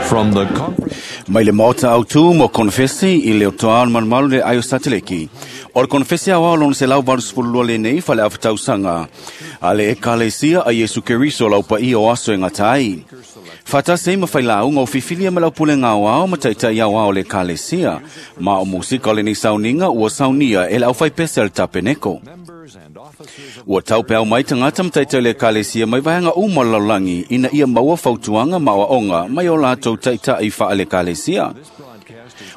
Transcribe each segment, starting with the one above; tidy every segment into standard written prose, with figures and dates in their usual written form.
From the conference. Mai le maota autu mo konfesi i le otoa o le malumalu le aio sateleki. O le konfesi au lona 182 lenei fale afatausaga a le Ekalesia a Iesu Keriso lau paia o aso e gata ai. Faatasi ai ma failauga o fifilia ma le aupulega aoao ma taitai aoao o le Ekalesia. Ma o musika o lenei sauniga ua saunia e le aufaipese a le Tapeneko. Ua taupeau mai tagata ma taitai o le Ekalesia mai vaega uma o le lalolagi ina ia maua fautuaga ma aoaoga mai o latou taitai faale-Ekalesia.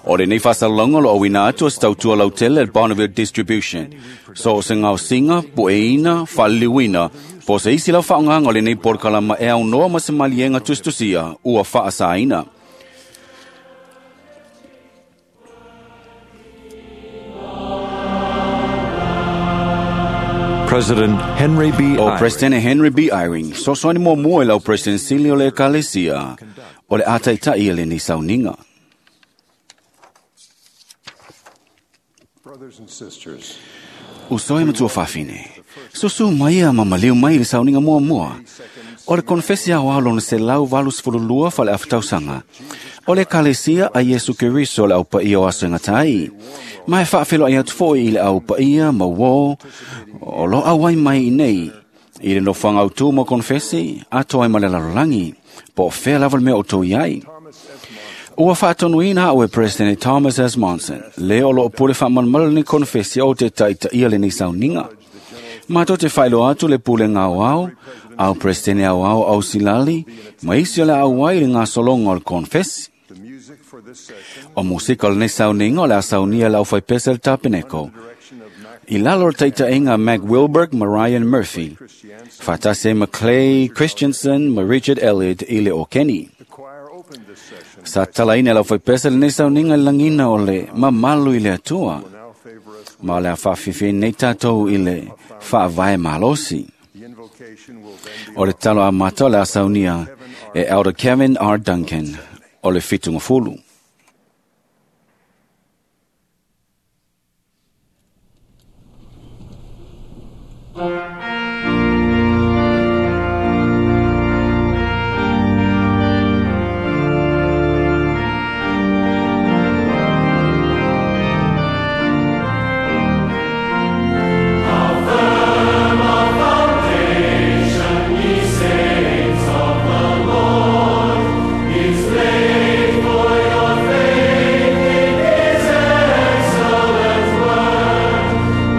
O lenei faasalalauga o lo o auina atu e se tautua lautele a le Bonneville Distribution. So o se gaosiga, pueina, faaliliuina, po o se isi lava faaaogaga o lenei polokalama e aunoa ma se maliega tusitusia ua faasaina. President Henry B. O Eyring. President Henry B. Eyring, sosoani muamua i lau President sili o le Ekalesia, o le a taitai e lenei sauniga. Brothers and sisters, Uso e matua fafine. Susu mai a mamaliu mai i le sauniga muamua. O le konfesi aoao lona 182 fale afatausaga. O le Ekalesia a Iesu Keriso le au paia o aso e gata ai. Ma e faafeiloai atu foi i le au paia ma uō o lo auai mai i nei. I le nofoaga autū mo konfesi, atoa ai ma le lalolagi. Po o fea lava le mea o tou i ai. Ua faatonuina au e President Thomas S. Monson, le o loo pule faamalumalu lenei konfesi o te taitaia lenei sauniga. Matou te faailoa atu le pulega aoao, au Presidente aoao au Silali, ma isi o le a auai i le gasologa o le konfesi. the music for this session, O musika o lenei sauniga o le a saunia e le aufaipese a le Tapeneko. direction of Mac I lalo o le taitaiga a Mac Wilberg ma Ryan Murphy, faatasi ai ma Clay Christensen ma Richard Elliott i le Okeni. The choir opened this session. Sa talaina e le aufaipese lenei sauniga i le lagiga o le mamalu i le Atua. Now favor us. Ma o le a faafiafi nei tatou i le faavae malosi. The invocation will then be O le talo amata o le a saunia e Elder Kevin R. Duncan o le 70.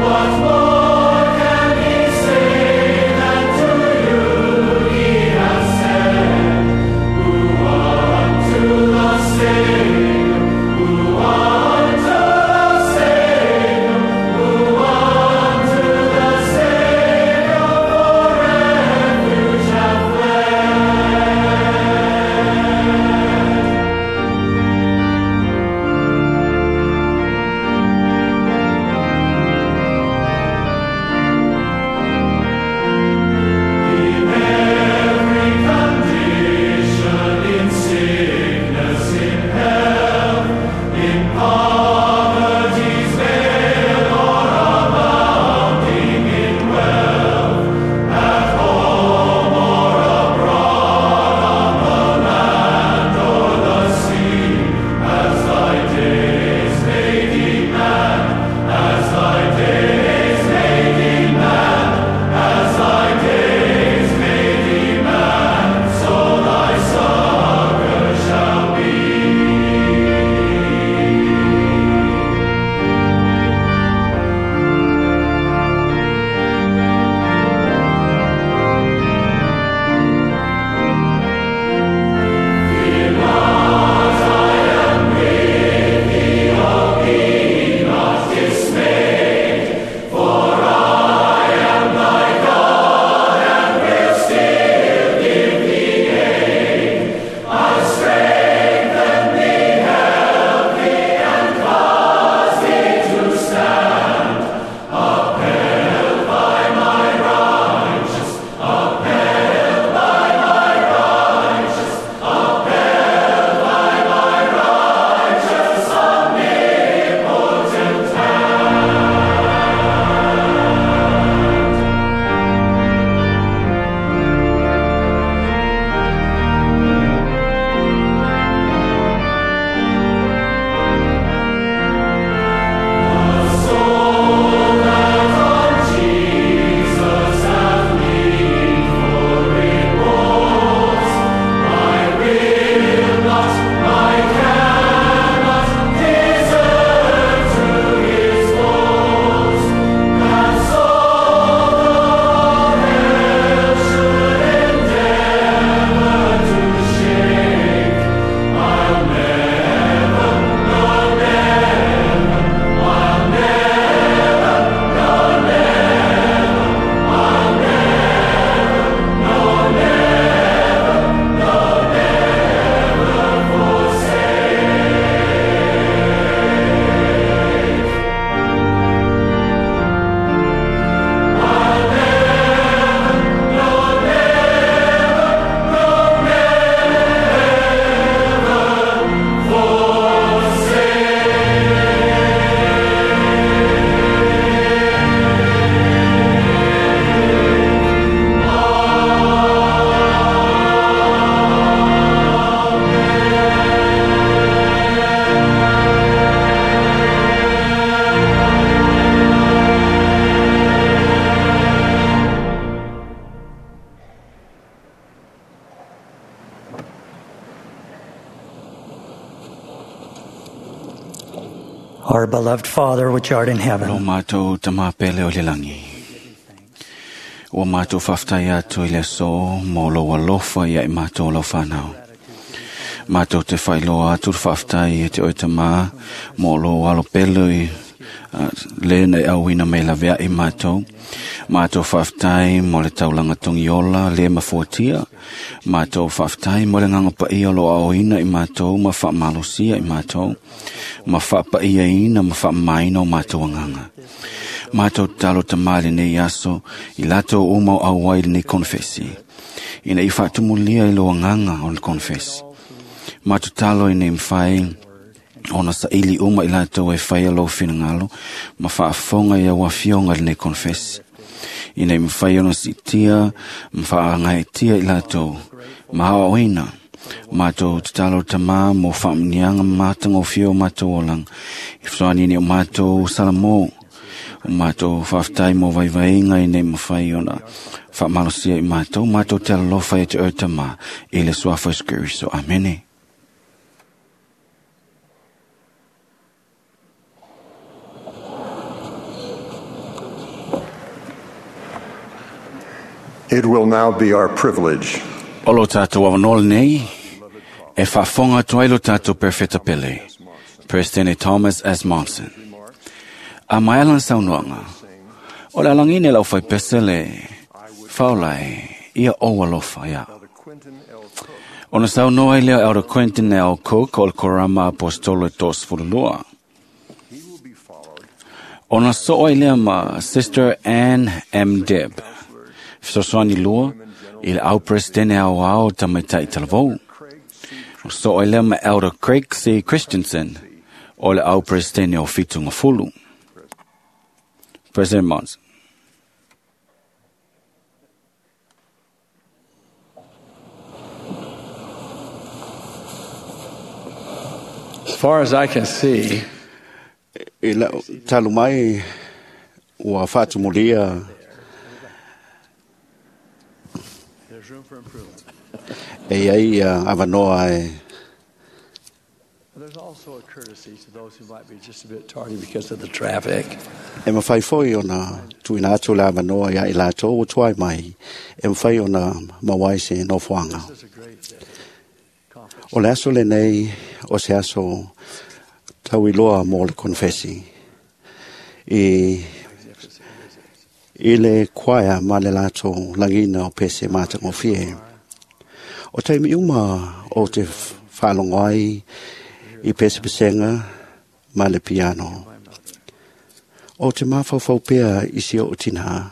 What more can be said? Our beloved Father, which art in Lo heaven, mātou tamapele o le langi. Ua mātou whaftai atu i le so mō lo alofa ia i mātou lau whanau. Mātou te whailoa atu le whaftai e te oe tamā mō lo alo pelo i le nei auina mai lavea i mātou. Mātou whaftai mō le taulanga tongi ola le mafuatia. Mātou whaftai mō le nganga paia lo aoina i mātou ma whaamalosia i mātou. Ma whaapaia ina ma whaamaina o mātou anganga. Mātou talo tamale nei aso i lato o mau au ai nei konfesi. Ina i whaatumulia i lo anganga o le konfesi. Mātou talo i nei mwhai ona sa ili uma i lato e whai lo whinangalo ma whaafonga i au afionga le nei konfesi. Ina i mwhai ona sitia ma whaangaitia i lato ma hao oina. Mātou te talo tamā mō whaamnianga mātanga o whio mātou olang. I whsoani ni o mātou salamo. O mātou whaftai mō vaivainga i nei mawhai ona whaamalosia i mātou. Mātou te alofa e te oetama i le suafa Yesu Keriso. Amene. It will now be our privilege O lo tātou awanol nei, e whaafonga atu ai lo tātou perfeta pele, President Thomas S. Monson. A mai alan saunoanga, o le alangine lau whai pese le whaolai ia o alofa ia. the Quentin L. Cook Ona saunoa i lea Elder Quentin L. Cook o le korama apostolo e tos fululua. He will be followed Ona soa i lea ma Sister Ann M. Deb. Fesoasoani lua i le au presidente au ao tamaitai talavou. Craig C. So i lea ma Elder Craig C. Christensen o le au presidente o Fitu Ngafulu. President Monson. As far as I can see, I lau talu mai ua whaatumulia there's room for improvement. e ai avanoa e There's also a courtesy to those who might be just a bit tardy because of the traffic. E mawhai foi ona tuina atu le avanoa ia i lātou o tuai mai e mawhai ona mawai se nofoanga. This is a great day. Conference. O le aso le nei o se aso tauiloa mō le konfesi. I, i le kwaia ma le lātou langina o pese mātangofie. O taimi uma o te whaalongo ai i pese pesenga ma le piano. O te mawhauwhau pea i si o tina.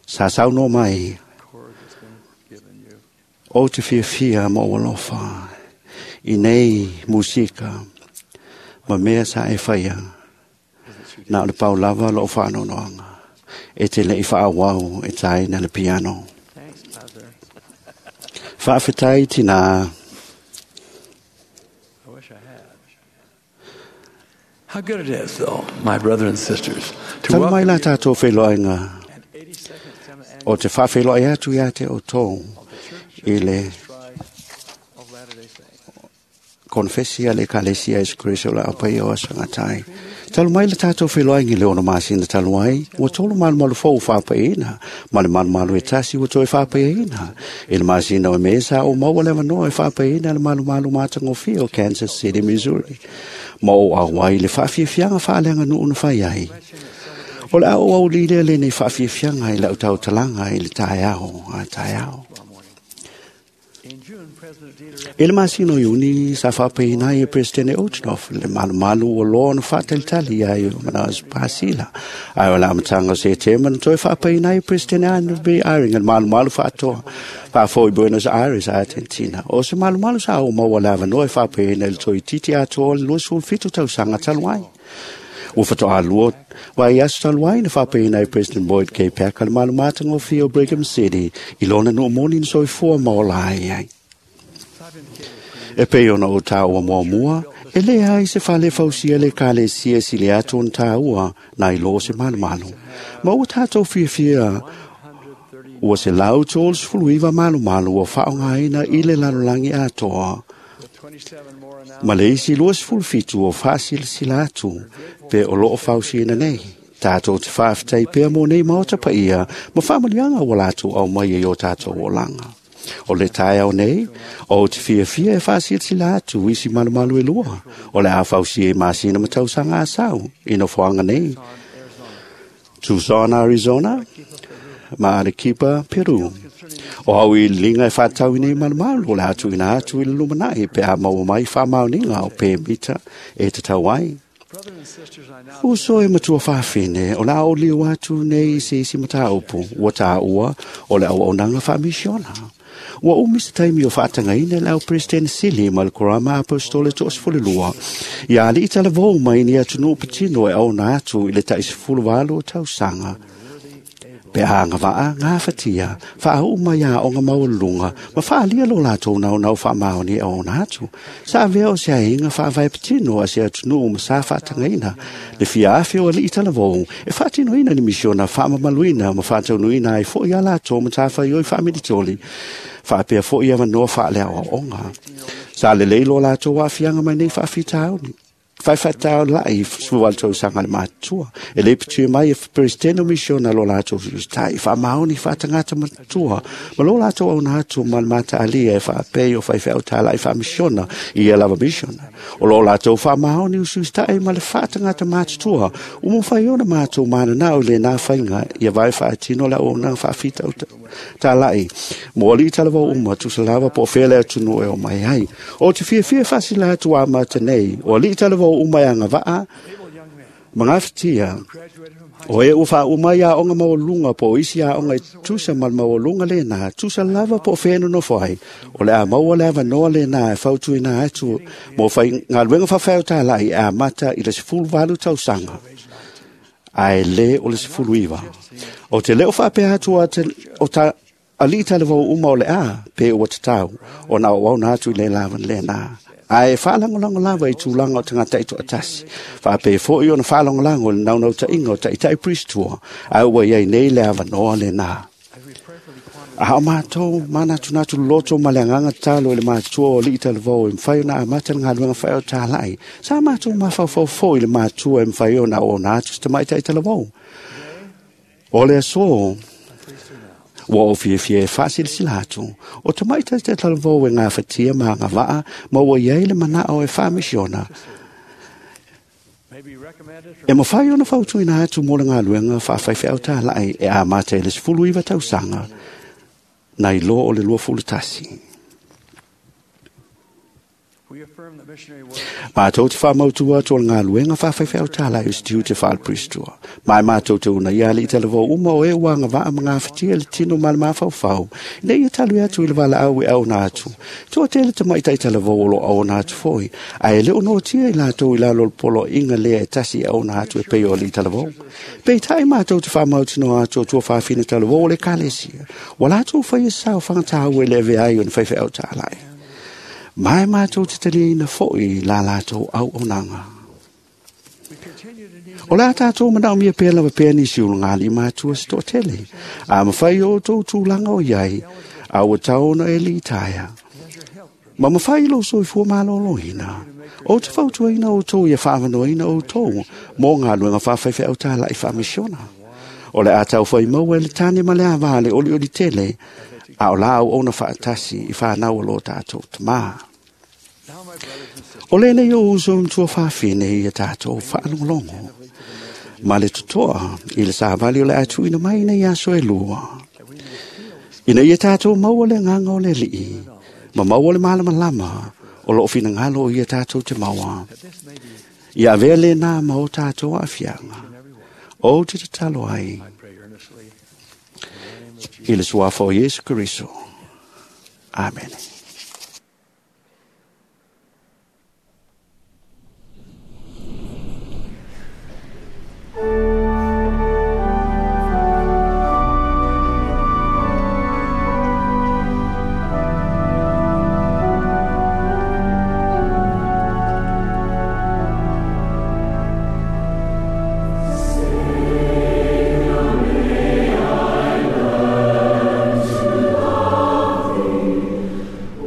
Sa sau no mai Chord that's been given you. o te whiawhia mo alofa i nei musika ma mea sa e whaia nā o le pau lava lo o whaanonoanga e te lei whaawau e tai na le piano. Thanks, Mother. Whaawhitai tina I wish I had. How good it is, though, my brothers and sisters, to Talu mai welcome la you tātou wheloainga and 82nd semi-annual o te whawheloa atu ia te o tō of the Church i of le Jesus Christ of Latter-day Saints. konfesia le kalesia Yesu Kristo la apai o asangatai. Talu mai le tātou wheloaingi le ono masina talu ai, ua tolu malu malu fou whāpaina, ma le malu malu e tasi ua toe whāpaina. I le masina o mesa o maua le wanoa e whāpaina le malu malu mātangofia o Kansas City, Missouri. Ma o au ai le whaafiafianga whaaleanga nuu na whai ai. O le au au li le nei whaafiafianga i lau tau talanga i le tae ao, a tae ao. In June, President Dieter F. I le masino iuni sa whapeina i e Presidente Ochnoff le malu malu o loa na whaatalitali ai o mana pasila. Ai o la matanga se te mana toi whapeina i Presidente Anne Eyring le malu malu whaatoa. Whaafo i Buenos Aires, Argentina. O se malu malu sa o maua lava noa e whapeina i le toi titi atoa le 27 tausaga talu ai. Ua whatoa lua wai aso talu ai na whapeina i President Boyd K. Packer le malu mātanga o Whio Brigham City i lona no moni na soifua maola ai ai. E pei ona o tāua mua mua, e le ai se whale fausia le kale sia si le atu on tāua nai lo se malu malu. Ma ua tātou whiawhia ua se lau tōl sfuluiva malu malu ua whaongaina i le lalolangi atoa. with 27 more Ma le isi 27 o faasilasila atu pe o loo fausiaina nei. Tātou te faafetai pea mo nei maota paia ma faamanuiaga ua latou aumai ai o tātou olaga. O le taeao nei, o te fiafia e faasilasila atu isi malumalu e lua, o le a fausia i masina ma tausaga a sau i nofoaga nei. Tucson, Arizona, ma Arequipa, Peru. O au i linga e whātau i nei malumalu o le atu ina atu i le lumanai pe a maua mai whamaoniga o pe mita e te tau ai. Uso e matua whawhine, o la o liu atu nei i se isi mataupu, ua tāua o le au aunanga whaamisiona. Ua umi se taimi o whaatangaina le au President Sili ma le Korama Apostole to 12. Ia ali i talavou mai ni atu patino e au na atu i le tai 18 o tausaga. Pe a ngā waa, ngā whatia, wha mai a o ngā maulunga, ma whaalia lo lātou nau nau wha maoni e ona atu. Sa avea o se ainga wha vai patino a se atu ma sa whaatangaina. Le fia awhi o ali i talavou, e whaatino ina ni misiona wha mamaluina ma whaataunuina ai fo i a lātou ma tāwhai oi whaamilitoli. Whaapea fo i awa noa whaalea o onga. Sa le leilo lātou waafianga mai nei whaafitauni. Whaiwhatau lai suwal sanga le matua. E le pitu mai e presidente misiona lo lātou tai wha maoni wha tangata matua. Ma lo lātou au nā atu ma le mata alia e wha pei o whaiwhau tā lai wha misiona i e lava misiona. O lo lātou wha maoni usustai ma le wha tangata matua. Umu whai ona mātou mana nau le nā whainga ia vai wha tino la o nā wha whita o tā lai. Mo ali talawa uma tusalava po whele atu no e o mai ai. O te fia fia whasila atu a mata nei. O ali talawa uma ia ngavaa mangawhitia o e uwha uma ia onga maulunga po isi ia onga i tusa mal maulunga le nā tusa lava po whenu no whai o le a maua le awa noa le nā e whautu i nā atu mo whai ngā luenga whawhau tā lai a mata i le 18 tausaga ai le o le 19 o te leo whapea atu a te o ta ali talavou uma o le a pe ua tatau o na o au nā atu i le lawan le nā. Ai whaalangolango lava i tūlanga o tangata i toatasi. Whaape fo i ona whaalangolango le naunau ta inga o ta itai pristua. Ai ua iai nei le awanoa le nā. A hao mātou, mānatu natu loto ma le anganga talo i le mātua o li i talavou e mwhai ona a mata le ngā luenga whai o tālai. Sa mātou mawhau fo i le mātua e mwhai ona o nā atu te mai tai talavou. O le aso, ua o fiafia e faasilasila atu o tamaitai te talavou e gafatia ma agavaa ma ua iai le manao e faamisiona. E mafai ona fautuina atu mo le galuega faafaifeau tālaʻi e amata i le 19 tausaga na iloa o le 21. Mātou te whamautua atu o le ngā whawhaiwhau tālai o stiu te whaal pristua. Mai mātou te una ia li talavou uma o e uanga waa ma ngā whitia le tino ma le mawhauwhau. Ina ia talu atu i le wala au e au nā atu. Tua tele te mai tai talavou o lo au nā atu foi. A e leo no tia i lātou i lalo polo inga lea e tasi au nā atu e pei o li talavou. Pei tai mātou te whamautino atu o tua whawhina talavou o le kalesia. Wa lātou whai e sao whangatau e lewe ai o na whaiwhau tālai. Mai mātou te taliina foi la lātou au onanga. O la tātou manao mia pēr lava pēr nisi o ngā li mātua se tō tele. A mawhai o tō tūlanga o iai, a ua taona e li taia. Ma mawhai lo soifua mālōlōina. O te whautuaina o tō ia whaawanoina o tō, mō ngā luenga whawhaiwhai au tāla i whamisiona. O le a tau whai maua e le tāne ma le awā le oli oli tele, a o la au ona whaatasi i whanau o lo tātou tamā. O le nei o uso mtua whawhine i a tātou whaalongolongo. Ma le tutoa i le sāwali o le atu ina mai nei aso e lua. Ina ia tātou maua le nganga o le lii, ma maua le malama lama o loo whinangalo o ia tātou te maua. Ia avea le nā ma o tātou awhianga. O te tatalo ai. I le suafa o Iesu Keriso. Amen. Sing, may I learn to love thee.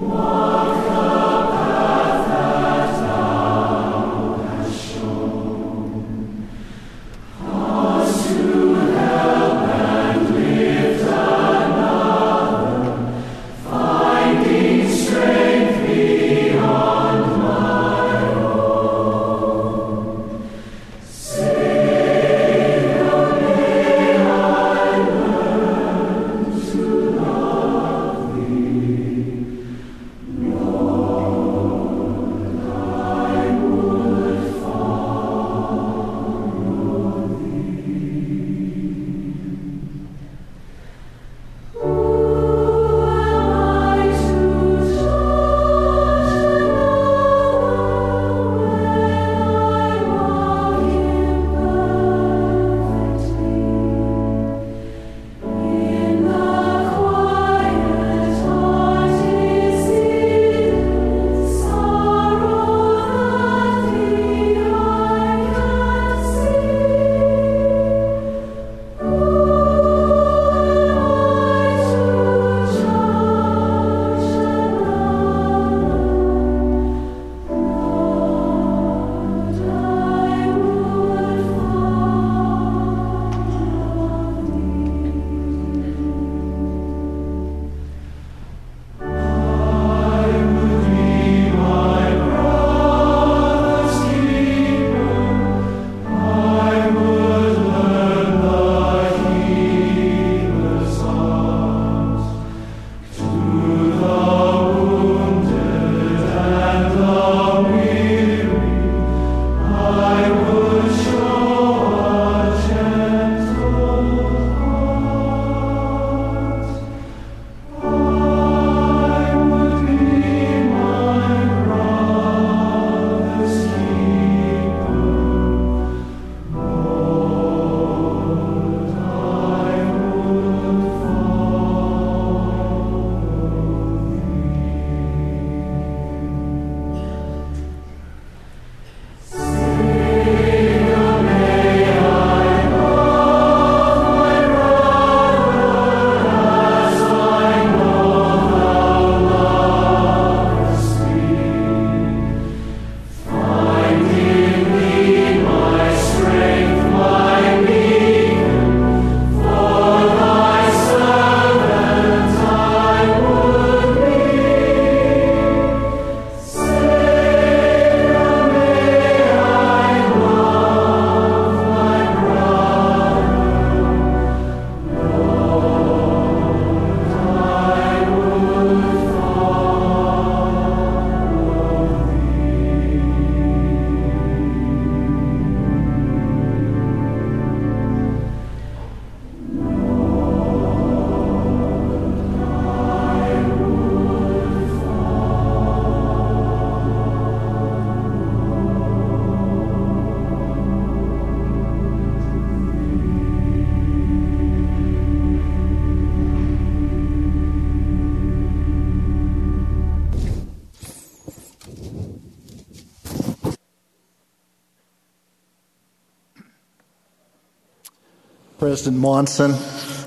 President Monson,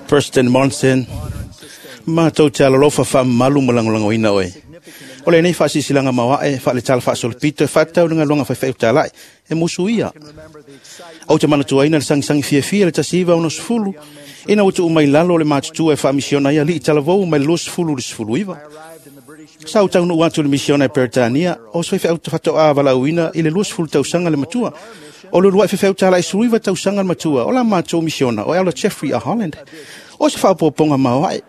President Monson, matou te alolofa faamamalu ma lagolagoina oe. O lenei faasisilaaga maoaʻe faale-tala faasolopito e faatatau le galuega faifeau e musuia. Ou te manatuaina le sagisagi fiafia le 1960 ina ua tuu mai lalo o le matutua e faamisiona ai alii talavou mai le 20 i le 19. Sa ou taunuu atu i le misiona e Peretania o se faifeau faatoā valaauina i le 20 tausaga le matua. O le uluai faifeau talaʻi 19 tausaga le matua o la matou misiona o Elder Jeffrey A. Holland. O se faaopoopoga maoaʻe.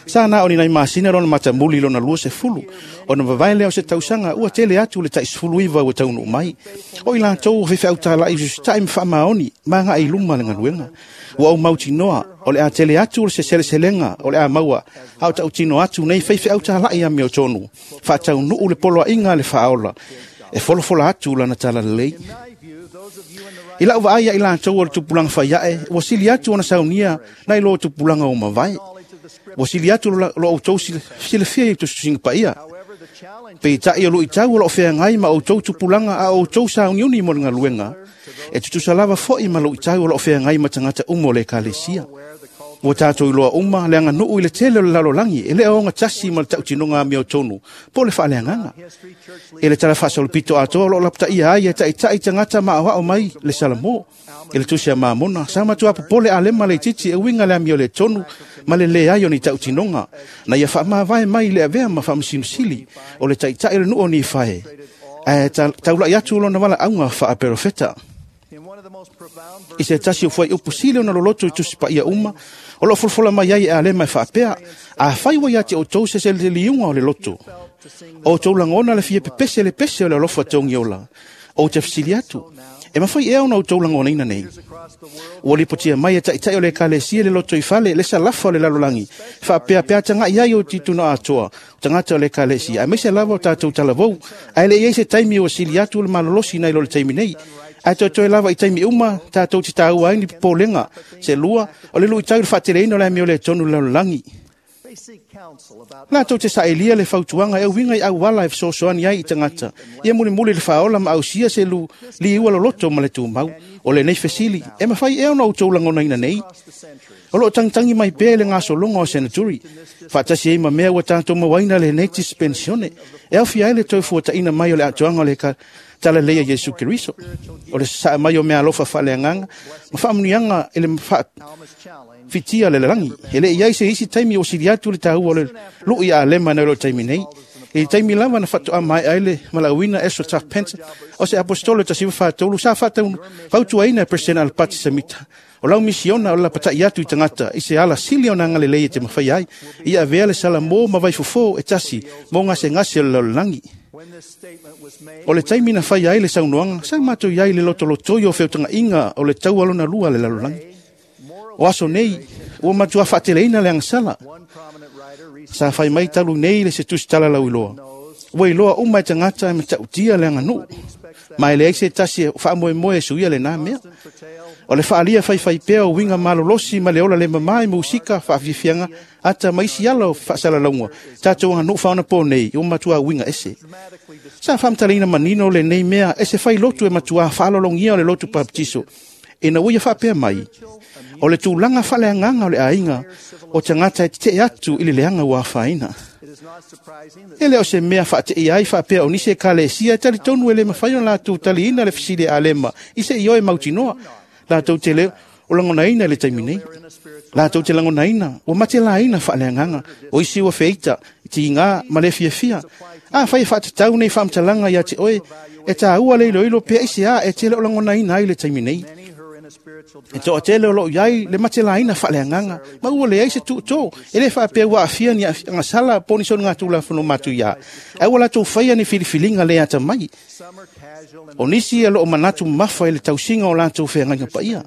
Sa na o ni nai masina lona matamuli lona 20, ona vavae lea o se tausaga ua tele atu le tai 19 ua taunuu mai. O i latou o faifeau talaʻi ususitaʻi ma faamaoni ma agai i luma le galuega. Ua ou mautinoa o le a tele atu le se seleselega o le a maua a o tautino atu nei faifeau talaʻi amiotonu, faataunuu le poloaiga a le faaola, e folafola atu lana talalelei. I lau vaai ia i latou o le tupulaga faiaʻe, ua sili atu ona saunia nai lo tupulaga o mavae. Ua sili atu lo outou silafia i tusitusiga paia. Peitai o luitau o loo feagai ma outou tupulaga a outou sauniuni mo le galuega, e tutusa lava foʻi ma luitau o loo feagai ma tagata uma o le ekalesia. Ua tatou iloa uma le aganuu i le tele o le lalolagi e le o ogatasi ma le tautinoga amiotonu po o le faaleagaga. E le tala faasolopito atoa o loo lapataia ai e taʻitaʻi tagata maaoao mai le Salamo. I le tusi a Mamona, sa matua popole Alema leititi e uiga le amio le tonu ma le leai o ni tautinoga, na ia faamavae mai i le avea ma faamasinosili o le taʻitaʻi o le nuu o Nifae, ae taulaʻi atu lona valaauga faaperofeta. I se tasi o fuaiupu sili ona loloto i tusi paia uma, o loo folafola mai ai e Alema e faapea, afai ua ia te outou se seleseliuga o le loto, o outou lagona le fia pepese le pese o le alofa togiola, ou te fesili atu, e mafai ea ona outou lagonaina nei. Ua lipotia mai e taʻitaʻi o le ekalesia le loto i fale le salafa o le lalolagi, faapea tagaʻi ai o tituna atoa, o tagata o le ekalesia, aemaise lava o tatou talavou, ae le i ai se taimi ua sili atu le malolosi nai lo le taimi nei. Ae toetoe lava i taimi uma tatou te taua ai ni popolega. Se lua, o le luitau i le faateleina o le amio le tonu le lalolagi. Latou te saelia le fautuaga e uiga i auala e fesoasoani ai i tagata, ia mulimuli le faaola ma ausia se liua loloto ma le tumau. O lenei fesili, e mafai ea ona outou lagonaina nei. O loo tagitagi mai pea i le gasologa o senaturi, faatasi ai ma mea ua tatou mauaina lenei dispensione, e aofia ai le toe fuataʻina mai o le atoaga o le talalei a Iesu Keriso. O le sasaa mai o mea alofa faaleagaga ma faamuniaga i le fitia le lalagi. E le i ai se isi taimi o sili atu le taua o le lui a Alema nai lo taimi nei. I taimi lava na faatoa mae'a ai le malauina Ezra Taft Benson, o se apostolo e 1943 sa fautauina e President Alapati Samita. O lau misiona o le lapataʻi atu i tagata i se ala sili ona agalelei e te mafai ai, ia avea le salamo ma vaifofō e tasi mo gasegase o le lalolagi. O le taimi na fai ai le saunoaga, sa matou iai le lotolotoi o feutagaʻiga o le taua lona lua le lalolagi. O aso nei, ua matua faateleina le agasala. Sa fai mai talu nei le se tusi talalau iloa. Ua iloa uma e tagata e matautia le aganuu. Ma e leai se tasi e faamoemoe e suia lenā mea. O le faalia faifai pea o uiga malolosi ma le ola le mamā i musika faafiafiaga ata ma isi ala o faasalalauga tatou aganuu faaonapō nei ua matua uiga ese. Sa faamatalaina manino lenei mea e se fai lotu e matuā faalologia o le lotu papatiso, ina ua ia faapea mai, o le tulaga faaleagaga o le aiga o tagata e tetee atu i le leaga ua afaina. E le o se mea faateia ai faapea o nisi ekalesia e talitonu e le mafai ona latou taliina le fesili a Alema i se ioe mautinoa. Latou te le o lagonaina i le taimi nei. Latou te lagonaina ua matelaina faaleagaga o isi ua feita, tigā ma le fiafia. Afai e faatatau nei faamatalaga ia te oe, e taua le iloilo pea i se a e tele o lagonaina ai le taimi nei. E toatele o loo iai le matelaina faaleagaga ma ua leai se tuutō, e lē faapea ua aafia ni aafiaga po o ni soligatulafono matuiā, ae ua latou faia ni filifiliga le atamai. O nisi e loo manatu mamafa i le tausiga o latou feagaiga paia.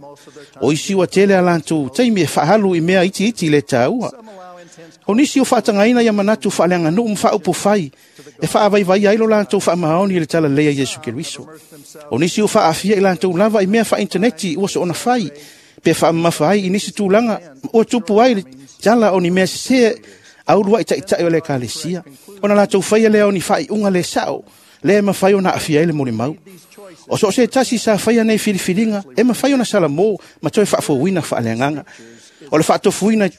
O isi ua tele a latou taimi e faahalu i mea itiiti le tāua. O nisi o faatagaina ia manatu faaleaganuu ma faaupufai e faavaivai ai lo latou faamaoni i le talalei a Iesu Keriso. O nisi o faaafia i latou lava i mea faaintaneti ua soona fai, pe faamamafa ai i nisi tulaga ua tupu ai le tala o ni mea sesē a uluaʻi taʻitaʻi o le ekalesia. Ona latou faia lea o ni faaiuga le sao. Lea e mafai ona aafia ai le molimau. O so o se tasi sa faia nei filifiliga e mafai ona salamo ma toe faafouina faaleagaga. O le faatofuina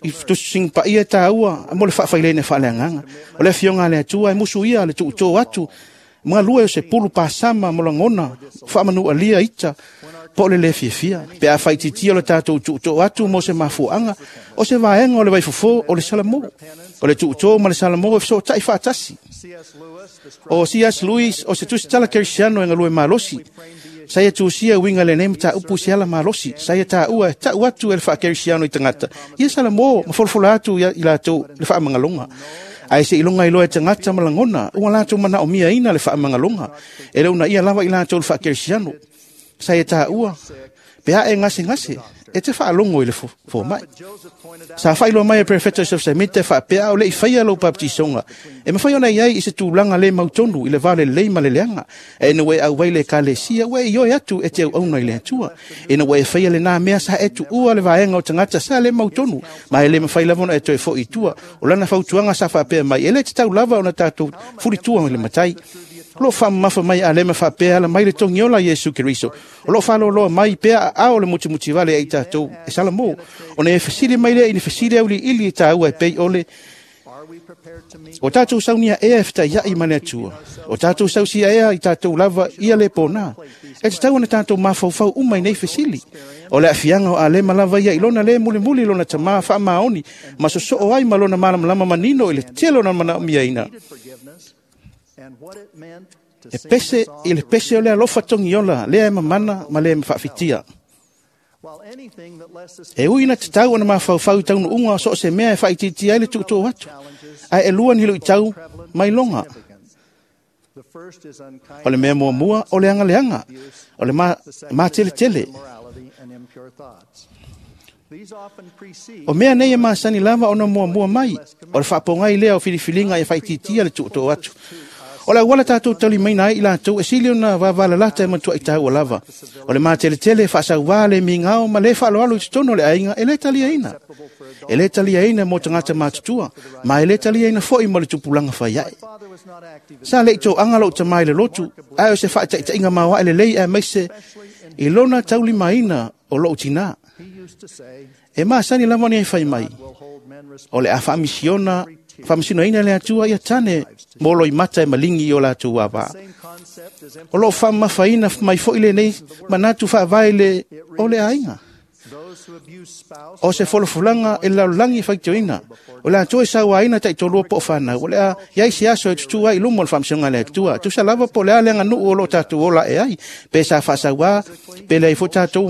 i tusiga paia e taua mo le faafaileina faaleagaga. O le afioga a le Atua e musu ia le tuutō atu ma galue o se pulu pasama mo lagona faamanualia ita po o le le fiafia. Pe a faitiitia o le tatou tuutō atu mo se mafuaaga, o se vaega o le vaifofo o le salamo. O le tuutō ma le salamo e fesootai faatasi. O C.S. Lewis o se tusitala kerisiano e galue malosi. Sa ia tusia uiga lenei mataupu se ala malosi. Sa ia taua e tau atu e le faakerisiano i tagata. Ia salamo ma folafola atu i latou le faamagaloga. Ae se iloga iloa e tagata ma lagona, ua latou manaomiaina le faamagaloga. E le uunaia lava i latou le faakerisiano. Sa ia taua, pe a e gasegase, e te faalogo i le fomai. Sa faailoa mai e Prefeta Joseph Smith e faapea o le i faia lou baptisoga. E mafai ona i ai i se tulaga le mautonu i le va lelei ma le leaga. E ina ua e auai le ekalesia, ua e ioe atu e te auauna i le Atua. Ina ua e faia lenā mea sa e tuua le vaega o tagata sa le mautonu, ma e le mafai lava ona e toe foi i tua. O lana fautuaga sa faapea mai, e le tatau lava ona tatou fulitua i le matai. O loo faamamafa mai a lema faapea ala mai le togiola Iesu Keriso. O loo faaloloa mai pea aao le mutimutivale ai tatou e salamo. Ona e fesili mai lea i ni fesili auliili e taua e pei ole. O tatou saunia ea e fetaiai ma le Atua. O tatou sausia ea i tatou lava ia le pona. E tatau ona tatou mafaufau uma i nei fesili. O le aafiaga o Alema lava ia i lona le mulimuli lona tamā faamaoni ma sosoo ai ma lona malamalama manino i le tele o na manaomiaina. E pese i le pese o le alofa togiola lea e mamana ma le faafitia. E ui ina tatau ona mafaufau i taunuuga o so o se mea e faaitiitia ai le tuutuu atu, ae e lua ni luitau mai loga. O le mea muamua o le agaleaga, o le mateletele. O mea nei e masani lava ona muamua mai, o le faapogai lea o filifiliga e faaitiitia le tuutuu atu. O le auala tatou taulimaina ai i latou e sili ona vavalalata e matuai taua lava. O le mateletele e faasauvā le migao ma le faaaloalo i totonu o le aiga e le taliaina. E le taliaina mo tagata matutua, ma e le taliaina foi mo le tupulaga faiae. Sa le i toaga lou tamā i le lotu, ae o se faataitaiga maoae lelei aemaise i lona taulimaina o lou tinā. E masani lava ona e fai mai, o le a faamasinoina le Atua ia tane mo loimata e maligi i o latou avā. O loo faamamafaina mai foi lenei manatu faavae le o le aiga. O se folafolaga e lalolagi faitioina. O le Atua e sauaina taitolua po o fanau. O le a iai se aso e tutu ai i luma o le faamasinoga a le Atua. Tusa lava po o le a le aganuu o loo tatou ola e ai. Pe sa faasauā, pe leai foi tatou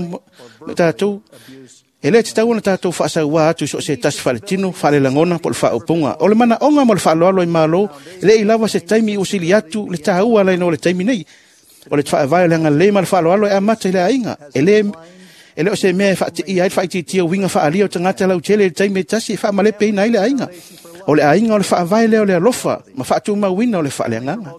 E le tatau ona tatou faasauā atu i so o se tasi faaletino, faalelagona po o le faaupuga. O le manaoga ma le faaaloalo i Malo, e le i lava se taimi ua sili atu le taua laina o le taimi nei. O le faavae o le agalelei ma le faaaloalo e amata i le aiga. E le o se mea e faateia ai le faaitiitia uiga faaalia o tagata lautele i le taimi e tasi e faamalepeina ai le aiga. O le aiga o le faavae lea o le alofa ma faatumauina o le faaleagaga.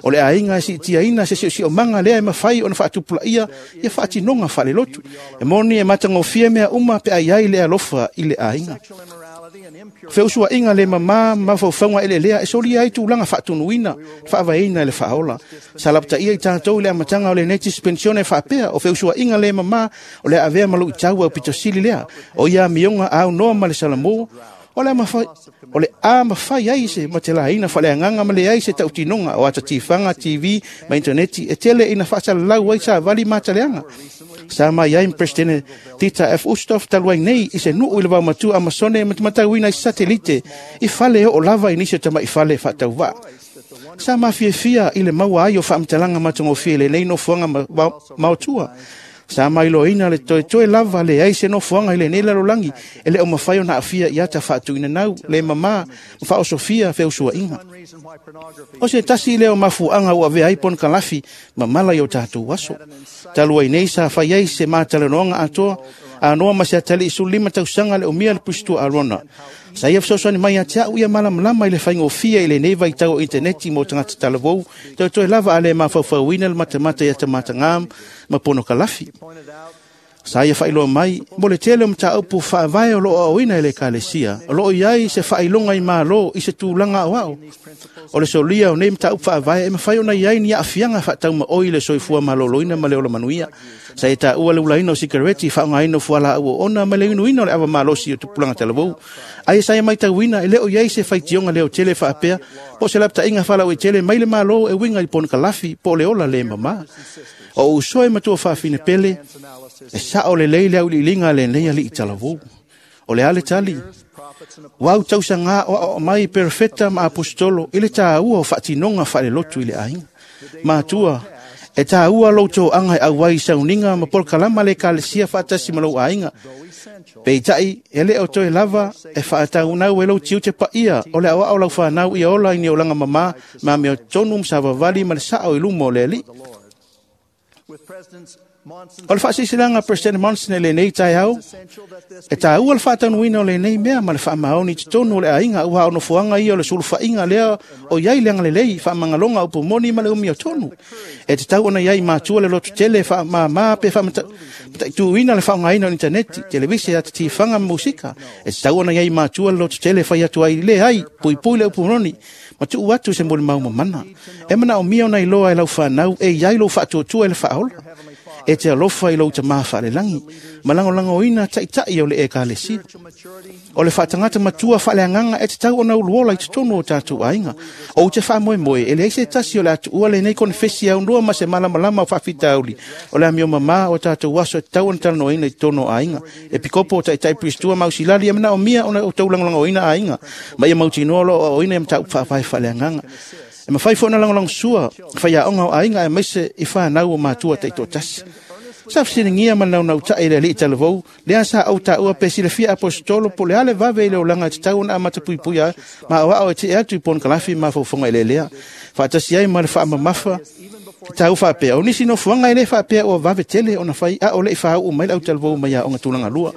O le aiga e siitiaina se siosiomaga lea e mafai ona faatupulaia ia faatinoga faalelotu. E moni e matagofie mea uma pe a i ai le alofa i le aiga. Feusuaiga le mamā ma mafaufauga eleelea e solia ai tulaga faatunuina, faavaeina e le faaola. Sa lapataia i tatou i le amataga o lenei dispensione e faapea o feusuaiga le mamā o le avea ma luitau au pitosili lea. O ia amioga aunoa ma le salamo, o le a mafai ai se matelaina faaleagaga ma leai se tautinoga o atatifaga TV ma intaneti e tele ina faasalalau ai savali ma ataleaga. Sa mai ai Presidente Tita F. Ustoff talu ai nei i se nuu i le vaomatua Amasone e matamatauina i satelite i fale oo lava i nisi o tama'i fale faatauvaa. Sa mafiafia i le maua ai o faamatalaga matagofie i lenei nofoaga maotua. Sa mailoaina le toetoe lava le ai se nofoaga i lenei lalolagi e le o mafai ona aafia i ata faatuina nau le mamā ma faaosofia feusuaiga. O se tasi lea o mafuaaga ua avea ai ponokalafi ma mala i o tatou aso. Talu ai nei sa fai ai se matalanoaga atoa anoa ma se atalii 15 tausaga le umia le pusitua Arona. Sa ia fesoasoani mai ia te au ia malamalama i le faigofie i lenei vaitau o intaneti mo tagata talavou, toetoe lava a le mafaufauina le matamata ia tamatagā ma ponokalafi. Sa ia faailoa mai, mo le tele o mataupu faavae o loo aoina e le ekalesia, o loo i ai se faailoga i Malo i se tulaga aoao. O le solia o nei mataupu faavae e mafai ona i ai ni aafiaga faataumaoi i le soifua malōlōina ma le ola manuia. Sa e taua le ulaina o sikareti, faaaogaina o fualaau oona ma le inuina o le ava malosi o tupulaga talavou. Ae sa e matauina e le o i ai se faitioga leotele faapea po o se lapataiga faalauaitele mai le Malo e uiga i ponokalafi po o le ola le mamā. O uso e matua faafine pele, e sao lelei le auiliiliga a lenei alii talavou. O le a le tali, ua tausaga o aoao mai perofeta ma apostolo i le tāua o faatinoga faalelotu i le aiga. Matua, e tāua lou toaga e auai i sauniga ma polokalama le ekalesia faatasi ma lou aiga. Peitai, e le o toe lava e faataunau e lou tiute paia o le aoao lau whanau i ola i ni olaga mamā ma mea tonu ma savavali ma le sao i luma o le Alii. O le faasisilanga President Monson e lenei taeao, e tāua le faataunuina o lenei mea ma le faamaoni i totonu o le aiga ua onofoaga ia o le sulufaiga lea o iai le agalelei, faamagaloga upu moni ma le umi o tonu. E tatau ona iai matua le lotu tele faamāmā pe faamataituina le faaaogaina o interneti, televise, ata tifaga ma musika. E tatau ona iai matua le lotu tele fai atu ai le ai, puipui le upu moni, ma tuu atu se molimau mamana. E manaomia ona iloa e lau whanau e iai lou faatuatua i le faaola. E te alofa i lou tamā faalelagi, ma lagolagoina taitai o le ekalesia. O le faatagata matua faaleagaga e tatau ona uluola i totonu o tatou aiga. Ou te faamoemoe e leai se tasi o le atuua lenei konefesi aunua ma se malamalama o faafitauli. O le amio mamā o tatou aso e tatau ona talanoaina i totonu o aiga. E pikopo o taitai pristua ma ausilali e manaomia ona outou lagolagoina aiga. Ma ia mautinoa lo aoaoina i mataupu faavae faaleagaga. E mafai foi ona lagolagosua faiaoga o aiga aemaise i fanau o matua taitoatasi. Sa fesiligia ma le naunautai i le alii talavou, lea sa ou taua pe silafia apostolo po o le a le vave i le olaga e tatau ona amata puipuia ma aoao e tee atu i ponokalafi ma mafaufauga eleelea. Faatasi ai ma le faamamafa tau faapea, o nisi nofoaga e le faapea ua vave tele ona fai a o le i faauu mai le autalavou mai aoga tulaga lua.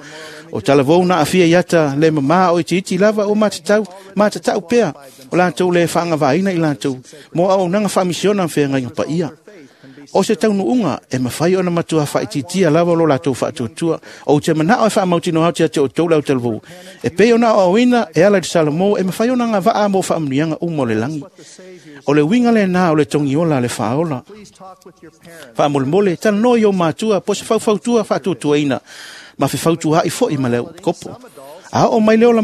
O talavou na aafia i ata le mamā o itiiti lava o matatau pea o latou le faagavaina i latou mo auaunaga faamisiona ma feagaiga paia. O se taunuuga e mafai ona matua faaitiitia lava lo latou faatuatua. Ou te manao e faamautinoa atu ia te outou le autalavou. E pei ona aoaoina e ala i le Salomo e mafai ona agavaa mo faamanuiaga uma o le lagi. O le uiga lenā o le togiola a le faaola. Faamolemole, talanoa i ou matua po o se faufautua faatuatuaina ma fefautuaai foi ma le kopo. A oo mai le ola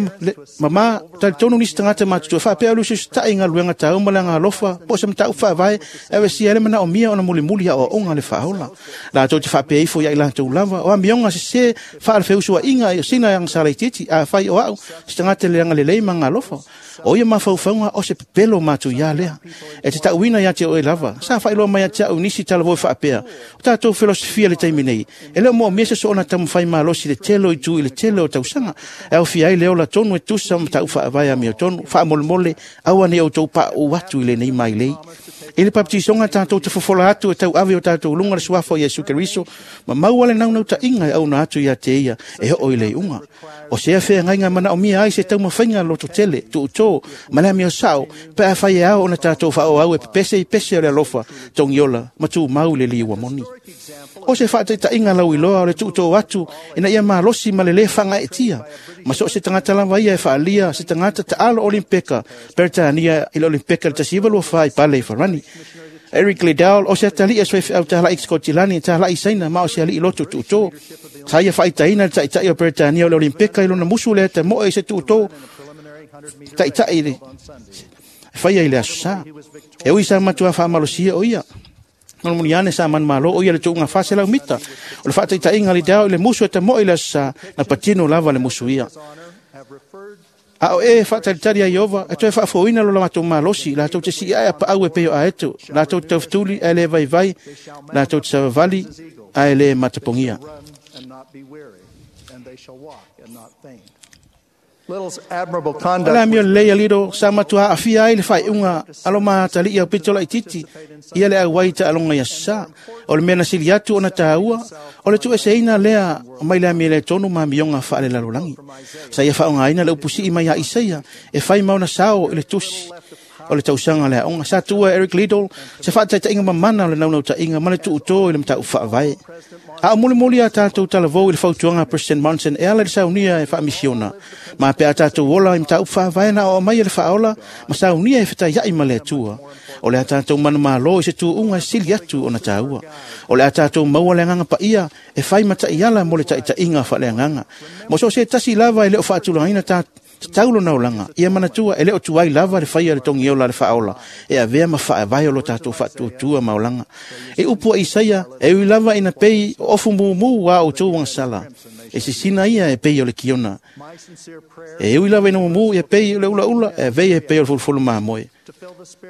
mamā, talitonu nisi tagata matutua faapea o le usiusitai i galuega tau ma le agalofa po o se mataupu faavae e avesia ai le manaomia ona mulimuli aoaoga le faaola. Latou te faapea ifo ia i latou lava, o amioga sesē faalefeusuaiga i sina agasala itiiti, afai o au se tagata le agalelei ma agalofa. O ia mafaufauga o se pepelo matuia lea. E te tauina ia te oe lava, sa faailoa mai ia te au nisi talavou faapea. O tatou filosofia le taimi nei, e le o moomia se soona taumafai malosi le tele o itu i le tele o tausaga. E aofia ai le ola tonu e tusa ma mataupu faavae amiotonu. Faamolemole, aua ne i outou pauu atu i lenei mailei. I le baptisoga tatou te fofola atu e tauave o tatou luga le suafa o Iesu Keriso, ma maua le naunautai e auna atu ia te ia e oo i le iuga. O sea feagaiga manaomia ai se taumafaiga loto tele, tuutō, ma le amio sao, pe afai e ao ona tatou faaauau e pepese i pese o le alofa, togiola, ma tumau i le liua moni. O se faataitaiga lauiloa o le tuutō atu ina ia malosi ma le lē faagaeetia, ma so o se tagata lava ia e faaalia se tagata taalo Olimpeka, Peretania i le Olimpeka i le 1924 i pale i Farani. Eric Liddell, o se atalii a soifeau talai i Skotilani, talai i Saina, ma o se alii loto tuutō. Sa ia faaitaina le taitai o Peretania o le Olimpeka i lona musu le atamoe i se tuutō taitai i le faia i le aso sa. E ui sa matua faamalosia o ia. Mulimuli ane sa manumalo o ia le tuuga 400 mita. O le faataitaiga Liddell i le musu e tamoe i le aso sa, na patino lava le musu ia. A o e faatalitali a Iova, e toe faafofoina lo latou malosi, latou te siiae a paau e pei o aeto, latou te taufetuli ae le vaivai, latou te savavali ae le matapogia. Little's admirable O conduct le amio lelei a Liddell sa matua aafia ai le faaiuga a lo matalii au pito laitiiti ia le auai i taaloga i aso sa. O le mea na sili atu ona tāua, o le tuueseina lea mai le amio le tonu ma amioga faalelalolagi. Sa ia faaaogaina le upusii mai ia Isaia e fai ma ona sao i le tusi. o le tausaga le aoga. Sa tuua Eric Liddell se faataitaiga mamana o le naunautaiga ma le tuutō i le mataupu faavae. A o mulimuli a tatou talavou i le fautuaga a President Monson e ala i le saunia e faamisiona. Ma pe a tatou ola i mataupu faavae na o mai e le faaola ma saunia e fetaiai ma le Atua. O le a tatou manumalo i se tuuga e sili atu ona taua. O le a tatou maua le agaga paia e fai mataiala mo le taitaiga faaleagaga. Mo so o se tasi lava e le o faatulagaina tatau lona olaga, ia manatua e le o tuai lava le faia le togiola le faaola e avea ma faavae o lo tatou faatuatua ma olaga. E upu a Isaia, e ui lava ina pei o ofu mumu a outou agasala, e sisina ia e pei o le kiona. E ui lava ina mumu ia pei o le ulaula, e avea e pei o le fulufulu mamoe.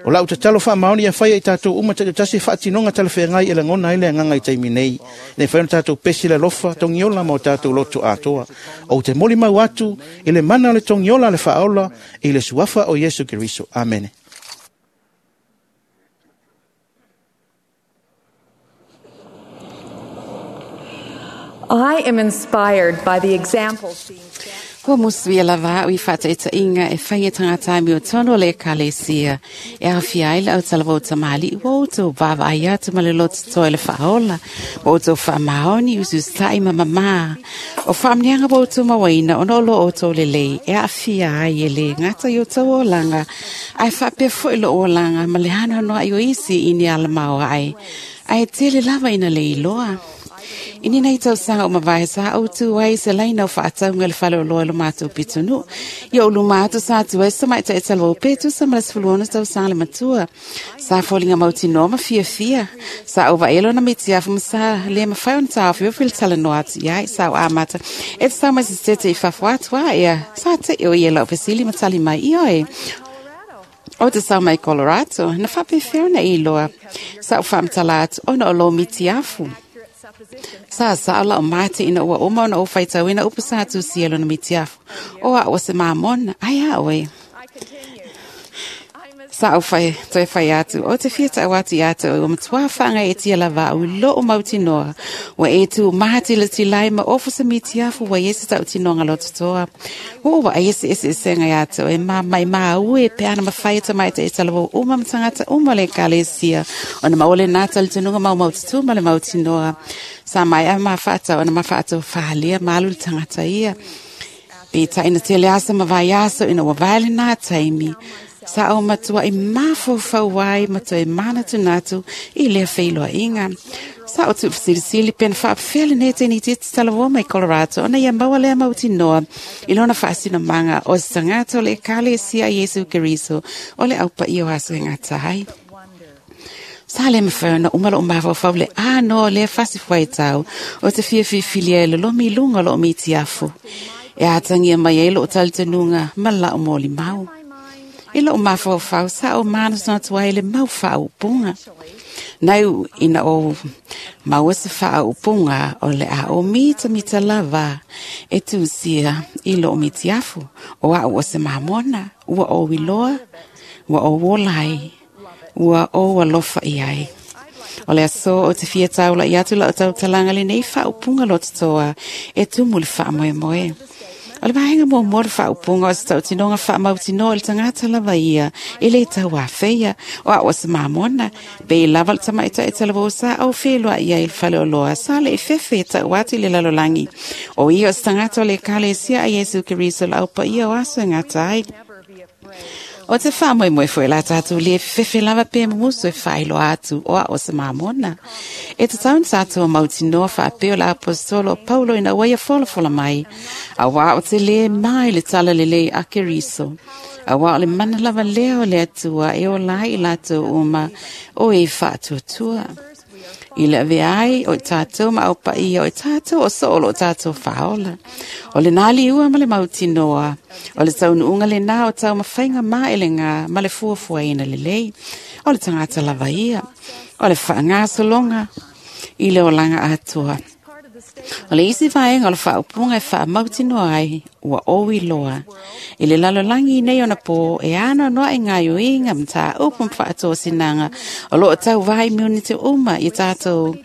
O lau tatalo faamaoni ia faia i tatou uma taitasi faatinoga talafeagai e lagona ai le agaga i taimi nei. Nei fai ona tatou pesi le alofa, togiola ma o tatou loto atoa. Ou te molimau atu i le mana o le togiola le faaola i le suafa o Iesu Keriso. Amene. I am inspired by the examples being set. Kua musuia lava au i whataitaiga e whai e tangata mi o tono le ekalesia. E awhia ai le au talavou tamali ua outou vaavaai atu ma le loto toa i le faaola. Ua outou faamaoni usiusitai ma mamā. O faamanuiaga ua outou mauaina ona o lo outou lelei e aafia ai e le gata i outou olaga ae faapea foi lou olaga ma le hanohanoai o isi i ni alamao ae. Ae tele lava ina le iloa. I nei tausaga o mavae sa au tu ai se laina o faatauga le fale o loa i lo matou pitonuu. Ia o luma atu sa atu ai se tamaitai talavou pe tusa ma le 16 tausaga le matua. Sa foliga mautinoa ma fiafia. Sa ou vaai lona mitiafu ma sa le mafai ona taofiofi le talanoa atu iai sa o amata. E te sau mai se tete i fafo atu a ea. Sa te o ia lau fesili ma tali mai i oe. O te sau mai Colorado, na faapefea ona e iloa. Sa ou faamatala atu ona o lou mitiafu. Sa sa la o mate ina ua uma ona o faitauina upu sa tusia lona mitiafu. O a o se mamona, ai a oe. Sa o whai, toe whai atu, o te fia tau atu i atu, o matua whanga e tia lava au lo o mautinoa. Ua e tu mahati le tilai ma ofu se mitiafu wa ese tau tinoga lo totoa. O wa ese ese ese ngai atu, e ma mai ma ue pe ana mawhai ta mai te e talawo uma matangata uma le kalesia. Ona maole nata le tunuga mau maututu ma le mautinoa. Sa mai a mawhata, ona mawhata whahalia malu le tangata ia. Pe taina tele asa ma vai aso ina ua vale nā taimi. Sa o matua i mafaufau ai matua e manatunatu i lea feiloaiga. Sa o tuufasilisili pena faapefea lenei teni titi talavua mai Colorado ona ia maua lea mautinoa i lona faasinomaga o se tagata o le ekalesia Iesu Keriso o le aupaia o aso e gata ai. Sa le mawhai ona uma loo mafaufau le ānoa lea fasifuaitau o te fiafiafilia e lolomi i luga o loo mitiafu. E atangia mai ai loo talitonuga ma lau molimau. I loo mafaufau sa o manatunatu ai le mau faaupuga. Nai ina o maua se faaupuga o le a o mitamita lava e tusia i loo mitiafu. O au o se mamona, ua o iloa, ua o olai, ua o alofa i ai. O le aso o te fia taula i atu lau tautalaga lenei faaupuga lototoa e tumu le faamoemoe. O le vaega muamua le faaupuga o se tautinoga faamautinoa i le tagata lava ia e le tauafeia o au o se mamona. Pe i lava le tamaitai talavou sa au feloai ai i le fale o loa sa le ifefe e tau atu i le lalolagi. O ia o se tagata o le ekalesia a Iesu Keriso le aupaia o aso e gata ai. O te whaamoemoe foi la tātou le fefe lava pe mumusu e whailoa atu o a o se mamona. E te taun tātou mautinoa whaapeo la apostolo Paulo ina ua ia folafola mai. A wā o te le mai le tala lelei a Keriso. A wā o le mana lava lea o le atua e o lai i lātou uma o e whaatuatua. I le ave ai o tātou ma au paia o tātou o soolo o tātou whaola. O le nā liua ma le mautinoa. O le taunuunga le nā o tau mawhainga mā ele ngā ma le fuafua ina lelei. O le tangata lava ia. O le whaangasolonga i le olanga atua. O le isi vaega o le faaupuga e faamautinoa ai ua ou iloa. I le lalolagi nei ona pō e anoanoai gaoioiga mataupu ma faatosinaga o loo tauvā i minute uma i tatou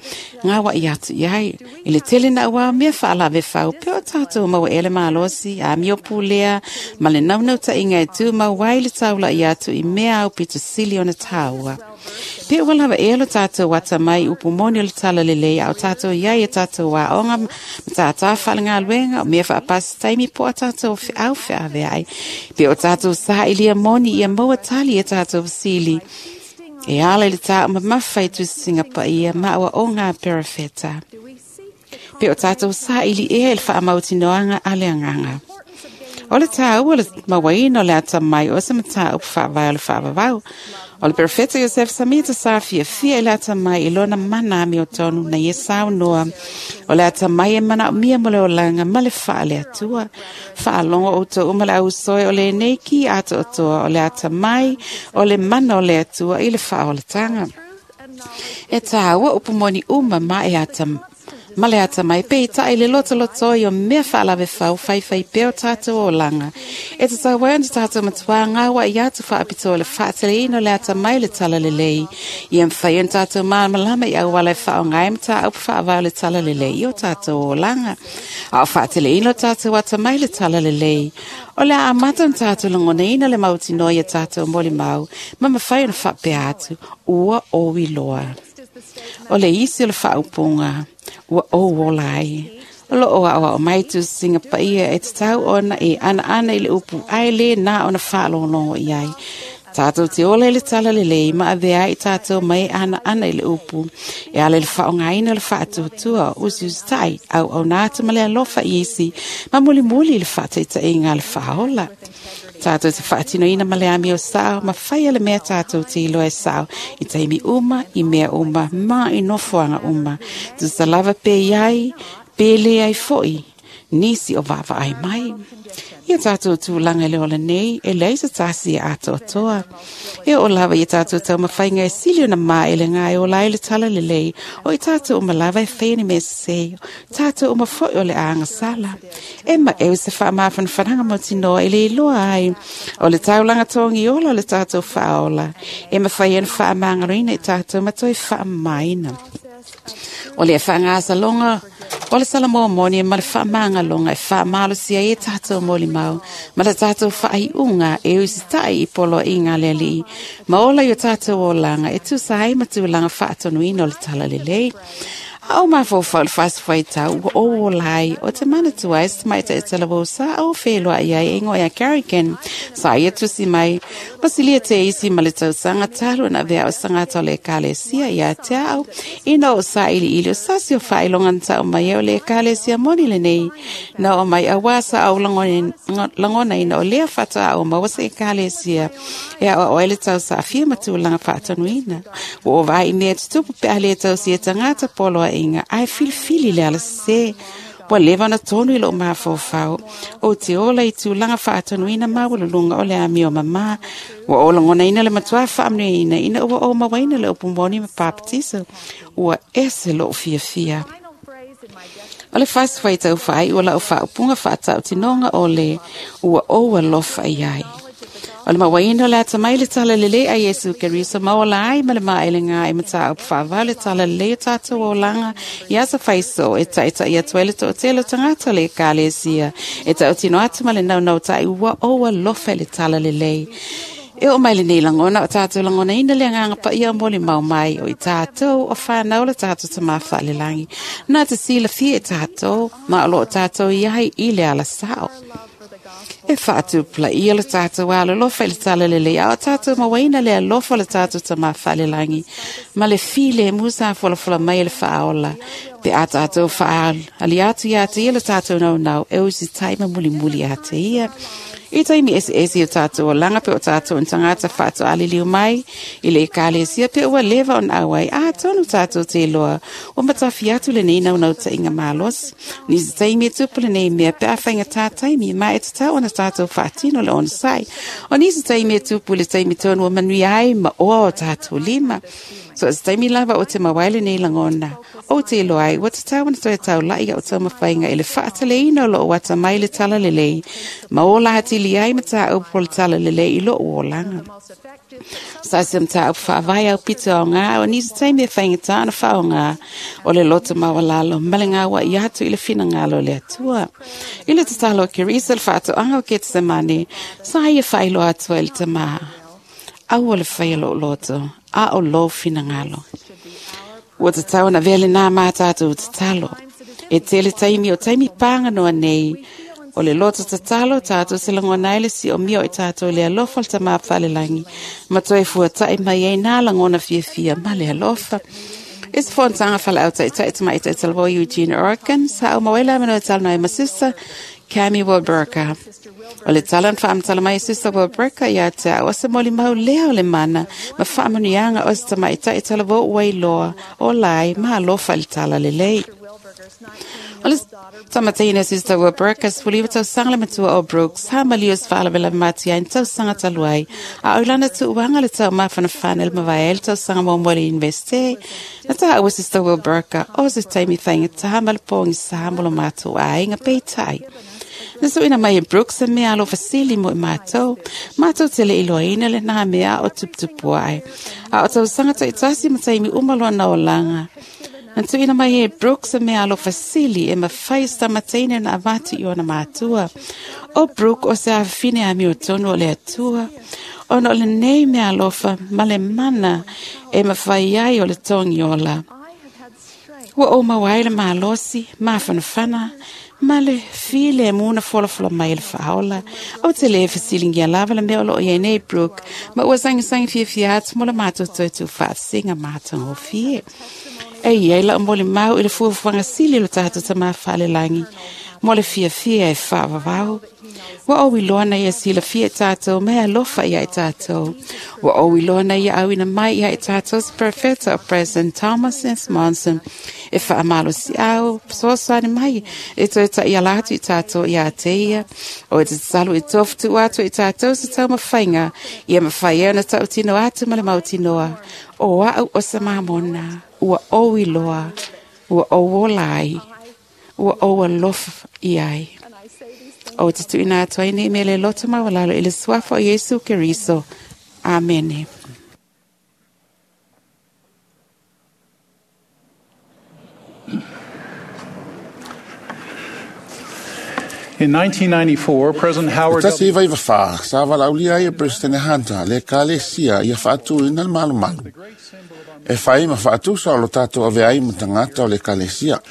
gaoaʻi atu i ai. I le tele na uā mea faalavefau pe o tatou maua ea le malosi, amio pulea ma le naunautaiga e tumau ai le taulaʻi atu i mea aupito sili ona tāua. Pe ua lava ea lo tātou atamai upu moni o le talalelei a o tātou iai e tātou aoga ma tātā faalegaluega o mea faapasi taimi po o tātou feau feaveai. Pe o tātou saʻilia moni ia maua tali e tātou fesili. E ala i le tā mamafa i tusiga paia ma ua o ngā perafeta. Pe o tātou saʻili ea i le faamautinoaga a le agaga. O le tāua le mauaina o le atamai o se mataupu faavae o le faavavau. O le perfeta Iosef Samita sa fiafia i le atamai i lona mana amiotonu na ia saunoa. O le atamai e manaomia mo le olaga ma le faaleatua. Faalogo outou uma le ausoe o lenei ki atoatoa o le atamai o le mana o le Atua i le faaolataga. E tāua upu moni uma ma e atamai ma le atamai peitai le lotolotoi o mea faalavefau faifai pea o tatou olaga. E tatau ai ona tatou matuā gaoaʻi atu faapitoa le faateleina o le atamai le talalelei. Ia mafai ona tatou malamalama i auala e faaaoga ai mataupu faavae o le talalelei i o tatou olaga. A o faateleina o tatou atamai le talalelei. O le a amata ona tatou lagonaina le mautinoa ia tatou molimau ma mafai ona faapea atu ua ou iloa. O le isi o le faaupuga ua ou ola ai. O loo aʻoaʻo mai tusiga paia e tatau ona e anaana i le upu ae lē na ona faalogologo i ai. Tatou te ola i le talalelei ma avea ai tatou mai e anaana i le upu. E ala i le faaaogaina o le faatuatua o usiusitai auauna atu ma le alofa i isi ma mulimuli i le faataitaiga a le faaola. Tātou te faatinoina ma le amio sao, ma whaia le mea tātou te iloa e sao, i taimi uma, i mea uma, ma i nofoaga uma. Tusa lava pe iai, pe le ai foi, nisi o vaavaai mai. Ia tātou tulaga i le ola nei, e leai se tasi e atoatoa. E oo lava ia tātou taumafaiga e sili ona maelega e ola ai le talalelei, o i tātou uma lava e faia ni mea sesē, tātou uma foi o le agasala. E maʻeu se faamafanafanaga mautinoa i le iloa ai o le taulaga togi ola o le tātou faaola. E mafai ona faamagaloina i tātou ma toe faamamaina. O le faagasaloga o le Salamoa moni ma le faamagaloga e faamalosia ai e tātou molimau ma le tātou faaiuga e usitai i poloaiga a le Alii ma ola i o tātou olaga e tusa ai ma tulaga faatonuina o le talalelei. A o mafaufau le fasifuaitau ua ou ola ai o te manatua ai se tamaitai talavou sa ou feloaʻi ai e igoa ia Carrigan sa ia tusi mai ma silia te isi ma le tausaga talu ona avea o sagata o le ekalesia ia te au ina o saʻiliʻili o sasi o faailoga na taʻu mai ai o le ekalesia moni lenei na oo mai auā sa ou lagonaina o lea faatoa ou maua se ekalesia e aʻoaʻo ai le tausaafia ma tulaga faatonuina. Ua ou vaai i mea tutupu pe a lē tausia e tagata poloaʻiga ae filifili le ala sesē. Ua leva ona tonu i lou mafaufau ou te ola i tulaga faatonuina maualuluga o le amio mamā. Ua ou lagonaina le matuā faamanuiaina ina ua ou mauaina le upu moni ma papatiso. Ua ese lou fiafia. O le fasifuaitau faaiʻu o lau faaupuga faatautinoga o le ua ou alofa i ai. O le mauaina o le atamai le talalelei a Iesu Keriso ma ola ai ma le maelega i mataupu faavae o le talalelei o tatou olaga i aso faiso e taʻitaʻi atu ai le toʻatele o tagata o le ekalesia e tautino atu ma le naunautaʻi ua ou alofa i le talalelei. E oo mai lenei lagona o tatou lagonaina le agaga paia o molimau mai o i tatou o whanau le tātou tamā faalelagi. Na te silafia e tātou, ma o loo tātou i ai i le ala sao. E faatupulaia le tātou alolofa i le talalelei a o tātou mauaina le alofa o le tātou tamā faalelagi ma le filemu sa folafola mai e le faaola. Pe a tātou faali atu ia te ia le tātou naunau e usitai ma mulimuli a te ia. I taimi eseese o tātou olaga pe o tātou ni tagata faatoaliliu mai i le ekalesia pe ua leva ona auai atonu tātou te iloa ua matafi atu lenei naunautaiga malosi. Nisi taimi e tupu lenei mea pe a faigatā taimi ma e tatau ona tātou faatino le onosai. O nisi taimi e tupu i le taimi tonu ua manuia ai ma oa o tātou lima. So se taimi lava o te mawaile nei lagona, o te iloa ai ua tatau ona toe taula'i a'u taumafaiga i le fa'ataleina o lo'u atamai le talalelei ma ola atili ai matāupu o le talalelei i lo'u olaga. Sa se mataupu fa'avae au pito aogā o nisi taimi e faigatā ona fa'aogā o le loto maualalo ma le gaua'i atu i le finagalo o le Atua. I le tatalo a Kerisa le fa'ato'aga o Ketsemane, sa ia fa'ailoa atu ai le tamā, aua le faia lo'u loto, a o lou finagalo. Ua tatau ona avea lenā mā tatou tatalo. E tele taimi o taimi pāganoa nei, o le loto tatalo tatou se lagona ai le si'omia o i tatou i le alofa o le tamā falelagi, ma toe fuata'i mai ai nā lagona fiafia ma le alofa. E se fonotaga fala'au ta'ita'i tamaʻitaʻi talavou Eugene, Oregon, sa au mauai le avanoa e talanoa ai ma Sister Cami Wilburka. O le tala na faamatala mai e Sister Wilburka ia te a'u o se molimau lea o le mana ma faamanuiaga o se tamaʻitaʻi talavou ua iloa o lai ma alofa i le talalelei. O le tamataiina Sister Wilburka 19 tausaga le matua o Brooks, sa maliu se faalavelave matia i ni tausaga talu ai, a o lana tuuaga le taumafanafana i le mavae ai le tausaga muamua i le Universite. Na taua Sister Wilburka o se taimi faigatā ma le pogisā mo lo matou aiga peitai. Na suʻuina mai e Brooks e mea alofa sili mo i matou, matou te le iloaina lenā mea o tuputupu ae. A o tausaga taʻitasi ma taimi uma lona olaga. Na tuuina mai e Brooks e mea alofa sili e mafai se tamataine na avatu i ona matua. O Brooke o se afafine amiotonu o le Atua, ona o lenei mea alofa ma le mana e mafai ai o le togiola. Ua ou maua ai le malosi, mafanafana, ma le filemu na folafola mai e le faaola. Ou te lē fesiligia lava le mea o loo iai nei Brooke, ma ua sagisagi fiafia atu mo le matou toe tuufaasiga matagofie. E iai la'u molimau i le fuafuaga sili o le tatou tamā faalelagi mo le fiafia e faavavau. Ua ou iloa na ia silafia i tatou ma e alofa ia i tatou. Ua ou iloa na ia auina mai ia i tatou se profeta o President Thomas S. Monson e faamalosi'au fesoasoani mai e toe taʻiala atu i tatou iā te ia. O e tatalo i tofutuʻu atu i tatou se taumafaiga ia mafai ai ona taʻutino atu ma le mautinoa o a'u o se mamona ua ou iloa, ua ou ola ai, ua ou alofa i ai. O te tuuina atu ai nei mea le loto maualalo i le suafa o Iesu Keriso. Amene. In 1994, President Howard W. 1994, sa valaaulia ai e President Hunter le Ekalesia ia faatuina le malumalu. E fai ma faatusa o lo tatou avea ai ma tagata o le Ekalesia.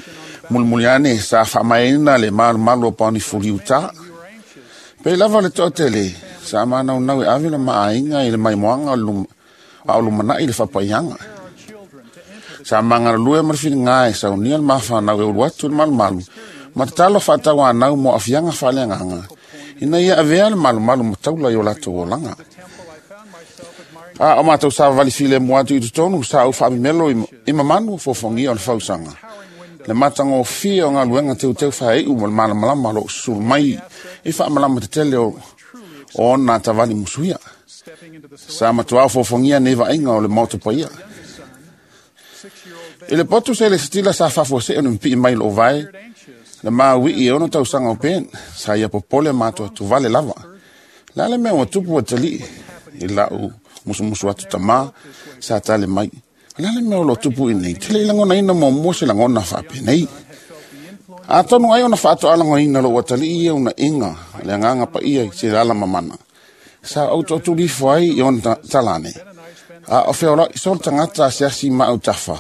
Mulimuli ane sa faamaeaina le malumalu o Paonifuli Utah. Pei lava o le toatele, sa manaunau e ave le maaiga i le maimoaga a o lumanaʻi le faapaiaga. Sa magalalue ma le filiga e saunia le mafanau e ulu atu i le malumalu ma tatalo faatauanau mo aafiaga faaleagaga ina ia avea le malumalu ma taula i o latou olaga. A o matou savavali filemu atu i totonu, sa ou faamemelo i mamanu o fofogia o le fausaga, le matagofie o galuega teuteu faaiu ma le malamalama o loo susulu mai i faamalama tetele o ona atavali musuia. Sa matuā o fofogia nei vaaiga o le maota paia. I le potu se le sitila sa faafuasei ona mipii mai loo vae le mauii e 6 tausaga o Ben, sa ia popole matoatuvale lava. Le a le mea ua tupu atalii i la'u musumusu atu tamā sa tale mai. O le a le mea o loo tupu i nei, te le i lagonaina muamua se lagona faapenei. Atonu ai ona faatoalagoina lou atalii ia unaiga le agaga paia i se lala mamana. Sa ou toatulifo ai i ona talane. A o feolaʻi so le tagata asiasi ma autafa.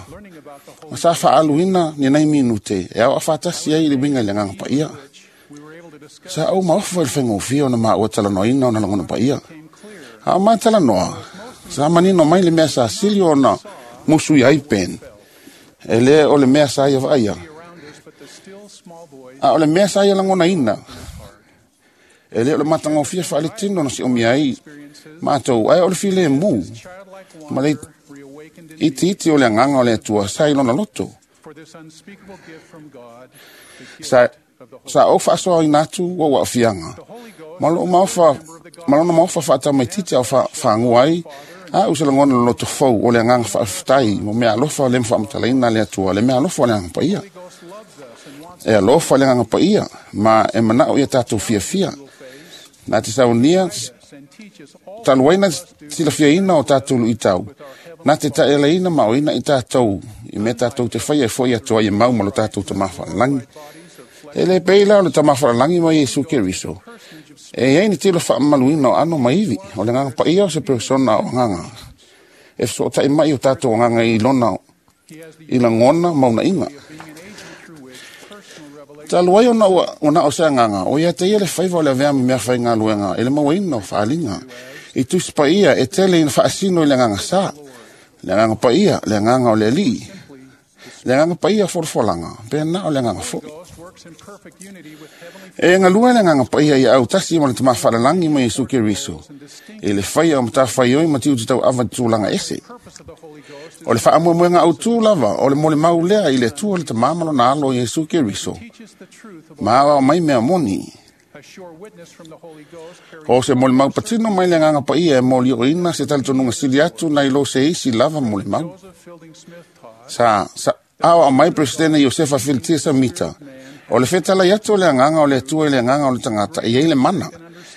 Ma sa faaaluina ni nai minute e ao afatasi ai i le uiga i le agaga paia. Sa ou maofa i le faigofie ona maua talanoaina ona lagona paia. A o matalanoa, sa manino mai le mea sa sili ona musu i ai Ben. E lē o le mea sa ia vaaia. A o le mea sa ia lagonaina, e lē o le matagofie faaletino na siomia ai matou, ae o le filemu ma le itiiti o le agaga o le Atua sa i lona loto. Sa ou faasoaina atu ou aafiaga ma loo maofa ma lona maofa faatamaititi ao faagua ai A u se lagona loloto fou o le agaga faafetai mo mea alofa le mafaamatalaina le Atua, le mea alofa o le agaga paia. E alofa le agaga paia, ma e manao ia tatou fiafia. Na te saunia, talu ai na silafiaina o tatou luitau, na te taʻialaina ma oina i tatou, i mea tatou te faia e foʻi atu ai e mau ma lo tatou Tamā Faalelagi. E le pei la o le Tamā Faalelagi ma Iesu Keriso. E iai ni tilo faamamaluina o ano ma ivi, o le agaga paia o se persona o agaga. E fesootaʻi mai o tatou agaga i lona i lagona ma unaiga. Talu ai ona ua ona o se agaga, o ia te ia le faiva o le avea ma mea faigaluega e le mauaina o faaaliga. I tusi paia e tele ina faasino i le agaga sa, le agaga paia, le agaga o le alii, le agaga paia folafolaga, pe na o le agaga foʻi. E galue le agaga paia ia autasi ma le Tamā Faalelagi ma Iesu Keriso, i le faia o matafaioi ma tiute tauava i tulaga ese. O le faamoemoega autū lava o le molimau lea i le Atua le Tamā ma lona alo Iesu Keriso, ma aoao mai mea moni. O se molimau patino mai le agaga paia e molioina se talitonuga sili atu nai lo se isi lava molimau. Sa aoao mai Peresetene Iosefa Filitia Samita, o le fetalai atu o le agaga o le Atua i le agaga o le tagata e iai le mana,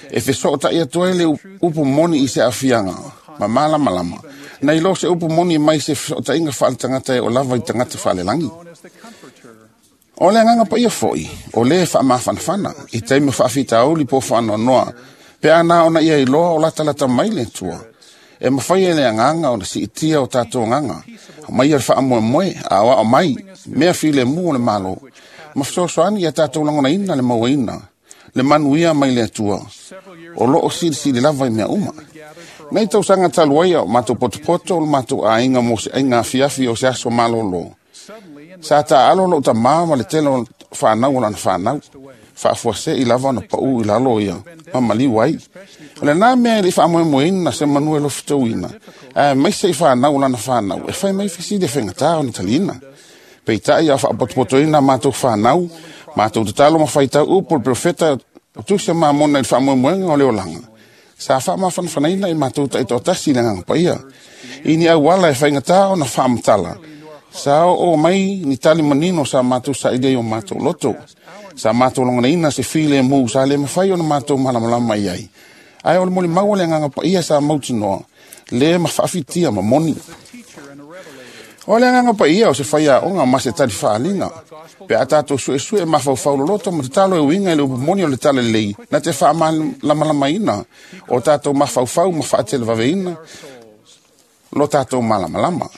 e fesootaʻi atu ai le upu moni i se aafiaga ma malamalama, nai lo se upu moni mai se fesootaʻiga faaletagata e o lava i tagata faalelagi. O le agaga paia foʻi, o lē faamafanafana, i taimi o faafitauli po o faanoanoa, pe ana ona ia iloa o latalata mai le Atua. E mafai e le agaga ona siitia o tatou agaga, mai ia le faamoemoe, aoao mai, mea filemu o le Malo, ma fesoasoani ia tatou lagonaina le mauaina, le manuia mai le Atua, o loo silisili lava i mea uma. Nei tausaga talu ai o matou potopoto o le matou aiga mo se aiga afiafi o se aso malōlō. Sa taalo lou tamā ma le tele o whanau o lana whanau. Faafuasei lava ona pau i lalo ia, ma maliu ai. O le nā mea i le faamoemoeina se manu e lofitauina, ae maise i whanau o lana whanau, e fai mai fesili e faigata ona taliina. Peitai a faapotopotoina matou whanau, matou tatalo ma faitau upu o le profeta o tusi mamona i le faamoemoega o le olaga. Sa faamafanafanaina i matou taitoatasi i le agaga paia. I ni auala e faigata ona faamatala, sa oo mai ni tali manino sa matou sailia i o matou loto. Sa matou lagonaina se filemu sa le mafai ona matou malamalama i ai. Ae o le molimau o le agaga paia sa mautinoa, le ma faafitia ma moni. O le agaga paia o se faiaoga ma se tali faaliga. Pe a tatou suesue mafaufau loloto ma tatalo e uiga i le upu moni o le talalelei, na te faamalamalamaina o tatou mafaufau ma faatelevaveina lo tatou malamalama.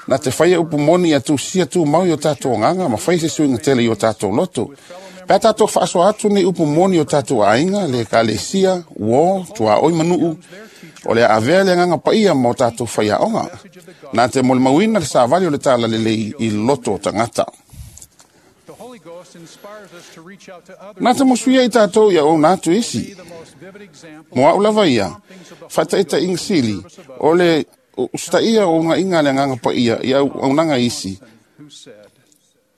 Na te faia upu moni ia tusia tumau i o tatou agaga ma fai se suiga tele i o tatou loto. Pe a tatou faasoa atu nei upu moni o tatou aiga, le ekalesia, uō, tuaoi ma nuu, o le avea le agaga paia ma o tatou faiaoga. Na te molimauina le savali o le talalelei i loto o tagata. Na te mosuia i tatou ia ouna atu isi. Mo au lava ia, faataitaiga sili, o le usitaia o ugaiga le agaga paia i auaunaga isi.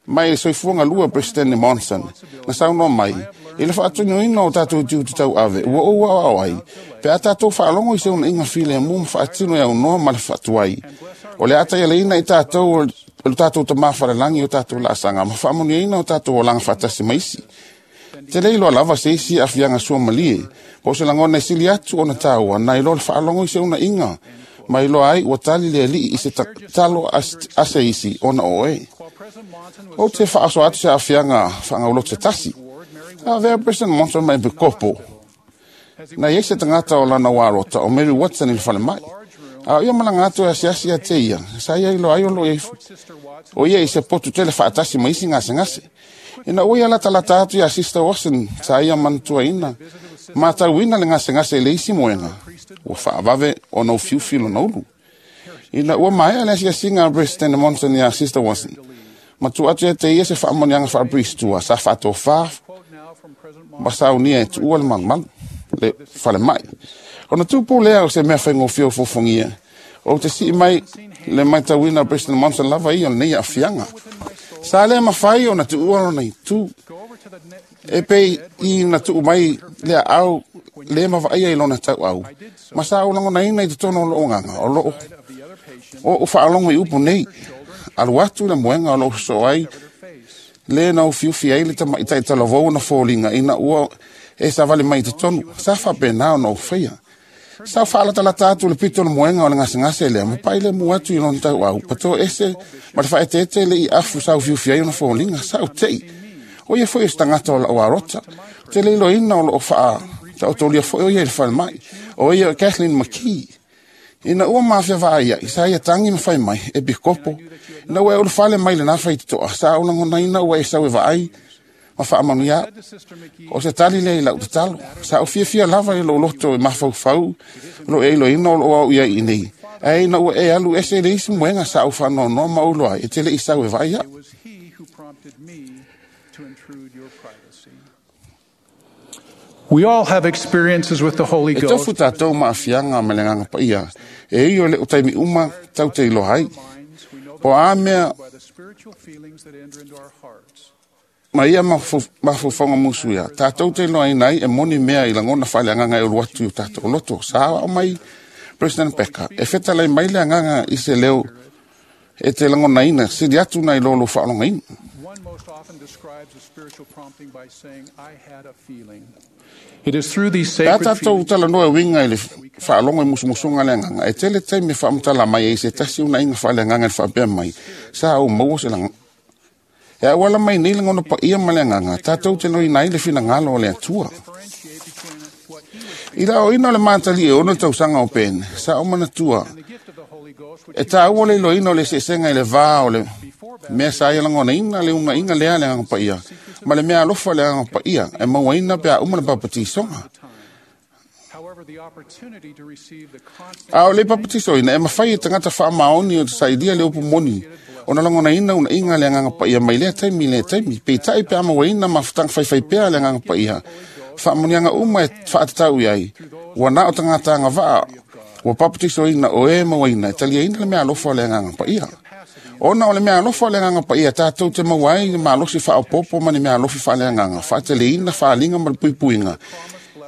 Mai le soifuaga lua Presidente Monson, na saunoa mai, i le faatunuina o tatou tiute tauave, ua ou aoao ai, pe a tatou faalogo i se unaiga filemu ma faatino e aunoa ma le faatuai. O le ataialaina i tatou o le tatou Tamā Falelagi o tatou laasaga ma faamanuiaina o tatou olaga faatasi ma isi. Te le iloa lava se isi aafiaga suamalie, po o se lagona e sili atu ona taua, nai lo le faalogo i se unaiga, ma iloa ai ua tali le alii i se talo a se isi ona o oe. O te faasoa atu se aafiaga faagauloto se tasi. A vea President Monson mai pikopo. Na iai se tagata o lana uarota o Mary Watson i le falemai. A o ia malaga atu e asiasi ia te ia, sa ia iloa ai o lo o ia i se potu tele faatasi ma isi gasegase. Ina ua ia latalata atu ia Sister Watson, sa ia manatuaina, matauina le gasegase i le isi moega, ua faavave ona ufiufi lona ulu. Ina ua maea le asiasiga a President Monson ia Sister Watson, ma tuu atu ia te ia se faamanuiaga faapiristua sa faatofā ma saunia e tuua le malumalu le falemai. Ona tupu lea o se mea faigofie o fofogia, o te sii mai le matauina o President Monson lava ia o lenei aafiaga. Sa le mafai ona tuua lona itu, e pei i na tuu mai le aao le mavaia i lona tauau, ma sa ou lagonaina i totonu o lou agaga, o loo o faalogo i upu nei, alu atu le moega o lou sosoo ai, le na ufiufi ai le tamaʻitai talavou ona foliga ina ua e savali mai i totonu, sa faapena ona ou faia. Sa ou faalatalata atu le pito o le moega o le gasegase lea, ma pai le mu atu i lona tauau, pato ese ma le faaeteete le i afu sa ufiufi ai ona foliga, sa ou teʻi. O ia foi o se tagata o lau arota. Te le iloaina o loo faa taotolia foi o ia i le falemai. O ia o Kathleen McKee. Ina ua mafia vaai ai, sa ia tangi ma fai mai, e pikopo. Ina ua e ulufale mai lena faitotoa, sa ou lagonaina ua e sau e vaai, ma faamanuia. O se tali lea i lau tatalo. Sa ou fiafia lava i lou loto e mafaufau, o loo e iloaina o loo au i ai i nei. Ae ina ua e alu ese le isi moega sa ou faanoanoa ma ou iloa ai, e te le i sau e vaai au. We all have experiences with the Holy E Ghost. tofu tātou maafiaga ma le agaga paia, e ui o le o taimi uma tau te iloa ai. Po a mea ma ia mafaufauga musu ia, tātou te iloaina ai e moni mea i lagona faaleagaga e ulu atu i o tātou loto. Sa ao mai President Becker, e fetalai mai le agaga i se leo e te lagonaina, sili atu nai lo lou faalogogaina. One most often describes a spiritual prompting by saying, I had a feeling. It is through these Pe a sacred tātou feelings talanoa e uiga i le faalogo i musumusuga le agaga, e tele taimi e faamatala mai ai se tasi unaiga faaleagaga i le faapea mai, sa ou maua se laga. E auala mai nei lagona paia ma le agaga, tātou te loina ai le finagalo o le Atua. I la oina o le matali e ono tausaga o pene, sa o manatua, e tāua le iloaina o le eseesega i le vā o le mea sa ia lagonaina le unaiga lea le agaga paia, ma le mea alofa le agaga paia, e mauaina pe a uma le papatisoga. However, the opportunity to receive the constant A o le papatisoina, e mafai e tagata faamaoni o te sailia le upu moni, ona lagonaina unaiga le agaga paia mai lea taimi i lea taimi, peitai pe a mauaina mafutaga faifaipea le agaga paia, faamanuiaga uma e faatatau i ai, ua na o tagata agavaa, ua papatisoina o e mauaina e taliaina le mea alofa o le agaga paia. Ona o le mea alofa o le agaga paia, tātou te maua ai le malosi faaopoopo ma ni mea alofi faaleagaga, faateleina faaliga ma le puipuiga,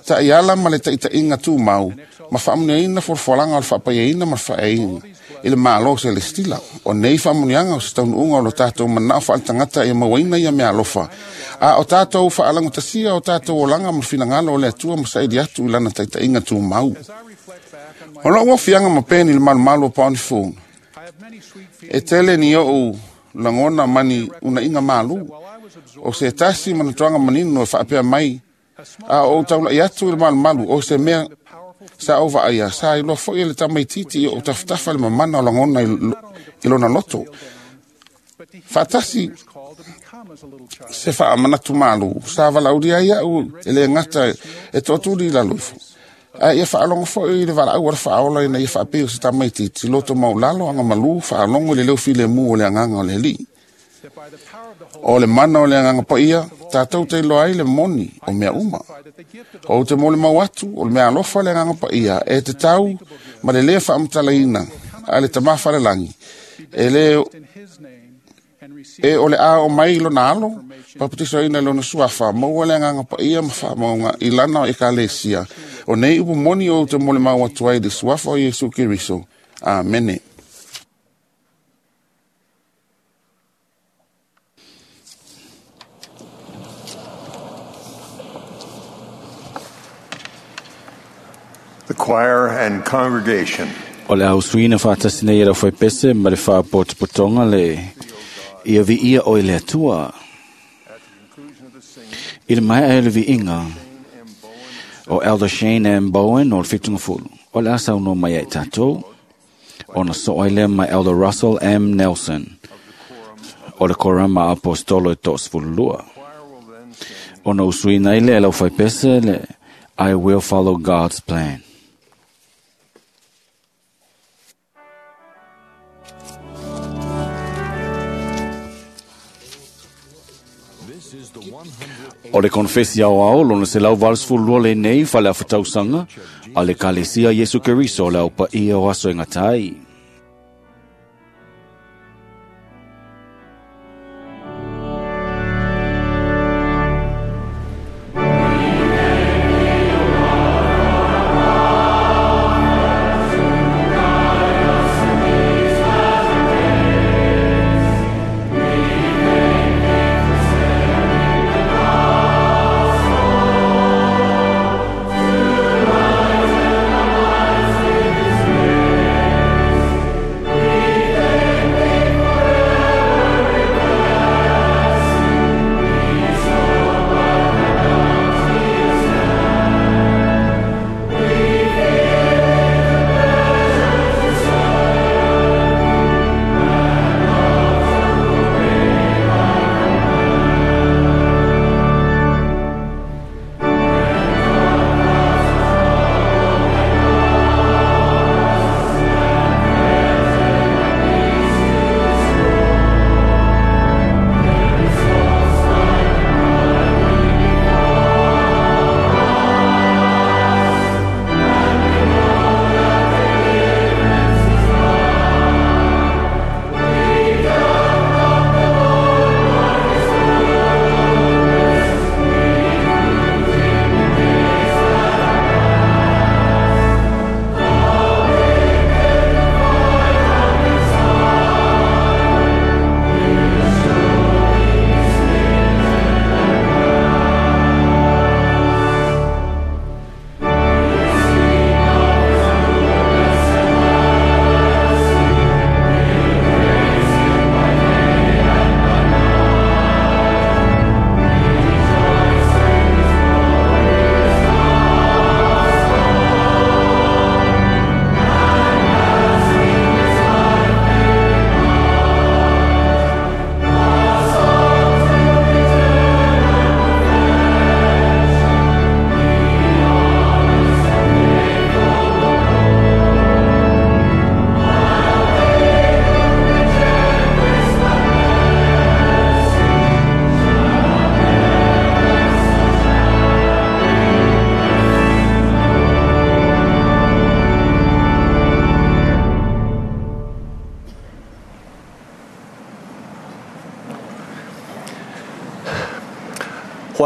taʻiala ma le taʻitaʻiga tumau, ma faamanuiaina folafolaga o le faapaiaina ma le faaeaina i le Malo Selestila. O nei faamanuiaga o se taunuuga o lo tatou manao faaletagata ia mauaina ia mea alofa, a o tatou faalagatasia o tatou olaga ma le finagalo o le Atua ma saili atu i lana taʻitaʻiga tumau. O lou ofiaga ma peni le malumalu o Paonifulu, e tele ni ou lagona ma ni unaiga malu, o se tasi manatuaga manino e faapea mai, a o ou taulai atu i le malumalu, o se mea sa ou vaaia, sa iloa foi e le tamaititi i ou tafatafa le mamana o lagona i lona loto. Faatasi se faamanatu malu, sa valaaulia ai au e le gata e toatuli i lalo ifo. Ae ia faalogo foi i le valaau a le faaola ina ia faapei o se tamaititi, loto maulalo, agamalu, faalogo i le leo filemu o le agaga o le Alii. O le mana o le agaga paia, tātou te iloa ai le moni o mea uma. O te molimau atu, o le mea alofa le agaga paia, e te tau ma le lē faamatalaina a le Tamā Falelagi, e le e o le a o mai i lona alo, papatisoina i lona suafa, maua le agaga paia ma faamauga i lana ekalesia. O nei upu moni ou te molimau atu ai i le suafa o Iesu Keriso. Amene. The choir and congregation. O le ausuina faatasi nei e lau faipese ma le faapotopotoga le ia viia o i le Atua. I le maea e le viiga o Elder Shane M. Bowen o le Fitungafulu. O le asa uno mai ai tātou, ona so ai lea mai Elder Russell M. Nelson o le Korama Apostolo e toasefululua. Ona usuina ai lea e lau faipese le I will follow God's plan. O le konfesi ao ao, lona se lau 82 le nei, whale awhatausanga, a le kalesia Yesu Keriso le au pa ia o aso e ngatai.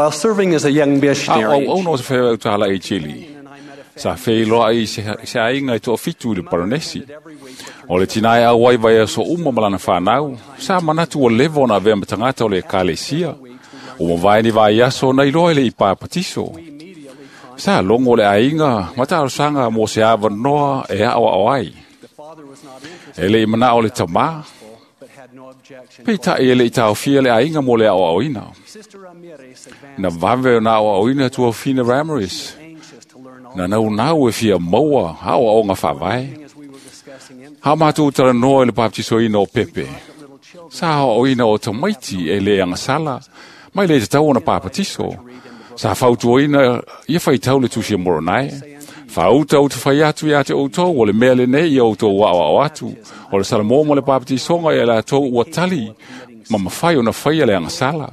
While serving as a young missionary, Au au no se whai au i Chile. Sa whai i se ainga i toa fitu i le Paranesi. O le tinae au wai vai so uma malana whanau, sa manatu o levo na vea matangata o le kalesia. O mawai ni vai aso na iloa le i pāpatiso. Sa longo le ainga, mata arosanga mo se awa noa e ao ao ai. E le i mana o le tama, Peita e le i taofia le ainga mo le ao ao ina. Na vave na ao ao ina tua fina Ramirez. Na nau nau e fia maua ao ao ngā whawai. Hao mātou tara noa i le baptiso ina o Pepe. Sa ao ao ina o tamaiti e le angasala, mai le te tau ona papatiso. Sa whautua ina ia whaitau le tusi a moronai. Whauta o te whai atu i ate outou, o le mea le nei i outou wao ao atu. O le salamoa le baptisonga i a lātou ua tali, ma mawhai o na whai a le angasala.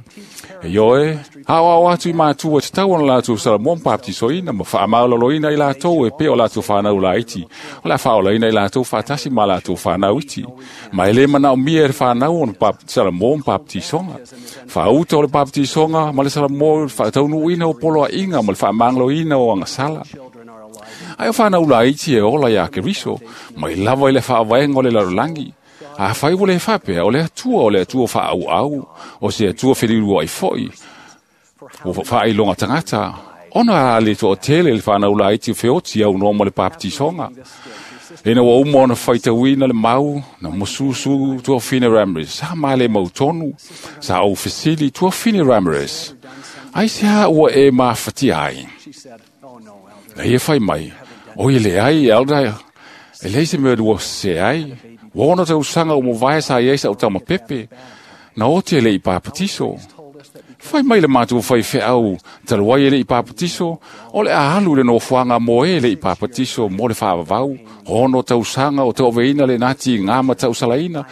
E ioe, hao ao atu i mātua te tau ona lātou salamoa baptisoina, ma whaamaulaloina i lātou e pe o lātou whanau laiti. O la whaolaina i lātou whatasi ma lātou whanau iti. Ma ele mana o mia e whanau ona salamoa baptisonga. Whauta o le baptisonga, ma le salamoa whaataunuina o poloa inga, ma le whaamangloina o angasala. Ai o whanau laiti e ola ia Keriso, mai lava i le whaawaenga o le larolangi. A whai o le whapea, o le atua, o le atua wha au au, o se atua whirirua i foi. O whailonga tangata, ona a le toa tele le whanau laiti wheoti au noa mo le baptisonga. Ina wa umo na whaitawina le mau, na mususu tua whine Ramirez, sa maale mautonu, sa au fesili tua whine Ramirez. Ai se ha ua e mawhati ai. Na ia whai mai, o i le ai, elda, e leise mea dua se ai, wana te usanga o mwae sa iesa o tama pepe, na o te le i pāpatiso. Whai mai le mātua whai wheau, taluai e le i pāpatiso, o le ahalu le no whanga mo e le i pāpatiso, mo le whaavavau, hono te usanga o te oveina le nati ngā mata usalaina,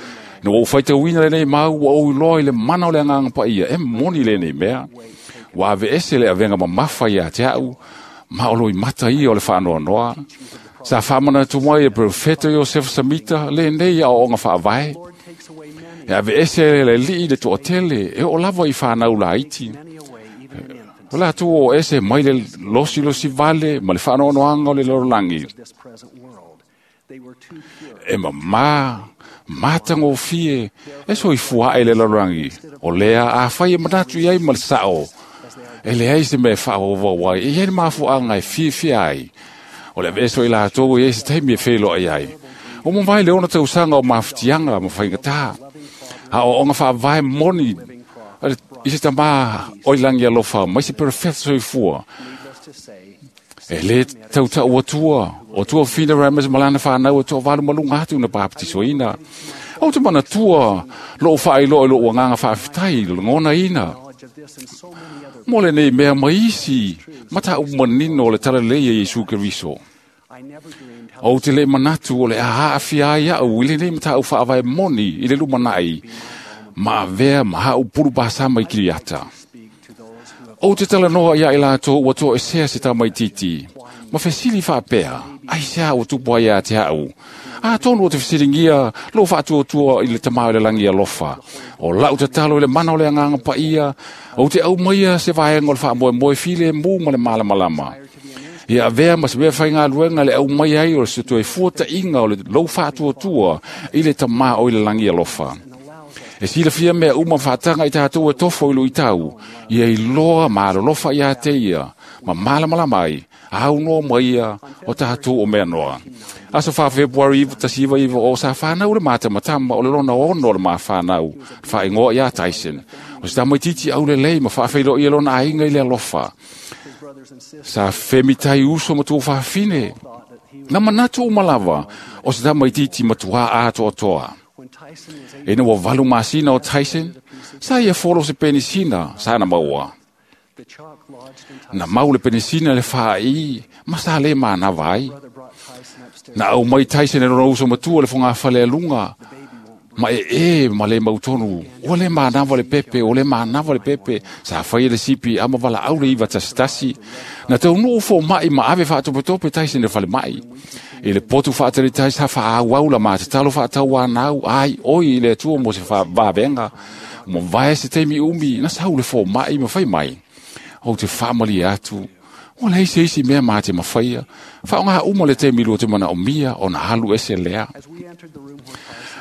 na o whai te uina le nei mau, o iloa i le mana o le anganga pa ia, e moni le nei mea. Wa ave ese le avenga mamafa ia te au, ma o loi mata ia o le whaanoa noa. Sa whamana tu mai e profeta Joseph Samita, le nei a o ngā whaavae. E ave ese le lii le toatele, e o lava i whanau la iti. O la tu o ese mai le losi losi vale, ma le whaanoanoanga o le lorolangi. E mama, mātango fie, e so i fua e le lorolangi. O lea a whai e manatu iai ma le sao. E le ai se me whaowa wai, e iai mafu anga e fie fie ai. O le veso i lātou e se taimi e whelo ai ai. O mawai le ona tausanga o mawhitianga ma whaingata. A o onga whaavae moni i se tama oi langi alofa, mai se perfect soifua. E le tautau atua, o tua whina Ramirez malana whanau tua walu malunga atu na baptisoina. O te mana tua, lo whailo e lo uanganga whaaftai, ngona ina. Mo le nei mea maisi, mata u manino le talalei e Yesu Keriso. O te le manatu o le aha awhia ia au, i le nei mata au whaavae moni i le lumanai, ma avea ma hau puru pāsama i kiriata. O te talanoa ia i lātou ua toa esea se tamaititi, ma fesili whaapea, ai sea o tupua ia te hau. A tonu o te fesilingia, lo whaatuatua i le tamau le langi alofa. O lau tatalo i le mana o le anganga paia, o te au maia se vaenga o le whaamoe moe file mū ma le malamalama. Ia avea ma se mea whai luenga le au mai ai o le se toe fuata inga o le lau whaatuatua i le tamau i le langi alofa. E sila fia mea uma whaatanga i tātou e tofo i lo i tau, ia i loa ma alolofa ia te ia, ma malamalama ai, au noa mai ia o tātou o mea noa. Aso wha February tasiva iwa o sa whanau le mata matama o le lona ono le maa whanau, whaingoa ia Tyson. O se tamai titi au le lei ma whaawhailo ia lona ainga i le alofa. Sa whemitai uso matua whawhine. Na manatu o malawa o se tamai titi matua atoa toa. E na wa valu masina o Tyson, sa ia folo se penisina, sa na maua. Na mau le penisina le whaai, ma sa le mana vai. Na au mai Tyson e rona uso matua le whanga whale alunga. Ma e ma le mautonu, o le manawa le pepe, o le manawa le pepe, sa whai le sipi, ama wala au le iwa tasitasi. Na te unu ufo mai ma ave whaatopetope Tyson e whale mai. I le potu whaataritai sa wha la ma te talo whaatau anau, ai oi i le atua mo se whawavenga. Mo vae se teimi umi, na sa le fo mai ma whai mai. Ou te whaamali atu. O le isi isi mea mā te mawhaia. Wha o ngā uma le te milu o te mana o mia o na halu ese lea.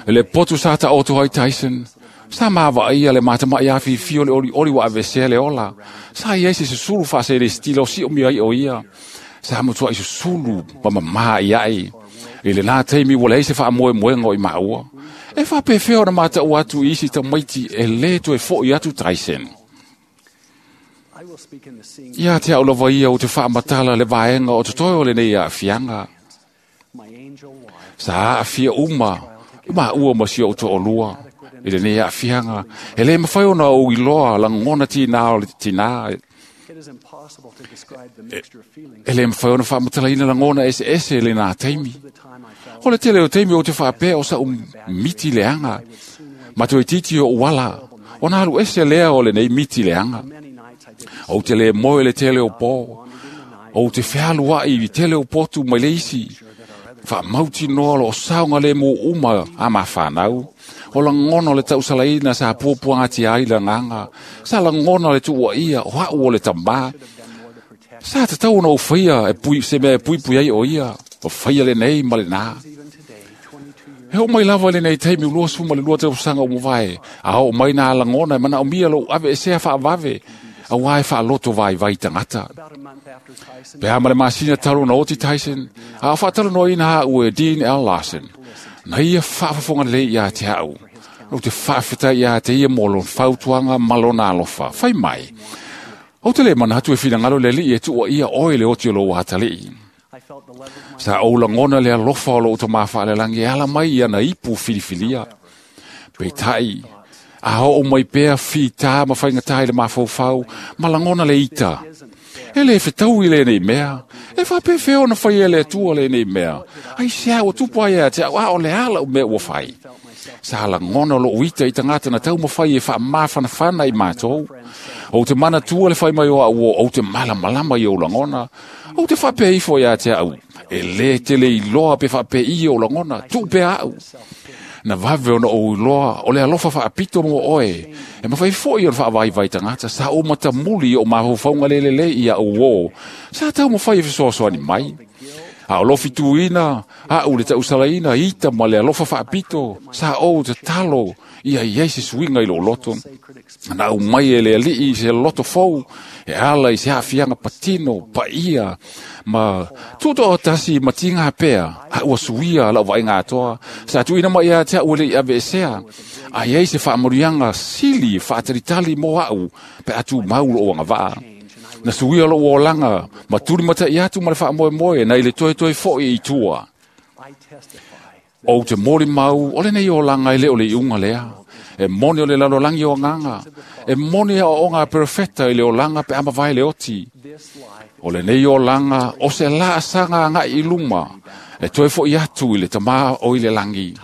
Le potu sa ta oto ai Tyson. Sa maava ia le matamai afi fio le oli oli wa avesea le ola. Sa ia ese susulu whaase le stila o si o mia i o ia. Sa mutua i susulu pa mamaa i ai. I le nā teimi wale ese wha moe moenga o i maua. E wha pewheo na mata o atu isi ta maiti e le toe fo i atu Tyson. Ia te au lava ia o te whaamatala le vaenga o te toi o le nei a fianga. Sa a fia uma, uma ua ma si o te olua. I le nei a fianga. E le mawhai ona o iloa langona tina o le tina. E le mawhai ona whaamatala ina langona ese ese le nā teimi. O le tele o teimi o te whaapea o sa miti leanga. Mato e titi o uala. O nā alu ese lea o le nei miti leanga. O te le moe le tele o pō. O te whealua i tele o potu mai le isi. Wha mauti noa lo o saunga le mō uma a mā whanau. O la ngono le tausalaina sa puapuanga te ai la nganga. Sa la ngono le tua ia o hau o le tamba. Sa te tau na o whaia e pui, se mea e pui pui ai o ia. O whaia le nei ma le nā. He o mai lava le nei teimi ulua suma le lua te usanga o mwae. A o mai nā langona e mana o mia lo ave e sea whaavave. A wai whaaloto vai vai tangata. Pe ama le masina talo na oti Tyson. A whaatalo no ina ha ue Dean L. Larson. Na ia whaafafonga le ia te hau. O te whaafeta ia te ia molo whautuanga malona alofa. Whai mai. O te le mana hatu e whinangalo le li e tua ia oe le oti o lo wahatalii. Sa o langona le alofa o lo o tamafa le langi ala mai ia na ipu filifilia. Pe tai. A o mai pea whita ma whaingatai le mawhauwhau, ma langona le ita. E le whitau i le nei mea. E whapewheo na whai e le tua le nei mea. Ai se au tupu ai a te au a o le ala o mea ua whai. Sa langona lo uita i tangata na tau mawhai e wha mawhanawhana i mātou. O te mana tua le whai mai o au o te malamalama i o langona. O te whape ifo ia te au. E le tele i loa pe whape i o langona. Tupe au. Na vave ona o iloa, o le alofa whaapito mo oe. E mawhai fo i o whaawai vai tangata, sa o matamuli o mahofaunga lelele ia o o. Sa tau mawhai e whisoasoani mai. A o lofi tuina, a u le tausalaina, ita ma le alofa whaapito, sa o te talo, ia i se suinga i lo loto. Na au mai e le alii se loto fou, e ala i se hafianga patino, pa ia, ma tuto o tasi ma tinga pea, a ua suia lau vainga atoa, sa tuina mai a te au le i ave esea, a iei se whaamurianga sili whaataritali mo au, pe atu maulo o anga vaa. Na suia lo o langa, ma turi mata i atu ma le whaamoe moe, na i le toe toe fo i tua. O te mori mau, o le nei o langa i le o le iunga lea. E moni o le lalo langi o nganga. E moni o o ngā perfecta i le o langa pe ama vai le oti. O le nei o langa, o se la asanga ngā i luma. E toe fo i atu i le tamā o i le langi.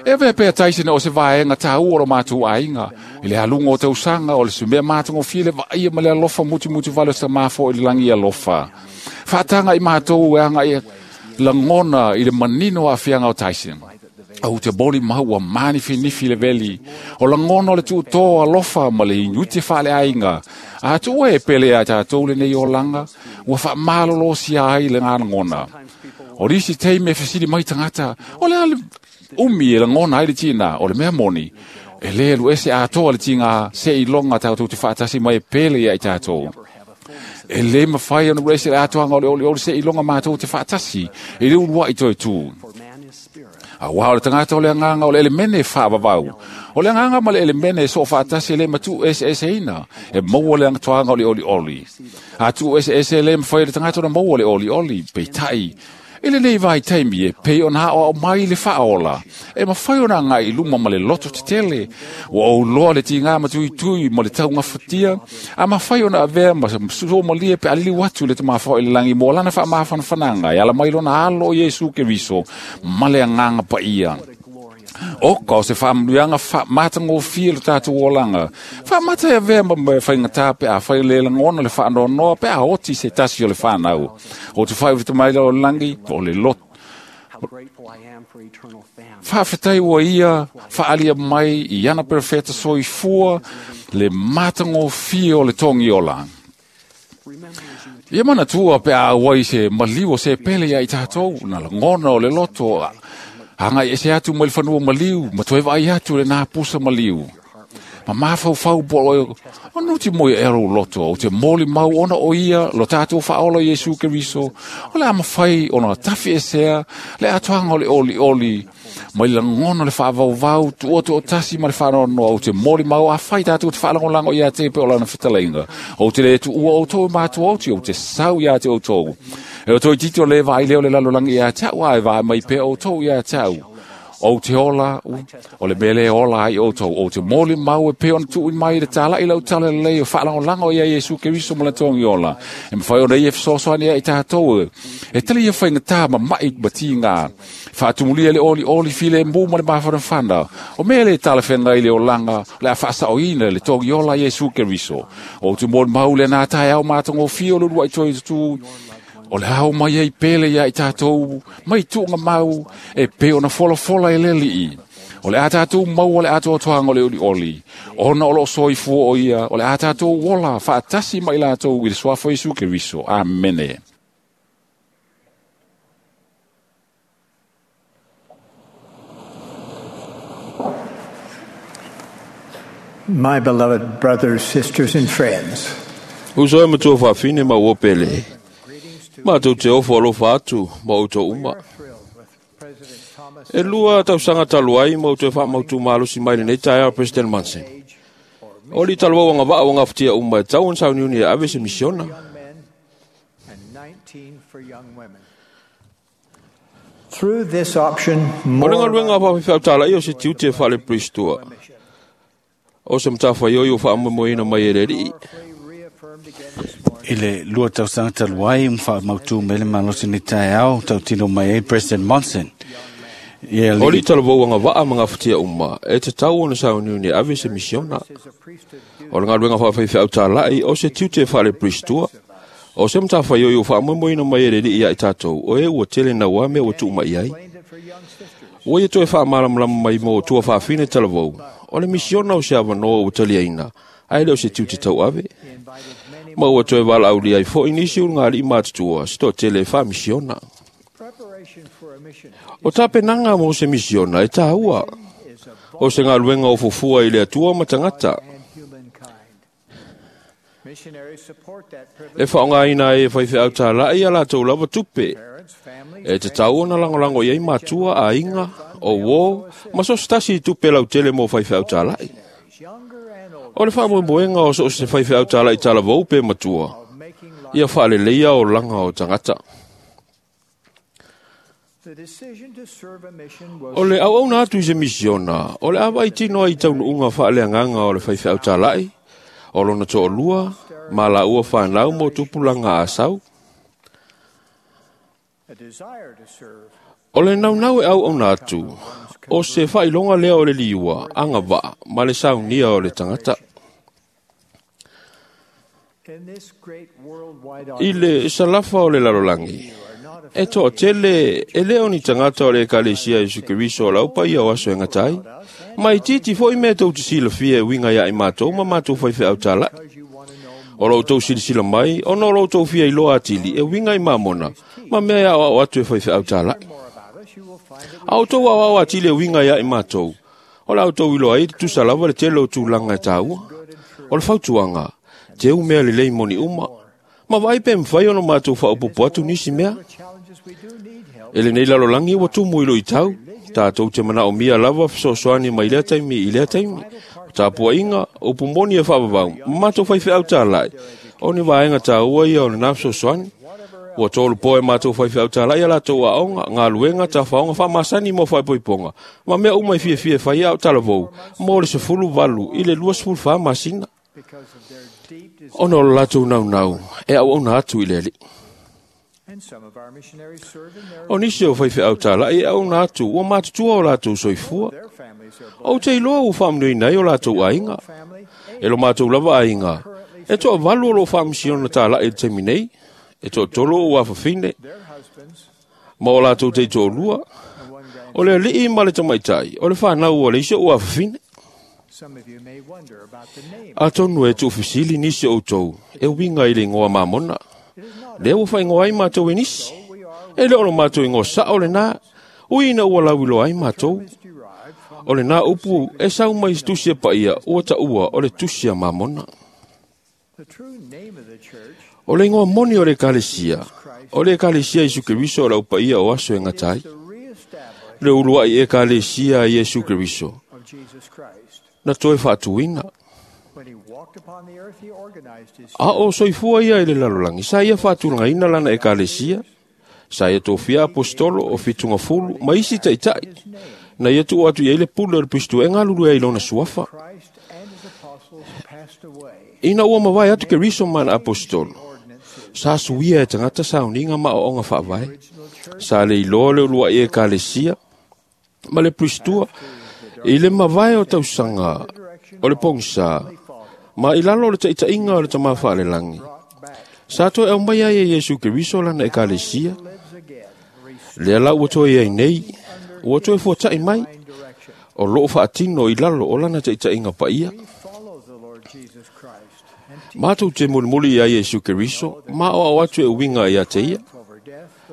E vea pea Tyson o se vaenga tā ua o mātou ainga. I le halunga o tausanga o le sumea mātongo fia le vaia ma le alofa muti muti vale o sa māfo i le langi alofa. Whaatanga i mātou e anga i langona i le manino a fianga o Tyson. Au te boli maua mani finifi le veli. O langona o le tuutoa alofa ma le inuti whaale ainga. A tua e pele a tātou le nei o langa. Ua wha malolo sia ai le ngā langona. O risi teime whasiri mai tangata. O le ale umi e langona ai le tina. O le mea moni. E le lu ese atoa le tinga se i longa tātou te whaatasi mai e pele ia i tātou. E le mawhai anu ese atoa ngā ole ole ole se i longa mātou te whaatasi. E le ulua i toi tū. A wā o le tangata o le anganga o le elemene whaavavau. O le anganga ma le elemene so whaatasi e le matu ese ese ina. E maua le angatoanga o le oli oli. A tu ese ese le mwhai le tangata o le maua le oli oli. Peitai. E le nei vai taimi e pei ona o mai le whaola. E mawhai ona ngai luma ma le loto te tele. Ua o loa le tinga matui tui ma le taunga fatia. A mawhai ona avea ma so malie pe alili watu le te mawhai le langi mo lana wha mawhanawhananga. E ala mai lona alo Yesu Keriso ma le anganga pa ia. O ka o se whaamluanga wha mātangōfia le tātou olanga. Wha mata e vea ma me whaingata pe a whai le langona le whaanonoa pe a oti se tasi o le whanau. O te whai o te maila o langi o le lot. Whaafetai ua ia, whaalia mai i ana perfecta soifua le mātangōfia o le tongi ola. Ia manatua pe a auai se maliu o se pele ia i tātou, na lagona o le loto, hanga i ese atu mai le fanua maliu, ma toe vai atu le nā pusa maliu. Ma mafaufau po o nuti moi e ero loto, o te moli mau ona o ia, lo tātou whaola Iesu Keriso, o le amawhai ona tafi esea, le atoanga o le oli oli, mai lagona le whaavauvau, tua tu o tasi ma le whanoanoa, o te moli mau a whai tātou te whalangolango ia te pe o lana whitalenga, o te le tu ua o tō mātua o te o te sau ia te o tō. E o tō tito le vai leo le lalolangi ia tau ai vai mai pe o tō ia tau. O te ola, o le mele ola ai o tau, o te moli mau e pe ona tui mai le tala i lau tala lei o whaalangolango ia Iesu Keriso ma le tongi ola. E mwhai ona ia whasoasoani ia i tātou. E tali ia whainga tā ma mai mati ngā. Whaatumulia le oli oli file mō ma le mawhanawhana. O mele tala whenga i le olanga, le a whaasao ina le tongi ola Iesu Keriso. O te moli mau le nā tai au mātongo fio lurua i toi tū. O le hao mai ei pele ia i tātou, mai tuunga mau, e pe ona fola fola e leli i. O le a tātou mau o le atoa toanga o le uli oli. Ona o lo soifua o ia, o le a tātou ola, whaatasi mai lātou i le suafo Iesu Keriso. Amene. My beloved brothers, sisters and friends. Uso e matua whawhine ma ua pele. Mātou te ofo alofa atu ma outou uma. E lua tausaga talu ai ma outou e faamautu malosi mai lenei taeao President Monson. O li talavau agavaa ua gafatia uma e tau ona sauniuni e ave se misiona. Through this option, O le galuega faafefautalaia o se tiute e faaleperistua. O se matafaioi o faamoemoeina mai e le Alii. I le lua tausaga talu ai wha mautu mele malosi ni taeao tautino mai ai President Monson. Ia O li talavau agavaa ma gafatia uma e tatau ona sauniuni e ave se misiona. O le galuega faafefautala'i o se tiute e faaleperistua. O se matafaioi o faamoemoeina mai e le Alii ia i tātou o e ua tele naua mea ua tuumai ai. Ua ia toe faamalamalama mai mo tua faafine talavou. O le misiona o se avanoa ua taliaina, ae le o se tiute tauave. Ma ua toe valaaulia ai fo'i nisi ulugalii matutua se toatele e faamisiona. O tapenaga mo se misiona e tāua. O se galuega o fufua i le Atua ma tagata. E faaaogaina ai e faifeau tāla'i a latou lava tupe. E tatau ona lagolago i ai matua, aiga, o uō, ma so se tasi i tupe lautele mo faifeau tāla'i. O le faamoemoega o so o se faifeau tāla'i talavou pe matua, ia faaleleia olaga o tagata. O le auauna atu i se misiona, o le avaai tino ai i taunuuga faaleagaga o le faifeau tāla'i, o lona toalua, ma laua whanau mo tupulaga a sau. O le naunau e auauna atu, o se faailoga lea o le liua, agavaa, ma le saunia o le tagata. I le salafa o le lalolagi, e toatele e le o ni tagata o le ekalesia Iesu Keriso o lau paia o aso e gata ai, ma itiiti fo'i mea tou te silafia e uiga ia i matou ma matou faifeau tāla'i. O lo outou silasila mai, ona o lo outou fia iloa atili e uiga i mamona, ma mea e aoao atu e faifeau tāla'i. A outou aoao atili e uiga ia i matou, o la outou iloa ai tutusa lava le tele o tulaga e tāua. O le fautuaga, teu mea lelei moni uma, ma vaai pe mafai ona matou faaopopo atu nisi mea. E lenei lalolagi ua tumu i luitau, tātou te manaomia lava fesoasoani mai lea taimi i lea taimi. O tapuaiga, upu moni e faavavau, ma matou faifeau tāla'i, o ni vaega tāua ia o lenā fesoasoani. Ua tolu po e matou faifeau tāla'i a latou aoga, galuega, tafaoga faamasani mo faaipoipoga, ma mea uma e fiafia e faia ao talavou, mo le 18 i le 24 masina. Ona o le latou naunau, e auauna atu i le Alii. O nisi o faifeau tāla'i e auauna atu, ua matutua o latou soifua. Ou te iloa ua faamanuiina ai o latou aiga. E lo matou lava aiga, e toavalu o loo faamisiona tāla'i i le taimi nei, e toatolu o ua afafine, ma o latou teitoalua, o le alii ma le tamaitai, o le whanau o le isi o ua afafine. Atonu e tuufisili nisi o outou, e uiga i le igoa Mamona. Lea ua faaigoa ai matou e nisi. E le o lo matou igoa sao lenā, ui ina ua lauiloa ai matou. O lenā upu e sau mai i se tusi a paia ua taua o le tusi a Mamona. O le igoa moni o le ekalesia, o le ekalesia Iesu Keriso o le aupaia o aso e gata ai. Le uluai ekalesia a Iesu Keriso, na toe faatuina. A o soifua ia i le lalolagi, sa ia faatulagaina lana ekalesia, sa ia tofia apostolo o fitugafulu ma isi taitai, na ia tuu atu i ai le pule o le Pisto e galulue ai i lona suafa. Ina ua mavae atu Keriso ma ana apostolo, sa suia e tagata sauniga ma aoaoga faavae, sa le iloa le uluai ekalesia ma le Piristua i le mavae o tausaga o le pogisa ma i lalo o le taitaiga o le Tamā Faalelagi. Sa toe aumai ai e Iesu Keriso lana ekalesia. Lea la ua toe ai nei, ua toe fuata'i mai, o loo faatino i lalo o lana taitaiga paia. Matou te mulimuli ia Iesu Keriso, ma aoao atu e uiga ia te ia.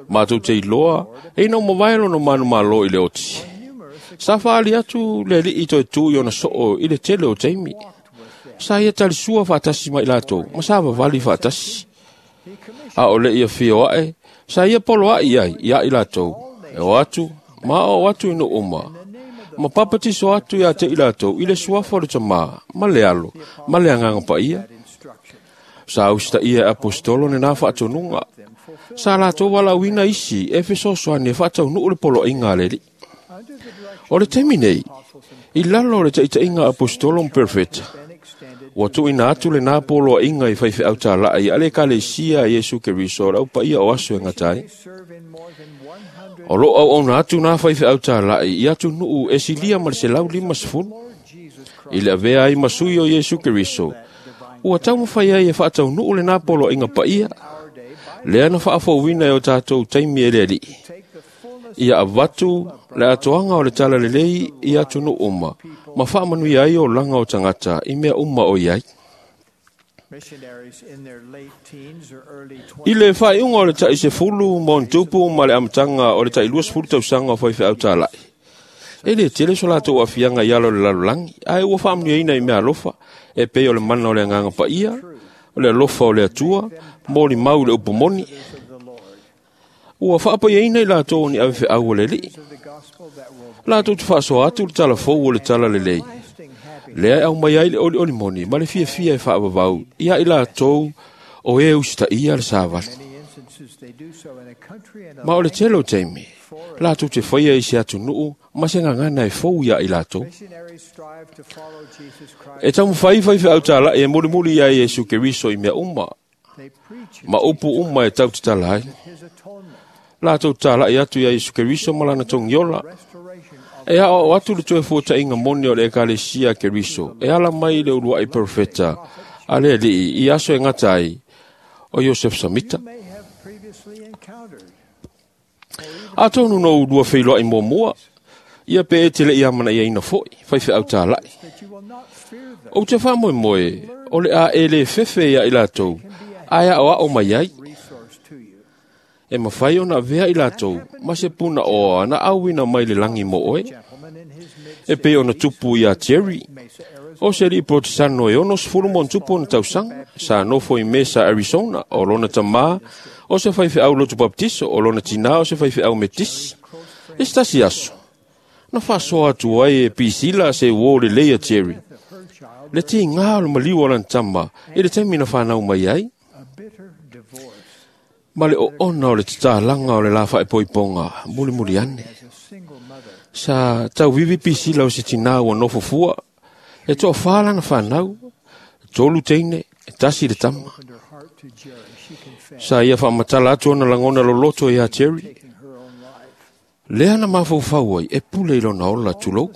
Matou te iloa, e ina ua mavae lona manumalo i le oti. Sa faali atu le alii toe tu i ona soo i le tele o taimi. Sa ia talisua faatasi ma i latou, ma sa vavali faatasi. A o le ia fio ae, sa ia polo ai ai ia i latou, e o atu, ma aoao atu i nuu uma, ma papatiso atu ia te i latou i le suafa o le Tamā, ma le Alo, ma le Agaga Paia. Sa usitaia e apostolo lenā faatonuga. Sa latou valaauina isi e fesoasoani e faataunuu le poloaiga a le Alii. O le taimi nei, i lalo o le taitaiga a apostolo ma perofeta, ua tuuina atu lenā poloaiga i faifeau tala'i a le ekalesia a Iesu Keriso o le aupaia o aso e gata ai. O loo auauna atu nā faifeau tala'i i atunuu e silia ma le 150. I le avea ai ma sui o Iesu Keriso, ua taumafai ai e faataunuu lenā poloaiga paia, lea na faafouina e o tatou taimi e le Alii. Ia avatu le atoaga o le tala lelei i atunuu uma, ma faamanuia ai olaga o tagata i mea uma o i ai. I le faaiuga o le tai 10 ma ona tupu ma le amataga o le tai 20 tausaga o faifeau tala'i, e le tele so latou aafiaga i ala o le lalolagi, ae ua faamanuiaina i mea alofa, e pei o le mana o le Agaga Paia, o le alofa o le Atua, molimau i le upu moni. Ua faapaiaina i latou o ni avefeau o le Alii. Latou te faasoa atu le talafou o le tala lelei, lea e aumai ai le olioli moni ma le fiafia e faavavau ia i latou o e usitaia le savali. Ma o le tele o taimi, latou te faia i se atunuu ma se gagana e fou ia i latou. E taumafai faifeau tala'i e mulimuli ia Iesu Keriso i mea uma, ma upu uma e tautatala ai. Latou tala'i atu ia Iesu Keriso ma lana togiola. E aoao atu le toe fuataiga moni o le ekalesia a Keriso, e ala mai i le uluai perofeta a le Alii i aso e gata ai o Iosef Samita. Atonu no ulua feiloai muamua, ia pe e te le i amanaiaina foi, faifeau tala'i. Ou te faamoemoe, o le a e le fefe ia i latou, ae aoao mai ai. E mafai ona avea i latou ma se puna oa na auina mai le lagi mo oe. E pei ona tupu ia Jerry, o se alii Protesano e 60 ma ona tupu ona tausaga, sa nofo i Mesa, Arizona, o lona tamā, o se faifeau lotu baptiso, o lona tinā o se faifeau metisi. I se tasi aso, na faasoa atu ai e Pisila se uō lelei a Jerry. Le tigā o le maliu o lana tama i le taimi na whanau mai ai. Ma le oona o le tatalaga o le la faepoipoga mulimuli ane. Sa tauvivi Pisila o se tinā ua nofo fua, e toafā lana whanau, 3 teine, e 1 le tama. Sa ia faamatala atu ona lagona loloto ia Jerry. Lea na mafaufau ai e pule i lona ola tulou.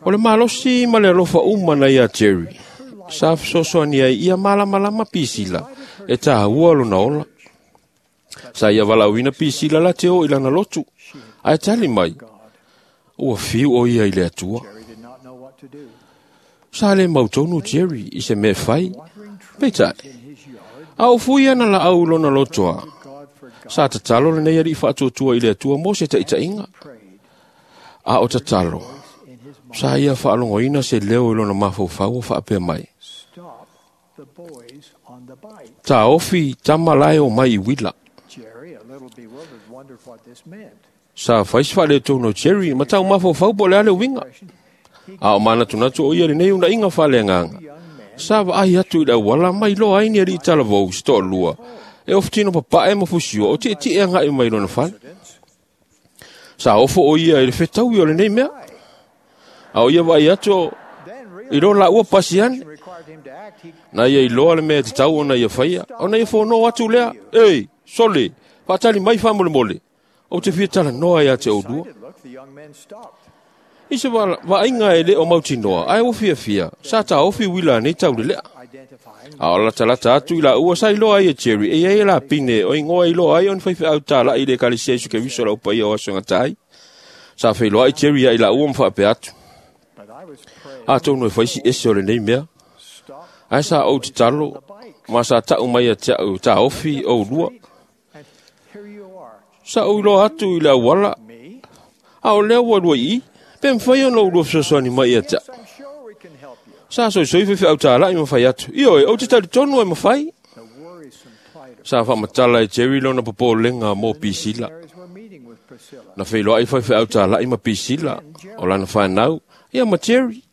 O le malosi ma le alofa uma na ia Jerry. Sa fesoasoani ai ia malamalama Pisila e tāua lona ola. Sa ia valaauina Pisila la te o i lana lotu, ae tali mai, ua fiu o ia i le Atua. Sa le mautonu Jerry i se mea fai. Peitai, a o fui ana la au lona lotoa. Sa tatalo lenei alii faatuatua i le Atua mo se taitaiga. A o tatalo, sa ia faalogoina se leo i lona mafaufau o faapea mai. Ta ofi tama lae o mai i wila. Sa fai se faaletonu o Jerry ma tau mafaufau po o le a le uiga. A o manatunatu o ia lenei unaiga faaleagaga. Sa vaai atu i le auala ma iloa ai ni alii talavou se toalua e ofutino papae ma fusiua o tietie agai mai lona fale. Sa ofo o ia i le fetaui o lenei mea. A o ia vaai atu i lo laua pasi ane. Na ia iloa le mea e tatau ona ia faia. Ona ia fono atu lea. Ei, sole, faatali mai faamolemole. Ou te fia talanoa ia te oulua. I se vaaiga e le o mautinoa, ae ua fiafia, sa taofi uila nei taulelea. A o latalata atu i laua sa iloa ai e Jerry, e iai e lapine o igoa iloa ai ona faifeau talai i le ekalesia Iesu Keriso lau paia o aso e gata ai. Sa feiloai Jerry ia i laua ma faapea atu. Atonu e fai si ese o lenei mea. Ae sa ou tatalo, ma sa tau mai ia te au taofi oulua. Sa ou iloa atu i le auala, a o lea ua lua i i, pe mawhai ona ulua fesoasoani mai ia te au. Sa soisoi faifeau talai ma fai atu. Ioe, ou te talitonu e mawhai. Sa faamatala e Jerry lona popolega mo Pisila. Na feiloai faifeau talai ma Pisila, o lana whanau, ia ma Jerry.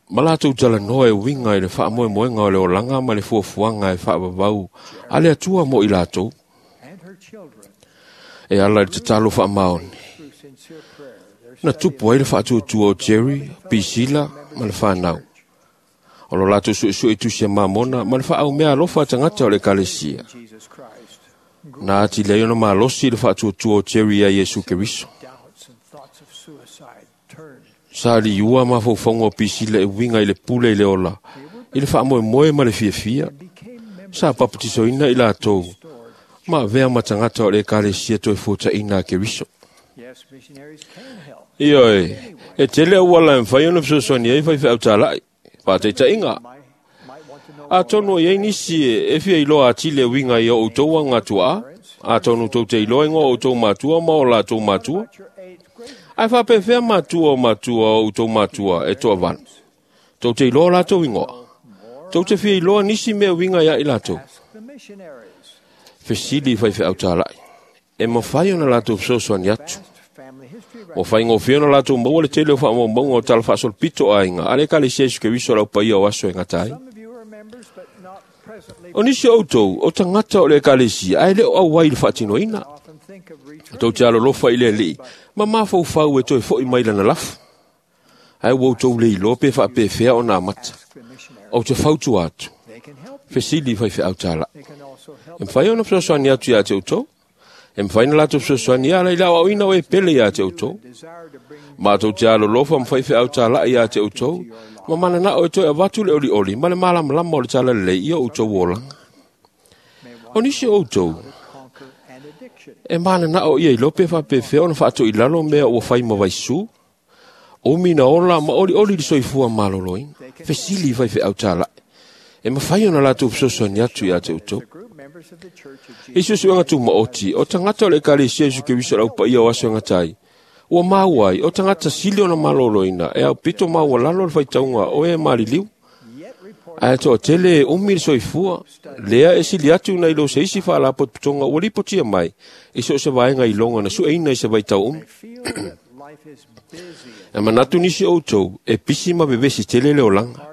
Ma latou talanoa e uiga i le faamoemoega o le olaga ma le fuafuaga e faavavau a le Atua mo i latou. E ala i le tatalo faamaoni. Na tupu ai le faatuatua o Jerry, Pisila ma le whanau. O lo latou suesue i tusi a mamona ma le faaumea alofa a tagata o le ekalesia. Na atili ai ona malosi le faatuatua o Jerry ia Iesu Keriso. Sa liua mafaufauga o Pisila e uiga i le pule i le ola, i le faamoemoe ma le fiafia. Sa papatisoina i latou, ma avea ma tagata o le ekalesia toe fuataina a Keriso. Ioe, e tele auala e mafai ona fesoasoani ai faifeau talai, faataitaiga. Atonu o iai nisi e fia iloa atili e uiga i o outou agatuaa, atonu tou te iloa igoa o outou matua ma o latou matua. Ae faapefea matua o matua o outou matua e toavalu. Tou te iloa latou igoa. Tou te fia iloa nisi mea uiga ia i latou. Fesili i faifeau talai. E mafai ona latou fesoasoani atu. Ua faigofie ona latou maua le tele o faamaumauga o tala faasolopito aiga a le ekalesia Iesu Keriso lau paia o aso e gata ai. O nisi o outou, o tagata o le ekalesia, ae le o auai i le faatinoina. Tou te alolofa i le alii, ma mafaufau e toe foi mai lana lafu. Ae ua outou le iloa pe faapefea ona amata. Ou te fautua atu. Fesili i faifeau talai. E mafai ona fesoasoani atu ia te outou. E mafai na latou fesoasoani ia ala i le aoaoina o e pele ia te outou. Matou te alolofa ma faifeau talai ia te outou, ma mananao e toe avatu le olioli ma le malamalama o le talalelei ia outou olaga. O nisi o outou, e mananao ia iloa pe faapefea ona faatoilalo mea ua fai ma vaisu, umi na ola ma olioli le soifua maloloina. Fesili i faifeau talai. E mafai ona latou fesoasoani atu ia te outou. I suesuega tumaoti, o tagata o le ekalesia Iesu Keriso lau paia o aso e gata ai, ua maua ai, o tagata sili ona maloloina e aupito maualalo le faitauga o e maliliu. Ae toatele e umi le soifua, lea e sili atu nai lo se isi faalapotopotoga ua lipotia mai i so o se vaega iloga na sueina i se vaitau umi. E manatu nisi o outou e pisi ma vevesi tele le olaga.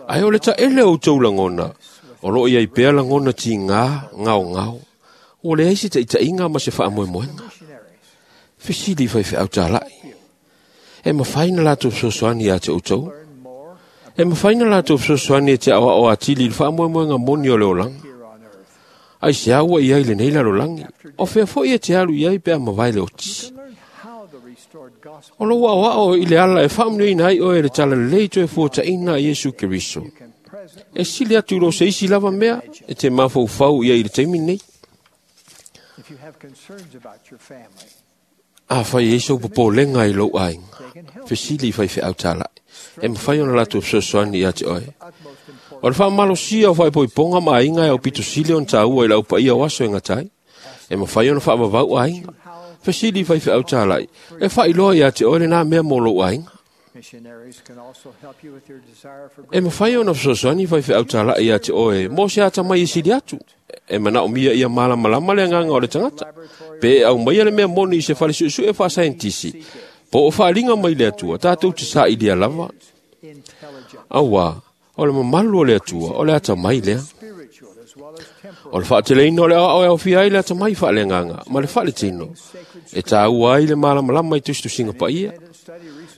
Ae o le taele o outou lagona, o loo iai pea lagona tigā gaogao, ua leai se taitaiga ma se faamoemoega. Fesili i faifeau talai. E mafai na latou fesoasoani ia te outou. E mafai na latou fesoasoani e te aoao atili i le faamoemoega moni o le olaga. Ai se ua iai lenei lalolagi, o fea foi e te alu iai pe a mavae le oti. O lou aoao i le ala e faamanuiaina ai oe le talalelei toe fuataina a Iesu Keriso. E sili atu i lo se isi lava mea e te mafaufau ia i le taimi nei. Afai e ai sou popolega i lou aiga, fesili i faifeau tala'i, e mafai ona latou fesoasoani ia te oe. O le faamalosia o faaipoipoga ma aiga e aupito sili ona taua i le aupaia o aso e gata ai. E mafai ona faavavau aiga. Fesili i faifeau tala'i, e faailoa ia te oe lenā mea mo lou aiga. E mafai ona fesoasoani faifeau tala'i ia te oe mo se atamai e sili atu. E manaomia ia malamalama le agaga o le tagata. Pe e aumaia le mea moni i se fale suesue faasaienitisi, po o faaliga mai le Atua, tatou te sailia lava. Auā, o le mamalu o le Atua, o le atamai lea. O le faateleina o le aoao e aofia ai le atamai faaleagaga ma le faaletino, e taua ai le malamalama i tusitusiga paia.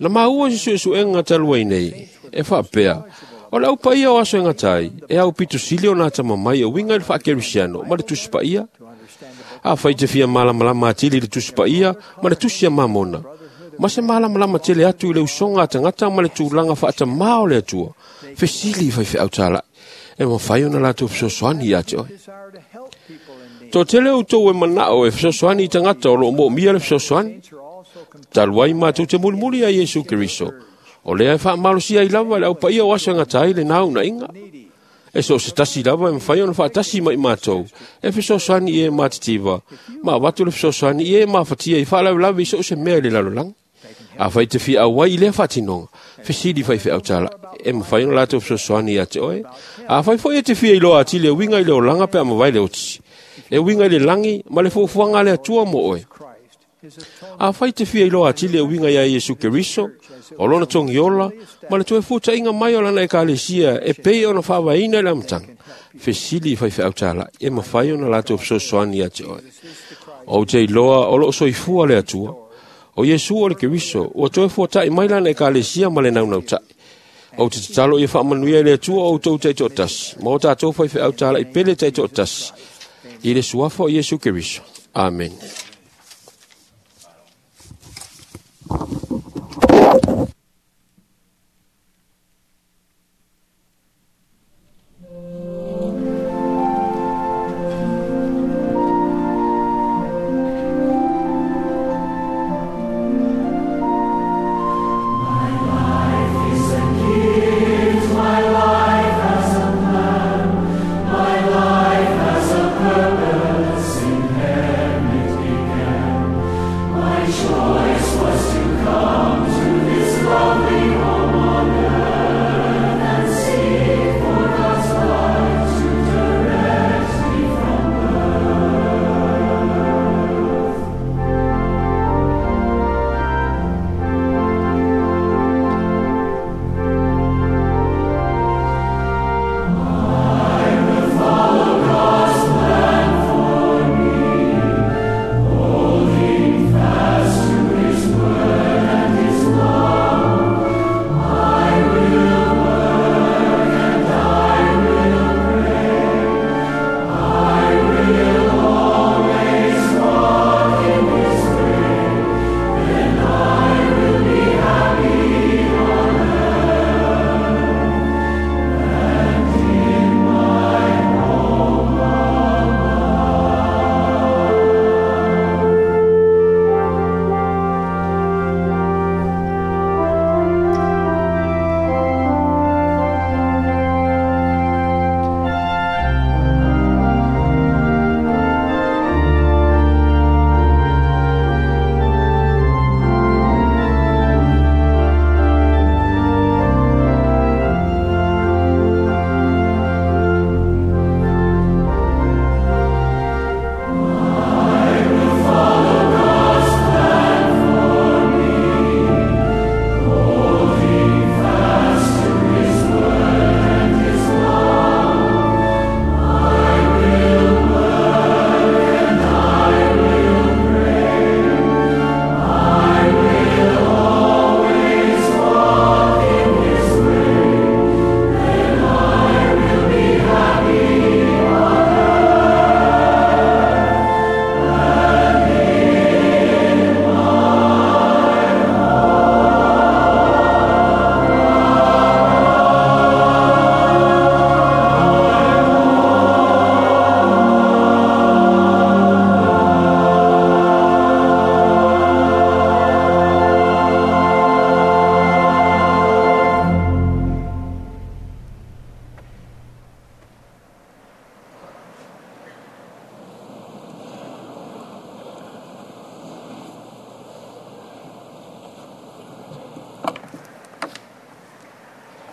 Na maua i se suesuega talu ai nei, e faapea, o le aupaia o aso e gata ai, e aupito sili ona atamamai e uiga i le faakerisiano ma le Tusi Paia. Afai te fia malamalama atili i le Tusi Paia ma le Tusi a Mamona, ma se malamalama tele atu i le usoga a tagata ma le tulaga faatamā o le Atua, fesili i faifeau tala'i, e mafai ona latou fesoasoani ia te oe. Toatele outou e manao e fesoasoani i tagata o loo moomia le fesoasoani. Talu ai matou te mulimuli ia Iesu Keriso, o lea e faamalosia ai lava le aupaia o aso e gata ai lenā unaiga. E so o se tasi lava e mafai ona faatasi ma i matou, e fesoasoani i e matitiva, ma avatu le fesoasoani i e mafatia i faalavelave i so o se mea i le lalolagi. Afai te fia auai i lea faatinoga, fesili faifeau tala'i, e mafai ona latou fesoasoani ia te oe. Afai foi e te fia iloa atili e uiga i le olaga pe a mavae le oti, e uiga i le lagi ma le fuafuaga a le Atua mo oe. Afai te fia iloa atili e uiga ia Iesu Keriso, o lona togiola, ma le toe fuata'iga mai o lana ekalesia e pei ona faavaeina i le amataga, fesili i faifeau tala'i, e mafai ona latou fesoasoani ia te oe. Ou te iloa o loo soifua le Atua. O Iesu o le Keriso, ua toe fuata'i mai lana ekalesia ma le naunauta'i. Ou te tatalo ia faamanuia e le Atua o outou taitoatasi, ma o tatou faifeau tala'i pele taitoatasi, i le suafa o Iesu Keriso. Amene. My life has a plan, my life has a purpose in heaven.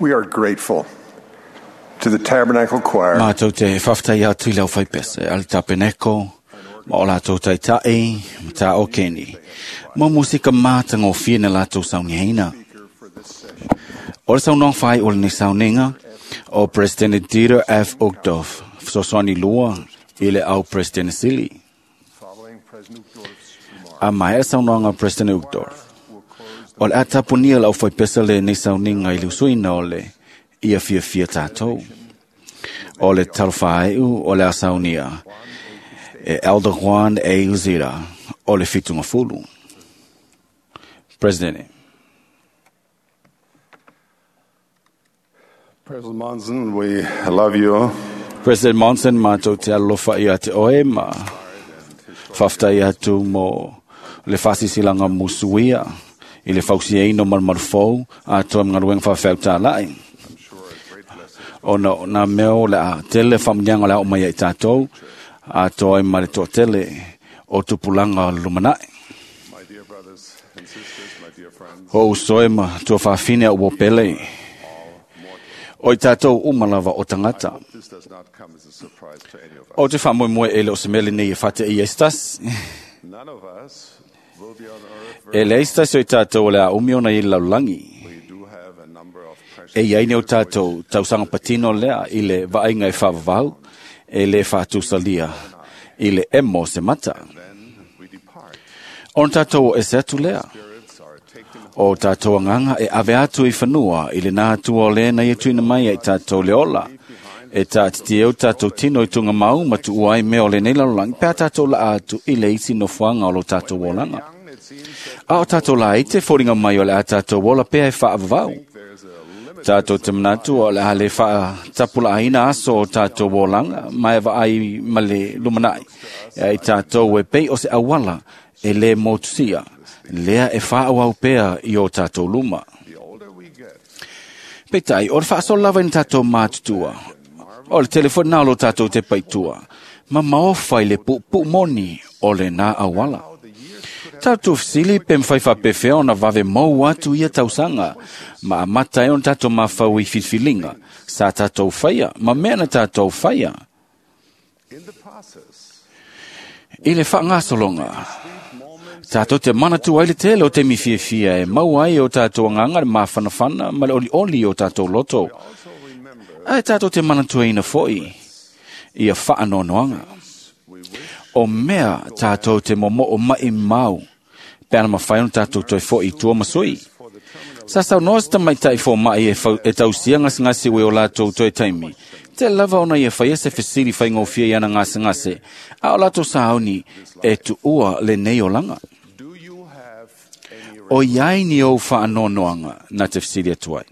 We are grateful to the Tabernacle Choir. Mātou te whawhtai atu i lau whaipese, ale tapeneko, ma o lātou taitai, ma tā o keni. Mo musika mātanga o whina lātou sauniheina. O le saunoa whai o le ni sauniga, o President Dieter F. Uchtdorf, fesoasoani lua i le au President Sili. A mai e saunoaga President Uchtdorf. O le atapunia lau whaipesa le ni sauniga i le usuina o le ia fia fia tātou. O le talofāeu o le asaunia e Elder Juan A. Uzita o le whitunga fulu. President. President Monson, we love you. President Monson, mātou te alofa ia te oe ma whaftai atu mo le whasisilaga musuia i le fausiaina o malumalufou atoa ma galuega faafeautaala'i ona o nā mea o le a tele faamuniaga o le a oo mai ai tatou atoa ai ma le toatele o tupulaga o le lumana'i. O uso e ma tuafafine au pele. O i tātou uma lava o tangata. O te whaamoemoe e le o se mele nei e whate i estas. E le estas o i tātou o le a umi ona i laulangi. E iai nei o tātou tausanga patino lea i le vaaiga e whaavavau e le whaatusalia i le emo se mata. Ona tātou o ese atu lea. O tātou anganga e ave atu i whanua i le nā atua o le na i tuina mai ai tātou le ola. E tā titi eu tātou tino i tunga mau matu uai mea o le nei lalolagi pea tātou la atu i le isi nofoanga o lo tātou olanga. A o tātou la i te fōringa mai o le a tātou ola pea e whaavavau. Tātou te manatu o le hale wha tapula aina aso o tātou olanga mai vaai ma le lumanai. E tātou e pei o se awala e le motusia. Lea e whaawau pea i o tātou luma. Peitai, o le whaaso lava i tātou mātutua. O le telefoni nā lo tātou te paitua. Ma maofa i le pupu moni o le nā awala. Tātou fisili pe mwhai whapewhea ona vave mau atu ia tausanga. Ma amata e ona tātou mawhau i whilwhilinga. Sa tātou whaia, ma mea na tātou whaia. I le whaangasolonga. Tātou te manatu ai le tele o te miwhiawhia e mau ai o tātou anganga le māwhanawhana ma le oli oli o tātou loto. Ai tātou te manatu ai ina foi ia whaanonoanga. O mea tātou te momo o mai mau, peana mawhai ona tātou toi foi i tua masui. Sa sau noa se tamaitai fō mai e tausia ngasengase ue o lātou toe taimi. Te lava ona ia whaia se fesili whaingofia i ana ngasengase, a o lātou saoni e tuua le nei olanga. O iai ni o whaanonoanga na te fesili atu ai.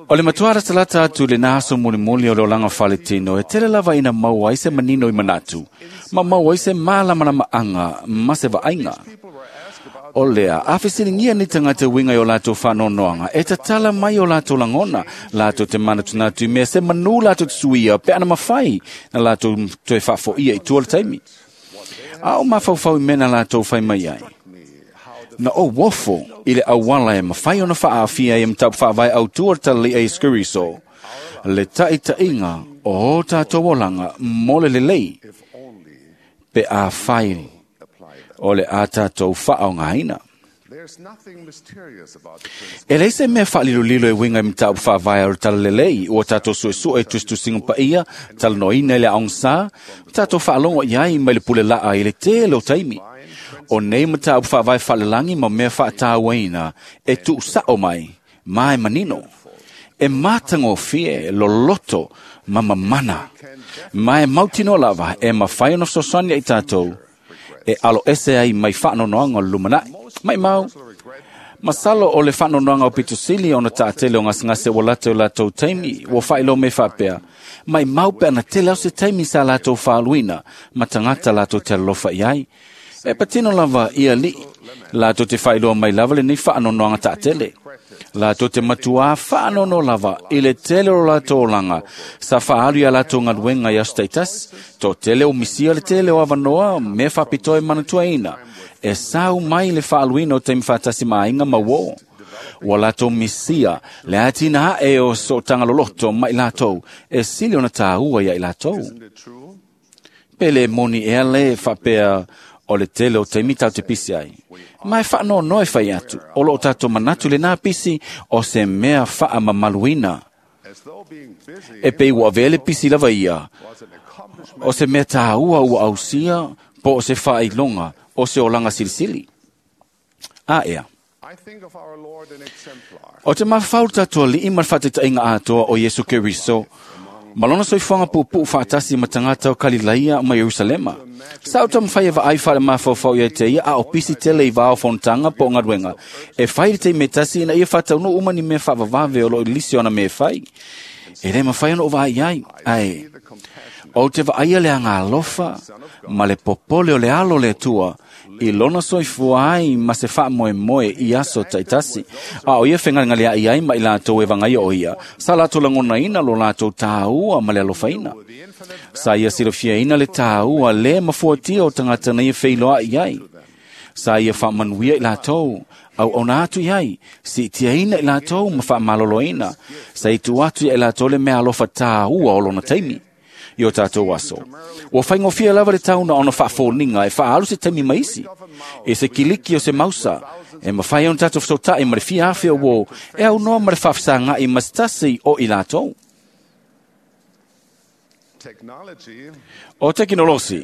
O le matuara talata atu le nahaso mulimuli o le olanga whaletino e tele lava ina mau ai se manino i manatu, ma mau ai se mālamalama anga ma se vaaiga. O lea, a fesilingia ni tangata winga i o lātou whaanonoanga, e tatala mai o lātou langona, lātou te manatunatu i mea se manu lātou te suia, pe ana mawhai na lātou toe whaafoia i tua le taimi. A o mawhauwhau i mena lātou whai mai ai. Na o wofo i le awala e mawhai ona whaafia i mtau whaavai au tua tali e skuriso. Le taitainga o o tātou olanga mole lelei pe a whai o le a tātou whaongaina. E lei se mea whaalilolilo e winga i mtau whaavai au talalelei o tātou suesue e tustusinga paia, talanoina i le aongsa, tātou whaalongo iai mai le pule laa i le tele o taimi. O nei matau whaavai whaalalangi ma mea whaatāuaina e tuusao mai, mai manino. E mātango fie loloto ma mamana. Mai mautino lava e mawhai ono sosani ai tātou. E alo ese ai mai whaanonoanga o lumanai. Mai mau. Masalo o le whaanonoanga o pitusili ona tātele o ngasengase o lātou lātou taimi o whailo me whapea. Mai mau pea na tele au se taimi sa lātou whaaluina ma tangata lātou te alofa i ai. E patino lava ia li, lātou te whailoa mai lava le nei whaanonoanga tātele. Lātou te matua whaanono lava i le tele o lātou olanga. Sa whaalu ia lātou ngaluenga i aso tō tele o misia le tele o avanoa me whapitoe manatua ina. E sau mai le whaaluina o te mwhatasi maainga mauo. Ua latou misia le atina ae o sootaga loloto ma i latou e sili ona tāua ia i latou. Pe le moni ea le faapea o le tele o taimi tatou te pisi ai. Ma e faanoanoa e fai atu, o loo tatou manatu lenā pisi o se mea faamamaluina. E pei ua avea le pisi lava ia, o se mea tāua ua ausia po o se faailoga o se olaga silisili. A ea. O te mafau tatou alii ma le faataitaiga atoa o Iesu Keriso, ma lona soifuaga puupuu faatasi ma tagata o Kalilaia ma Ierusalema. Sa o taumafai e vaai faalemafaofao ia te ia a o pisi tele i vā o fonotaga po o galuega. E fai le taimi e tasi ina ia faataunuu uma ni mea faavavave o loo i lisi ona mea e fai. E le mafai ona ou vaai ai, ae ou te vaaia le agalofa ma le popole o le alo o le Atua i lona soifua ai ma se faamoemoe i aso taitasi. A o ia fegalegaleaʻi ai ma i latou e vagaia o ia, sa latou lagonaina lo latou tāua ma le alofaina. Sa ia silafiaina le tāua le mafuatia o tagata na ia feiloaʻi ai. Sa ia faamanuia i latou, auauna atu i ai, siitiaina i latou ma faamaloloina. Sa i tuu atu ia i latou le mea alofa tāua o lona taimi i o tatou aso. Ua faigofie lava le tauna ona faafoliga e faaalu se taimi ma isi. E se kiliki o se mausa, e mafai ona tatou fesotaʻi ma le fia afe o uō, e aunoa ma le faafesagaʻi ma se tasi o i latou. O tekinolosi,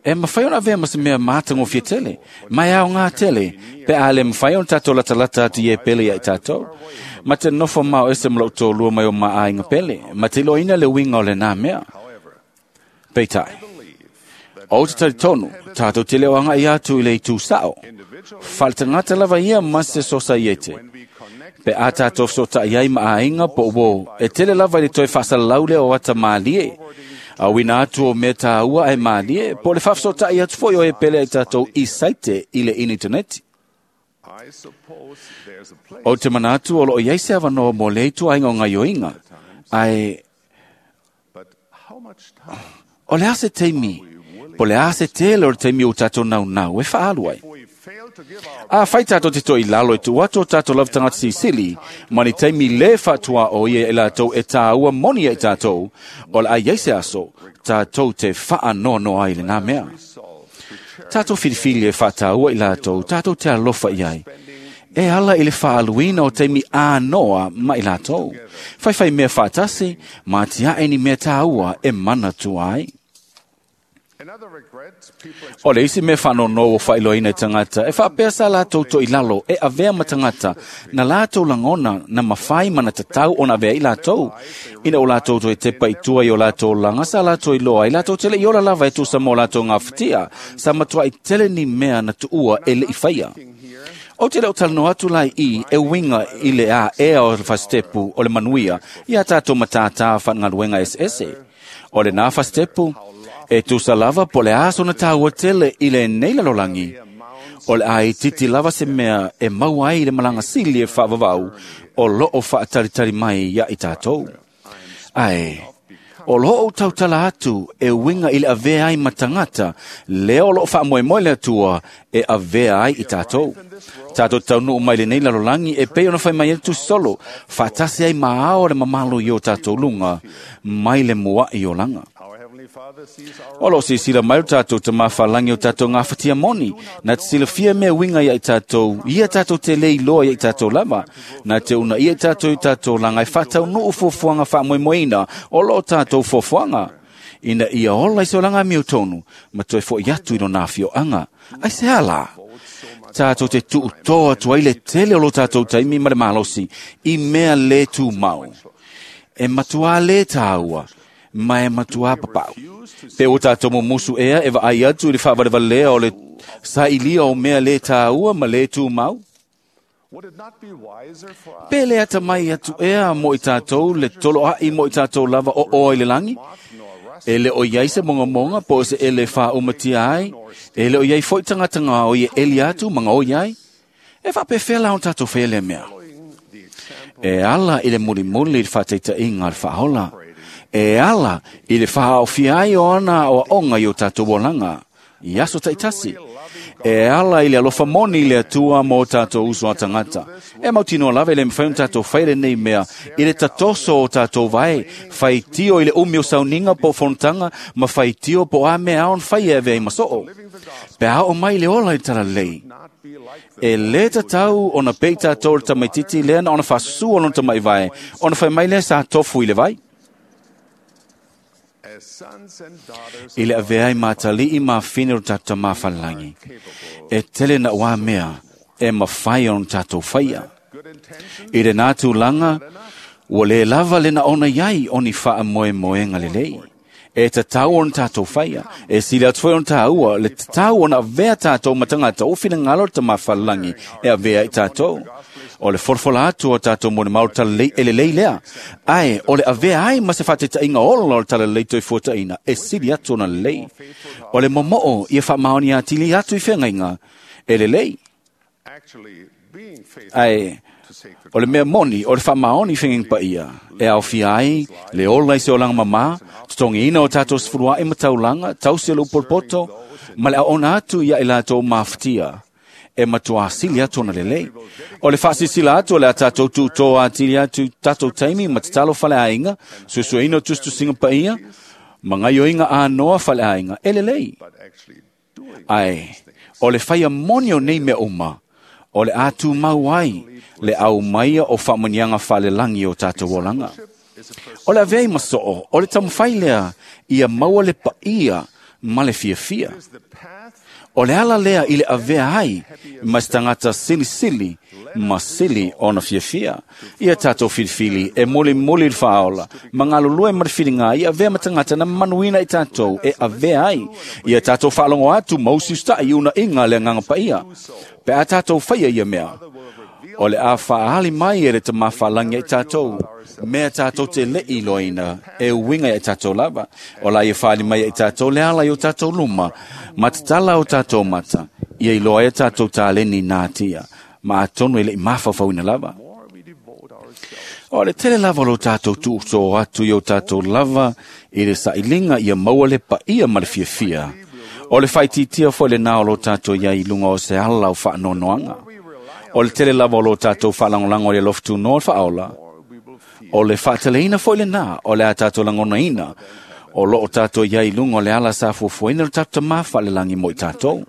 e mafai ona avea ma se mea matagofie tele, ma e aogā tele, pe a le mafai ona tatou latalata atu i e pele ia i tatou. Ma te nofo mao ese ma lou tōlua mai o maaiga pele, ma te iloaina le uiga o lenā mea. Peitai, o te talitonu, tatou te leo agaʻi atu i le itu sao. Faaletagata lava ia ma se sosaiete. Pe a tatou fesotaʻi ai ma aiga po o uō, e tele lava i le toe faasalalau lea o ata mālie. Auina atu o mea tāua ae mālie, po o le faafesotaʻi atu foi o e pele ai tatou i saite i le initaneti. O te manatu o loo iai se avanoa mo le ituaiga o gaioiga, ae o le a se taimi, po le a se tele o le taimi o tatou naunau e faaalu ai. A fai tatou te toi lalo e tuu atu o tatou lava tagata silisili, ma ni taimi le faatuā o ia i latou e tāua moni ai tatou, o le a iai se aso, tatou te faanoanoa ai lenā mea. Tatou filifili e faataua i latou, tatou te alofa i ai. E ala i le faaluina o taimi ānoa ma i latou. Faifai mea faatasi, ma tiaʻe ni mea tāua e manatua ai. O le isi mea faanoanoa ua faailoaina i tagata, e faapea sa latou toilalo e avea ma tagata na latou lagona na mafai ma na tatau ona avea i latou. Ina o latou toe tepa i tua i o latou laga sa latou iloa ai latou te le i ola lava e tusa mo latou gafatia, sa matuai tele ni mea na tuua e le i faia. O te leo talanoa atu lai i e uiga i le aea o le fasitepu o le manuia ia tatou matātā faagaluega eseese. O lenā fasitepu, e tusa lava po le a sona tāua tele i lenei lalolagi. O le a itiiti lava se mea e maua ai le malaga sili e faavavau o loo faatalitali mai ia i tatou. Ae, o loo ou tautala atu e uiga i le avea ai ma tagata, lea o loo faamoemoe le Atua e avea ai i tatou. Tatou taunuu mai lenei lalolagi e pei ona fai mai ai le tusisolo, faatasi ai ma ao le mamalo i o tatou luga, mai le muaʻi olaga. O loo silasila mai o tatou tamāfalagi o tatou gafatia moni, na te silafia mea uiga ia i tatou, ia tatou te le iloa ia i tatou lava, na te unaia i tatou i tatou laga e faataunuu fuafuaga faamoemoeina o loo tatou fuafuaga. Ina ia ola i se olaga amiotonu, ma toe foʻi atu i lona afioaga. Ai se ala? Tatou te tuutoa atu ai le tele o lo tatou taimi ma le malosi i mea le tumau. E matuā le tāua, ma e matuā papau. Pe o tatou mumusu ea e vaai atu i le faavalevalea o le sailia o mea le tāua ma le tumau. Pe le atamai atu ea mo i tatou le toloaʻi mo i tatou lava o oa i le lagi? E le o iai se mogamoga po o se ele faaumatia ai, e le o iai foi tagata gaoi e eli atu ma gaoi ai. E faapefea la ona tatou faia lea mea? E ala i le mulimuli i le faataitaiga a le faaola. E ala i le faaofia ai o ana aoaoga i o tatou olaga i aso taitasi. E ala i le alofa moni i le Atua mo tātou uso a tagata. E mautinoa lava e le mafai ona tātou fai lenei mea i le tatoso o tātou vae, faitio i le umi o sauniga po o fonotaga ma faitio po o a mea ao ona fai e avea ai ma soo. Pe a oo mai le ola i le talalelei. E lē tatau ona pei tātou le tamaititi lea na ona faasusua lona tamaivae, ona fai mai lea sa tofu i le vai. I le avea ai ma atalii ma afine o le tatou Tamā falelagi, e tele naʻu mea e mafai ona tatou faia. I lenā tulaga, ua lē lava le naona i ai o ni faamoemoega lelei. E tatau ona tatou faia. E sili atu foi ona tāua le tatau ona avea tātou ma tagata o finagalo le Tamā falelagi e avea i tātou. O le folafola atu o tātou molimau le talalelei e lelei lea. Ae o le avea ai ma se faataitaiga ola o le talalelei toifuataina e sili atu ona lelei. O le momoo ia faamaoni atili atu i feagaiga e lelei. Ae o le mea moni o le faamaoni i feagaiga paia e aofia ai le ola i se olaga mamā, totogiina o tātou sefuluaʻi ma taulaga, tausi o le upolopoto, ma le aoona atu ia i latou mafatia e matuā sili atu ona lelei. O le faasilasila atu o le a tātou tuutō atili atu i tātou taimi ma tatalo faleaiga, suesueina o tusitusiga paia, ma gaioiga anoa faleaiga e lelei. Ae, o le faia moni o nei mea uma, o le a tumau ai le aumaia o faamanuiaga faalelagi o tātou olaga. O le avea ai ma soo, o le taumafai lea ia maua le paia ma le fiafia. O le ala lea i le avea ai ma se tagata silisili ma sili ona fiafia. Ia tātou filifili e mulimuli le faaola, ma galulue ma le filiga ia avea ma tagata na manuina i tātou e avea ai. Ia tātou faalogo atu ma usiusitai unaiga le agaga paia. Pe a tātou faia ia mea, o le a faaali mai e le Tamā faalagi ai tātou, mea tātou te leʻi iloaina e uiga ia i tātou lava. O la ia faaali mai ai tātou le ala i o tātou luma, ma tatala o tātou mata, ia iloa ai a tātou taleni natia, ma atonu e leʻi mafaufauina lava. O le tele lava o lo tātou tuusō atu i o tātou lava i le sailiga ia maua le paia ma le fiafia. O le faaitiitia foi lenā o lo tātou iai i luga o se ala o faanoanoaga. O le tele lava o lo tātou faalagolago i le alofa tunoa o le faaola. O le faateleina foi lenā o le a tātou lagonaina o loo tātou iai i luga o le ala sa fuafuaina le tatou Tamā faalelagi mo i tātou.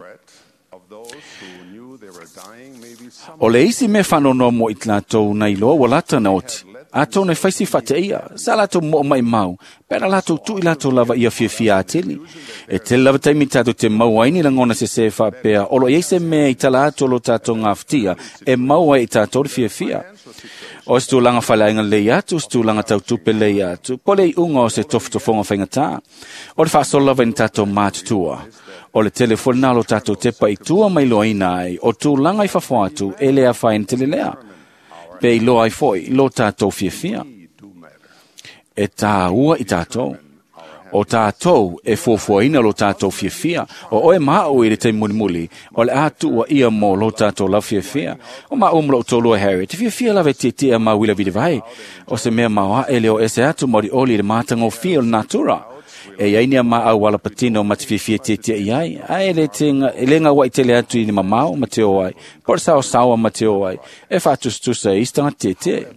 O le isi mea faanoanoa mo i latou na iloa ua lata na oti, atonu e faisi faateia, sa latou moo maimau, pe na latou tuu i latou lava ia fiafia atili. E tele lava taimi tātou te maua ai ni lagona sesē faapea, o lo o i ai se mea i tala atu o lo tātou gafatia, e maua ai i tātou le fiafia. O se tulaga faleaiga lelei atu, o se tulaga tautupe lelei atu, po o le iuga o se tofotofoga faigatā. O le faasolo lava i ni tātou matutua. O le tele foi lenā o lo tātou tepa i tua ma iloaina ai, o tulaga i fafo atu e le afaina tele lea. Pe iloa ai foi lo tātou fiafia. E tāua i tātou. O tātou e fuafuaina lo tātou fiafia. O oe ma au i le taimi mulimuli, o le a tuua ia mo lo tātou lau fiafia. O ma au ma lou toalua Harry, te fiafia lava e tietie a mau ila vai. O se mea maoaʻe le o ese atu ma olioli i le matagofie o le natura. E iai ni a ma au ala patino ma te fiafia tietie i ai, ae e le tenga, e le gauaʻi tele atu i ni mamao ma te o ai, po o le saosaoa ma te o ai, e faatusatusa e isi tagata tietie.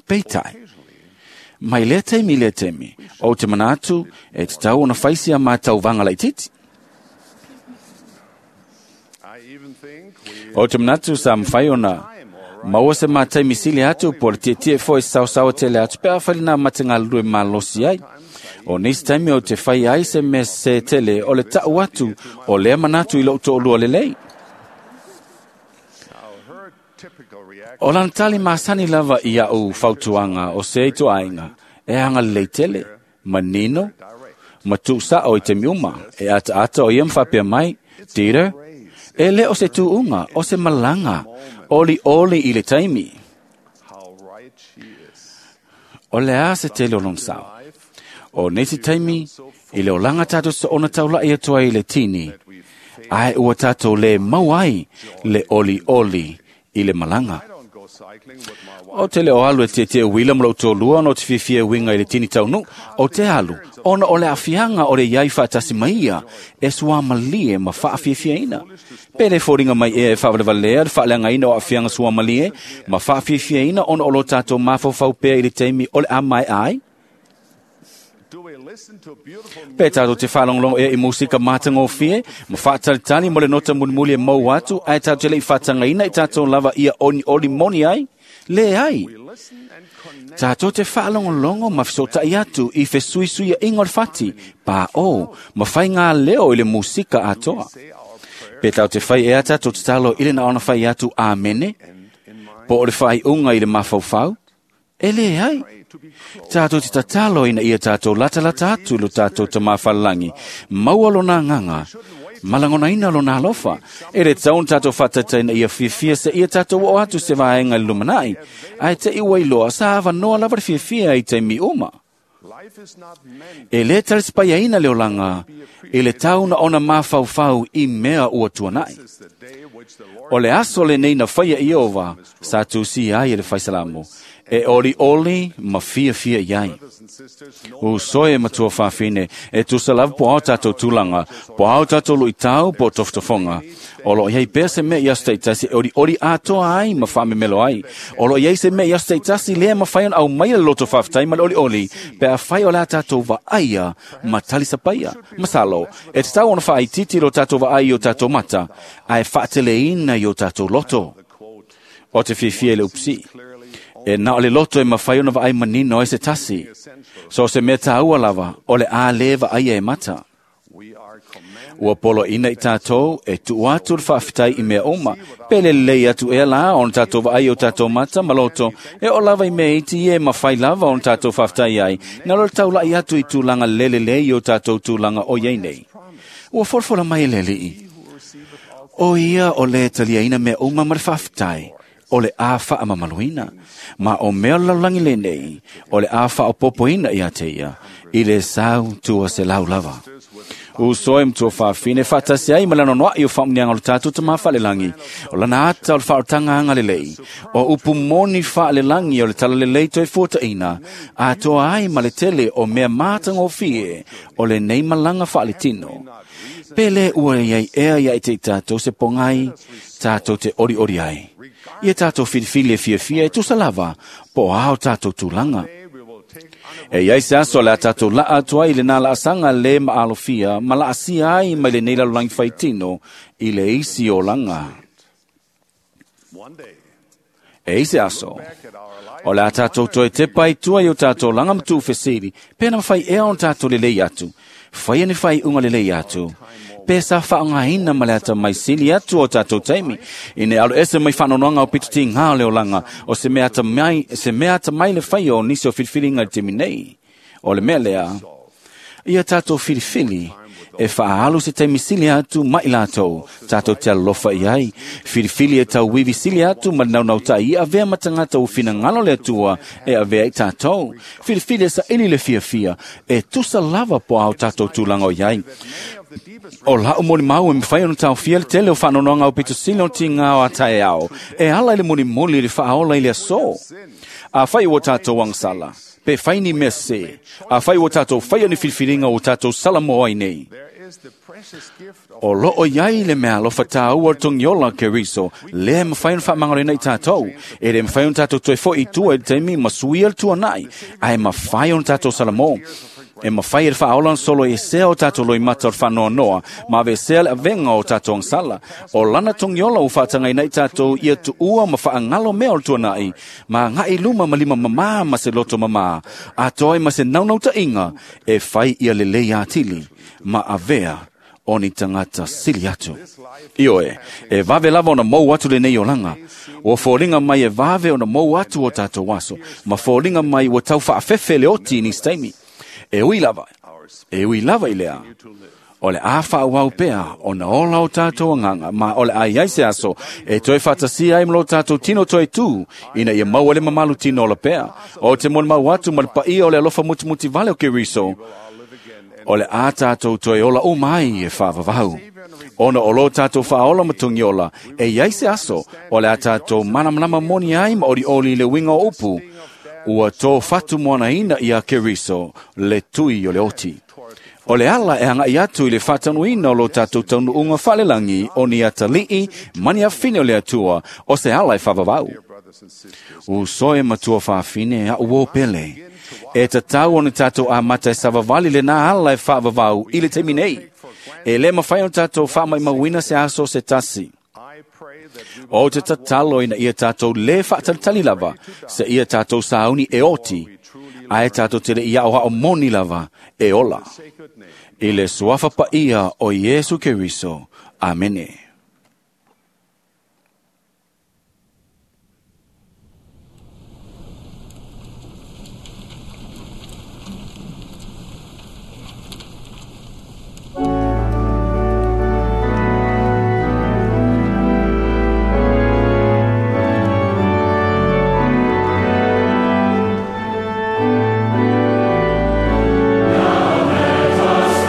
Peitai, mai lea taimi i lea taimi, ou te manatu e tatau ona fai si a mātou vaga laitiiti. Ou te manatu sa mafai ona maua se mataimi sili atu po o le tietie foi saosaoa tele atu pe afai lenā ma te galulue malosi ai. O nisi taimi ou te fai ai se mea sesē tele o le taʻu atu o lea manatu i lou toalua lelei. O lana tali masani lava i aʻu fautuaga o se ituaiga e agalelei tele, manino, ma tuusaʻo i taimi uma. E ataata o ia ma faapea mai, Dieter, e le o se tuuga, o se malaga, olioli i le taimi. O le a se tele o lona sao. O nisi taimi, i le olaga tātou soona taulaʻi atu ai i le tini, ae ua tātou lē maua ai le olioli i le malaga. O te leo alu e te te uila ma lou tōlua ona o te fiafia uiga i le tini taunu, o te alu, ona o le afiaga o le iai faatasi mai ia, e suamalie ma faafiafiaina. Pe le foliga mai ea e faavalevalea le faaleagaina o aafiaga suamalie ma faafiafiaina ona o lo tatou mafaufau pea i le taimi o le a mae'a ai? Pe tatou te faalogologo ea i musika matagofie ma faatalitali mo le nota mulimuli e mou atu ae tatou te le'i faatagaina i tatou lava ia olioli moni ai? Leai. Tatou te faalogologo ma fesoota'i atu i fesuisuia'iga o le fati, paʻō, ma faigā leo i le musika atoa. Pe tatou te fai ea tatou tatalo i le na ona fai atu amene, po o le faaiuga i le mafaufau? E leai. Tatou te tatalo ina ia tatou latalata atu i lo tatou Tamā falelagi, maua lona agaga, ma lagonaina lona alofa. E le tatau ona tatou faataitai ina ia fiafia seia tatou oo atu se vaega i le lumana'i, ae te'i ua iloa sa avanoa lava le fiafia i taimi uma. E lē talisipaiaina le olaga i le tau na ona mafaufau i mea ua tuana'i. O le aso lenei na faia e Ieova sa tusia ai e le faisalamo, e olioli ma fiafia i ai. Uso e matua fafine, e tusa lava po ao tatou tulaga, po ao tatou luitau po o tofotofoga. O loo iai pea se mea i aso taitasi e olioli atoa ai ma faamemelo ai. O loo iai se mea i aso taitasi lea e mafai ona aumaia le loto faafetai ma le olioli, pe afai o le a tatou vaaia ma talisapaia. Masalo, e tatau ona faaitiiti lo tatou vaai i o tatou mata, ae faateleina i o tatou loto. O te fiafia i le upusii. E na o le loto e mafai ona vaai manino ai se tasi. So se mea tāua lava, o le a lē vaaia e mata. Ua poloaina i tatou e tuu atu le faafetai i mea uma. Pe lelei atu ea la ona tatou vaai i o tatou mata ma loto, e oo lava i mea iti ia e mafai lava ona tatou faafetai ai, na lo le taula'i atu i tulaga lelelei i o tatou tulaga o iai nei. Ua folafola mai e le Alii, o ia o le taliaina mea uma ma le faafetai, o le a faamamaluina. Ma o mea o le lalolagi lenei, o le a faaopoopoina ia te ia, i le sau tua se lau lava. Uso e matua fafine, faatasi ai ma le anoanoa'i o faamuniaga o le tatou Tamā faalelagi, o lana ata o le faaolataga agalelei, o upu moni faalelagi o le talalelei toe fuataʻina, atoa ai ma le tele o mea matagofie o lenei malaga faaletino. Pe lē ua iai ea ia i te i tatou se pogai, tatou te olioli ai. Ia tatou filifili e fiafia e tusa lava, po o a o tatou tulaga. E iai se aso le a tatou laa atu ai i lenā laasaga lē maalofia ma laasia ai mai lenei lalolagi faitino i le isi olaga. E i se aso, o le a tatou toe tepa ai tua i o tatou olaga ma tuufesili, pe na mafai ea ona tatou lelei atu, faia ni faaiuga lelei atu, pe sa faaaogaina ma le atamai sili atu o tatou taimi, ina ia aloese mai faanoanoaga o pitotigā o le olaga, o se mea atamai, se mea atamai le faia o nisi o filifiliga i le taimi nei. O le mea lea, ia tatou filifili e faaalu se taimi sili atu ma i latou, tatou te alolofa i ai. Filifili e tauivi sili atu ma le naunautaʻi ia avea ma tagata ua finagalo le Atua e avea i tatou. Filifili e saili le fiafia, e tusa lava po ao tatou tulaga o i ai. O la'u molimau e mafai ona taofia le tele o faanoanoaga aupito sili o tigā o ataeao, e ala i le mulimuli i le faaola i le asō. Afai ua tatou agasala, pe fai ni mea sesē, afai ua tatou faia ni filifiliga ua tatou salamo ai nei, o loo iai le meaalofa tāua o le togiola o Keriso, lea e mafai ona faamagaloina i tatou. E le mafai ona tatou toe fo'i i tua i le taimi ma suia le tuana'i, ae mafai ona tatou salamo. E mafai e le faaola ona solo esea o tatou loimata o le faanoanoa, ma aveesea le avega o tatou agasala. O lana togiola ua faatagaina i tatou ia tuua ma faagalo mea o le tuana'i, ma agaʻi i luma ma lima mamā ma se loto mamā, atoa ai ma se naunautaʻiga e fai ia lelei atili ma avea o ni tagata sili atu. Ioe, e vave lava ona mou atu lenei olaga. Ua foliga mai e vave ona mou atu o tatou aso, ma foliga mai ua tau faafefe le oti i nisi taimi. E ui lava, e ui lava i lea, o le a faaauau pea ona ola o tatou agaga, ma o le a iai se aso e toe faatasia ai ma lo tatou tino toe tū, ina ia maua le mamalu tino ola pea. O te molimau atu ma le paia o le alofa mutimuti vale o Keriso, O le a tātou toe ola umai e whaavavau. Ona o lo tātou whaola matungiola, e iai se aso, o le a tātou manamanama moni ai ma ori oli le winga o upu, ua tō whatu moana ina ia Keriso, le tui o le oti. O le ala e hanga i atu i le whatanuina o lo tātou taunuunga whalelangi o ni atalii mani a whine o le atua o se ala e whavavau. U soe matua whawhine a uo pele. E tatau o ni tātou a mata e savavali le nā ala e whavavau i le teimi nei. E le mawhai o tātou whamai mawina se aso se tasi. O te tatalo ina ia tātou le whaatalitali lava, se ia tātou sauni e oti, a e tātou te le ia oha o moni lava e ola. I le suafa pa ia o Iesu Keriso. Amene.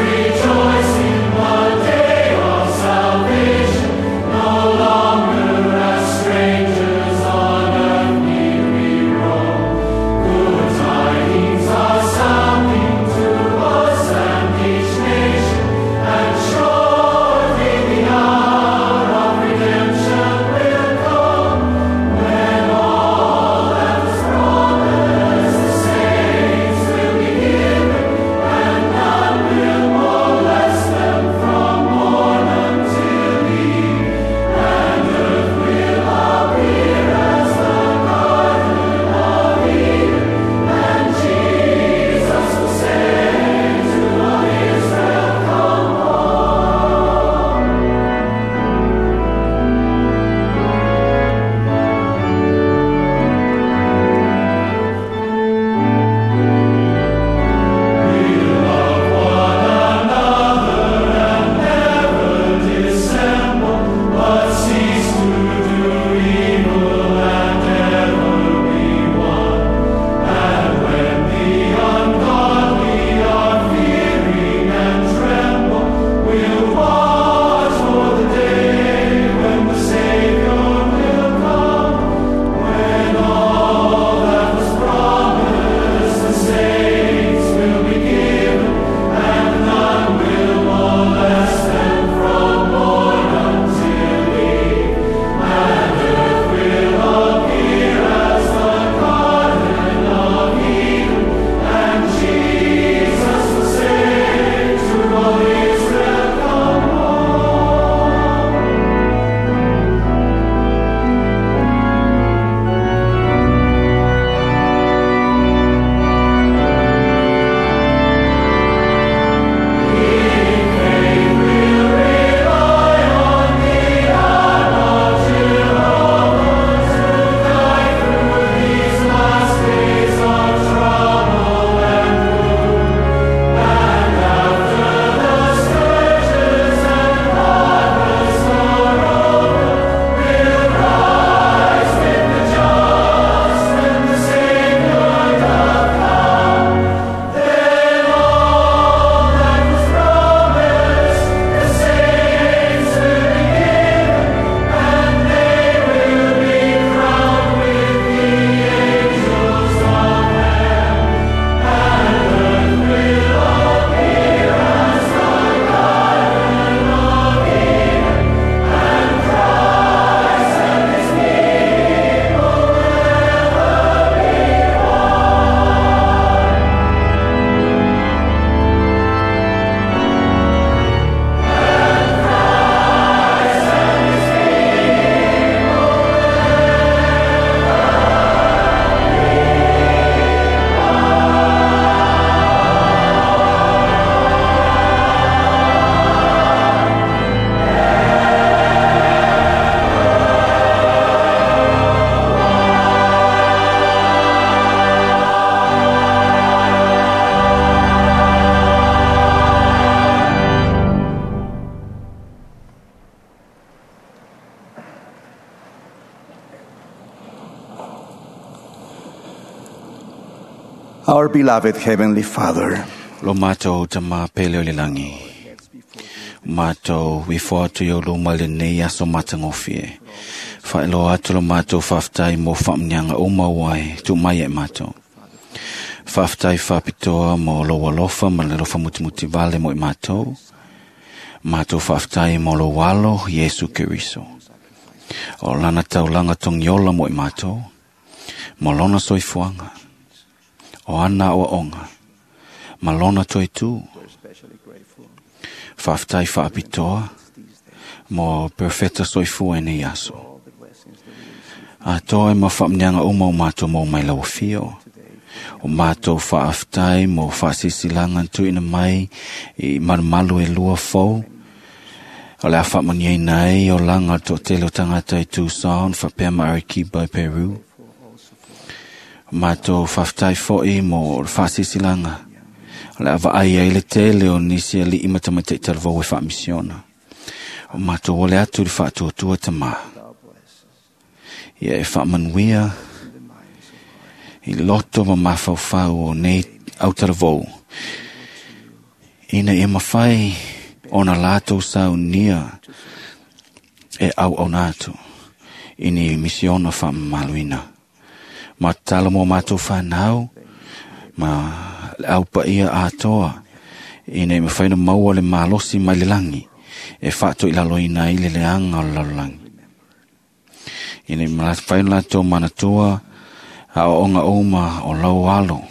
Rejoice in the day of salvation. Our beloved Heavenly Father, Lo mātou tama pele o le langi. Mātou ifo atu i o luma le nei aso matangofie. Whaeloa atu lo mātou whaftai mō whaamnianga o mauai tu mai e mātou. Whaftai whapitoa mō lo alofa ma le lofa mutimuti vale mo i mātou. Mātou whaftai mō lo walo Yesu Keriso. O lana taulanga tongiola mo i mātou. Mo lona soifuanga. O ana o onga. Ma lona toi tū. Whaftai whaapitoa mo perfecta soifua e nei aso. A toa e ma whaamnianga uma o mātou mō mai lau fio. O mātou whaaftai mo whaasisilangan tuina mai i marumalu e lua fau. O le a whaamania nei o langa tō tele o tangata i Tucson, whapea ma Arequipa i Peru. O mātou whaaftai fo'i mo whaasisilangan. O le ava ai ai le tele o nisi a li imata i talavou e whaamisiona. O mātou ole atu le whaatuatua tama. Ia e whaamanuia i loto ma mawhauwhau o nei au talavou. Ina e mawhai o na lātou saunia e au au nātu. Ini misiona whaamamaluina. Ma tala mo mātou whanau, ma au paia atoa ina e mawhai na maua le malosi mai le langi e whaato i lalo ina i le leanga o le lalolangi. Ina e mawhai na lātou manatua a o onga uma o lau alo.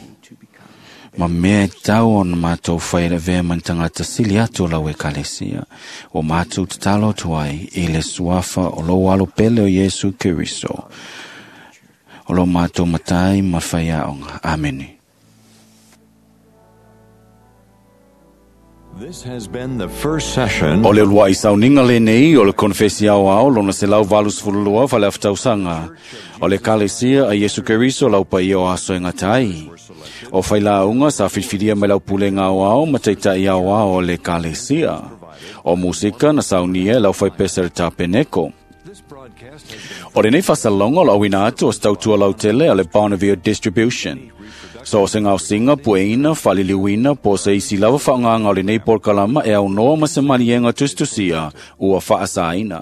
Ma mea e tau o na mātou whai le vea mantangata sili atu o lau e kalesia o mātou tatalo atu ai i le suafa o lau alo pele o Yesu Keriso. O lau mātou matai ma whai aonga. Amene. This has been the first session. O le uluai sauninga le nei o le konfesi au ao lona se lau valus fululua whale awhitausanga. O le kalesia a Yesu Keriso lau pa o aso e ngatai. O whaila unga sa whiwhiria mai lau pulenga au ao ma teitai au ao o le kalesia. O musika na saunia lau whai pesa le tapeneko. O le nei whasalonga o lau ina atu o stautua lau tele a le Bonneville Distribution. So se ngau singa pueina, whaliliuina, po se isi lava whaanganga o le nei porkalama e au noa ma se manienga tustusia ua whaasaina.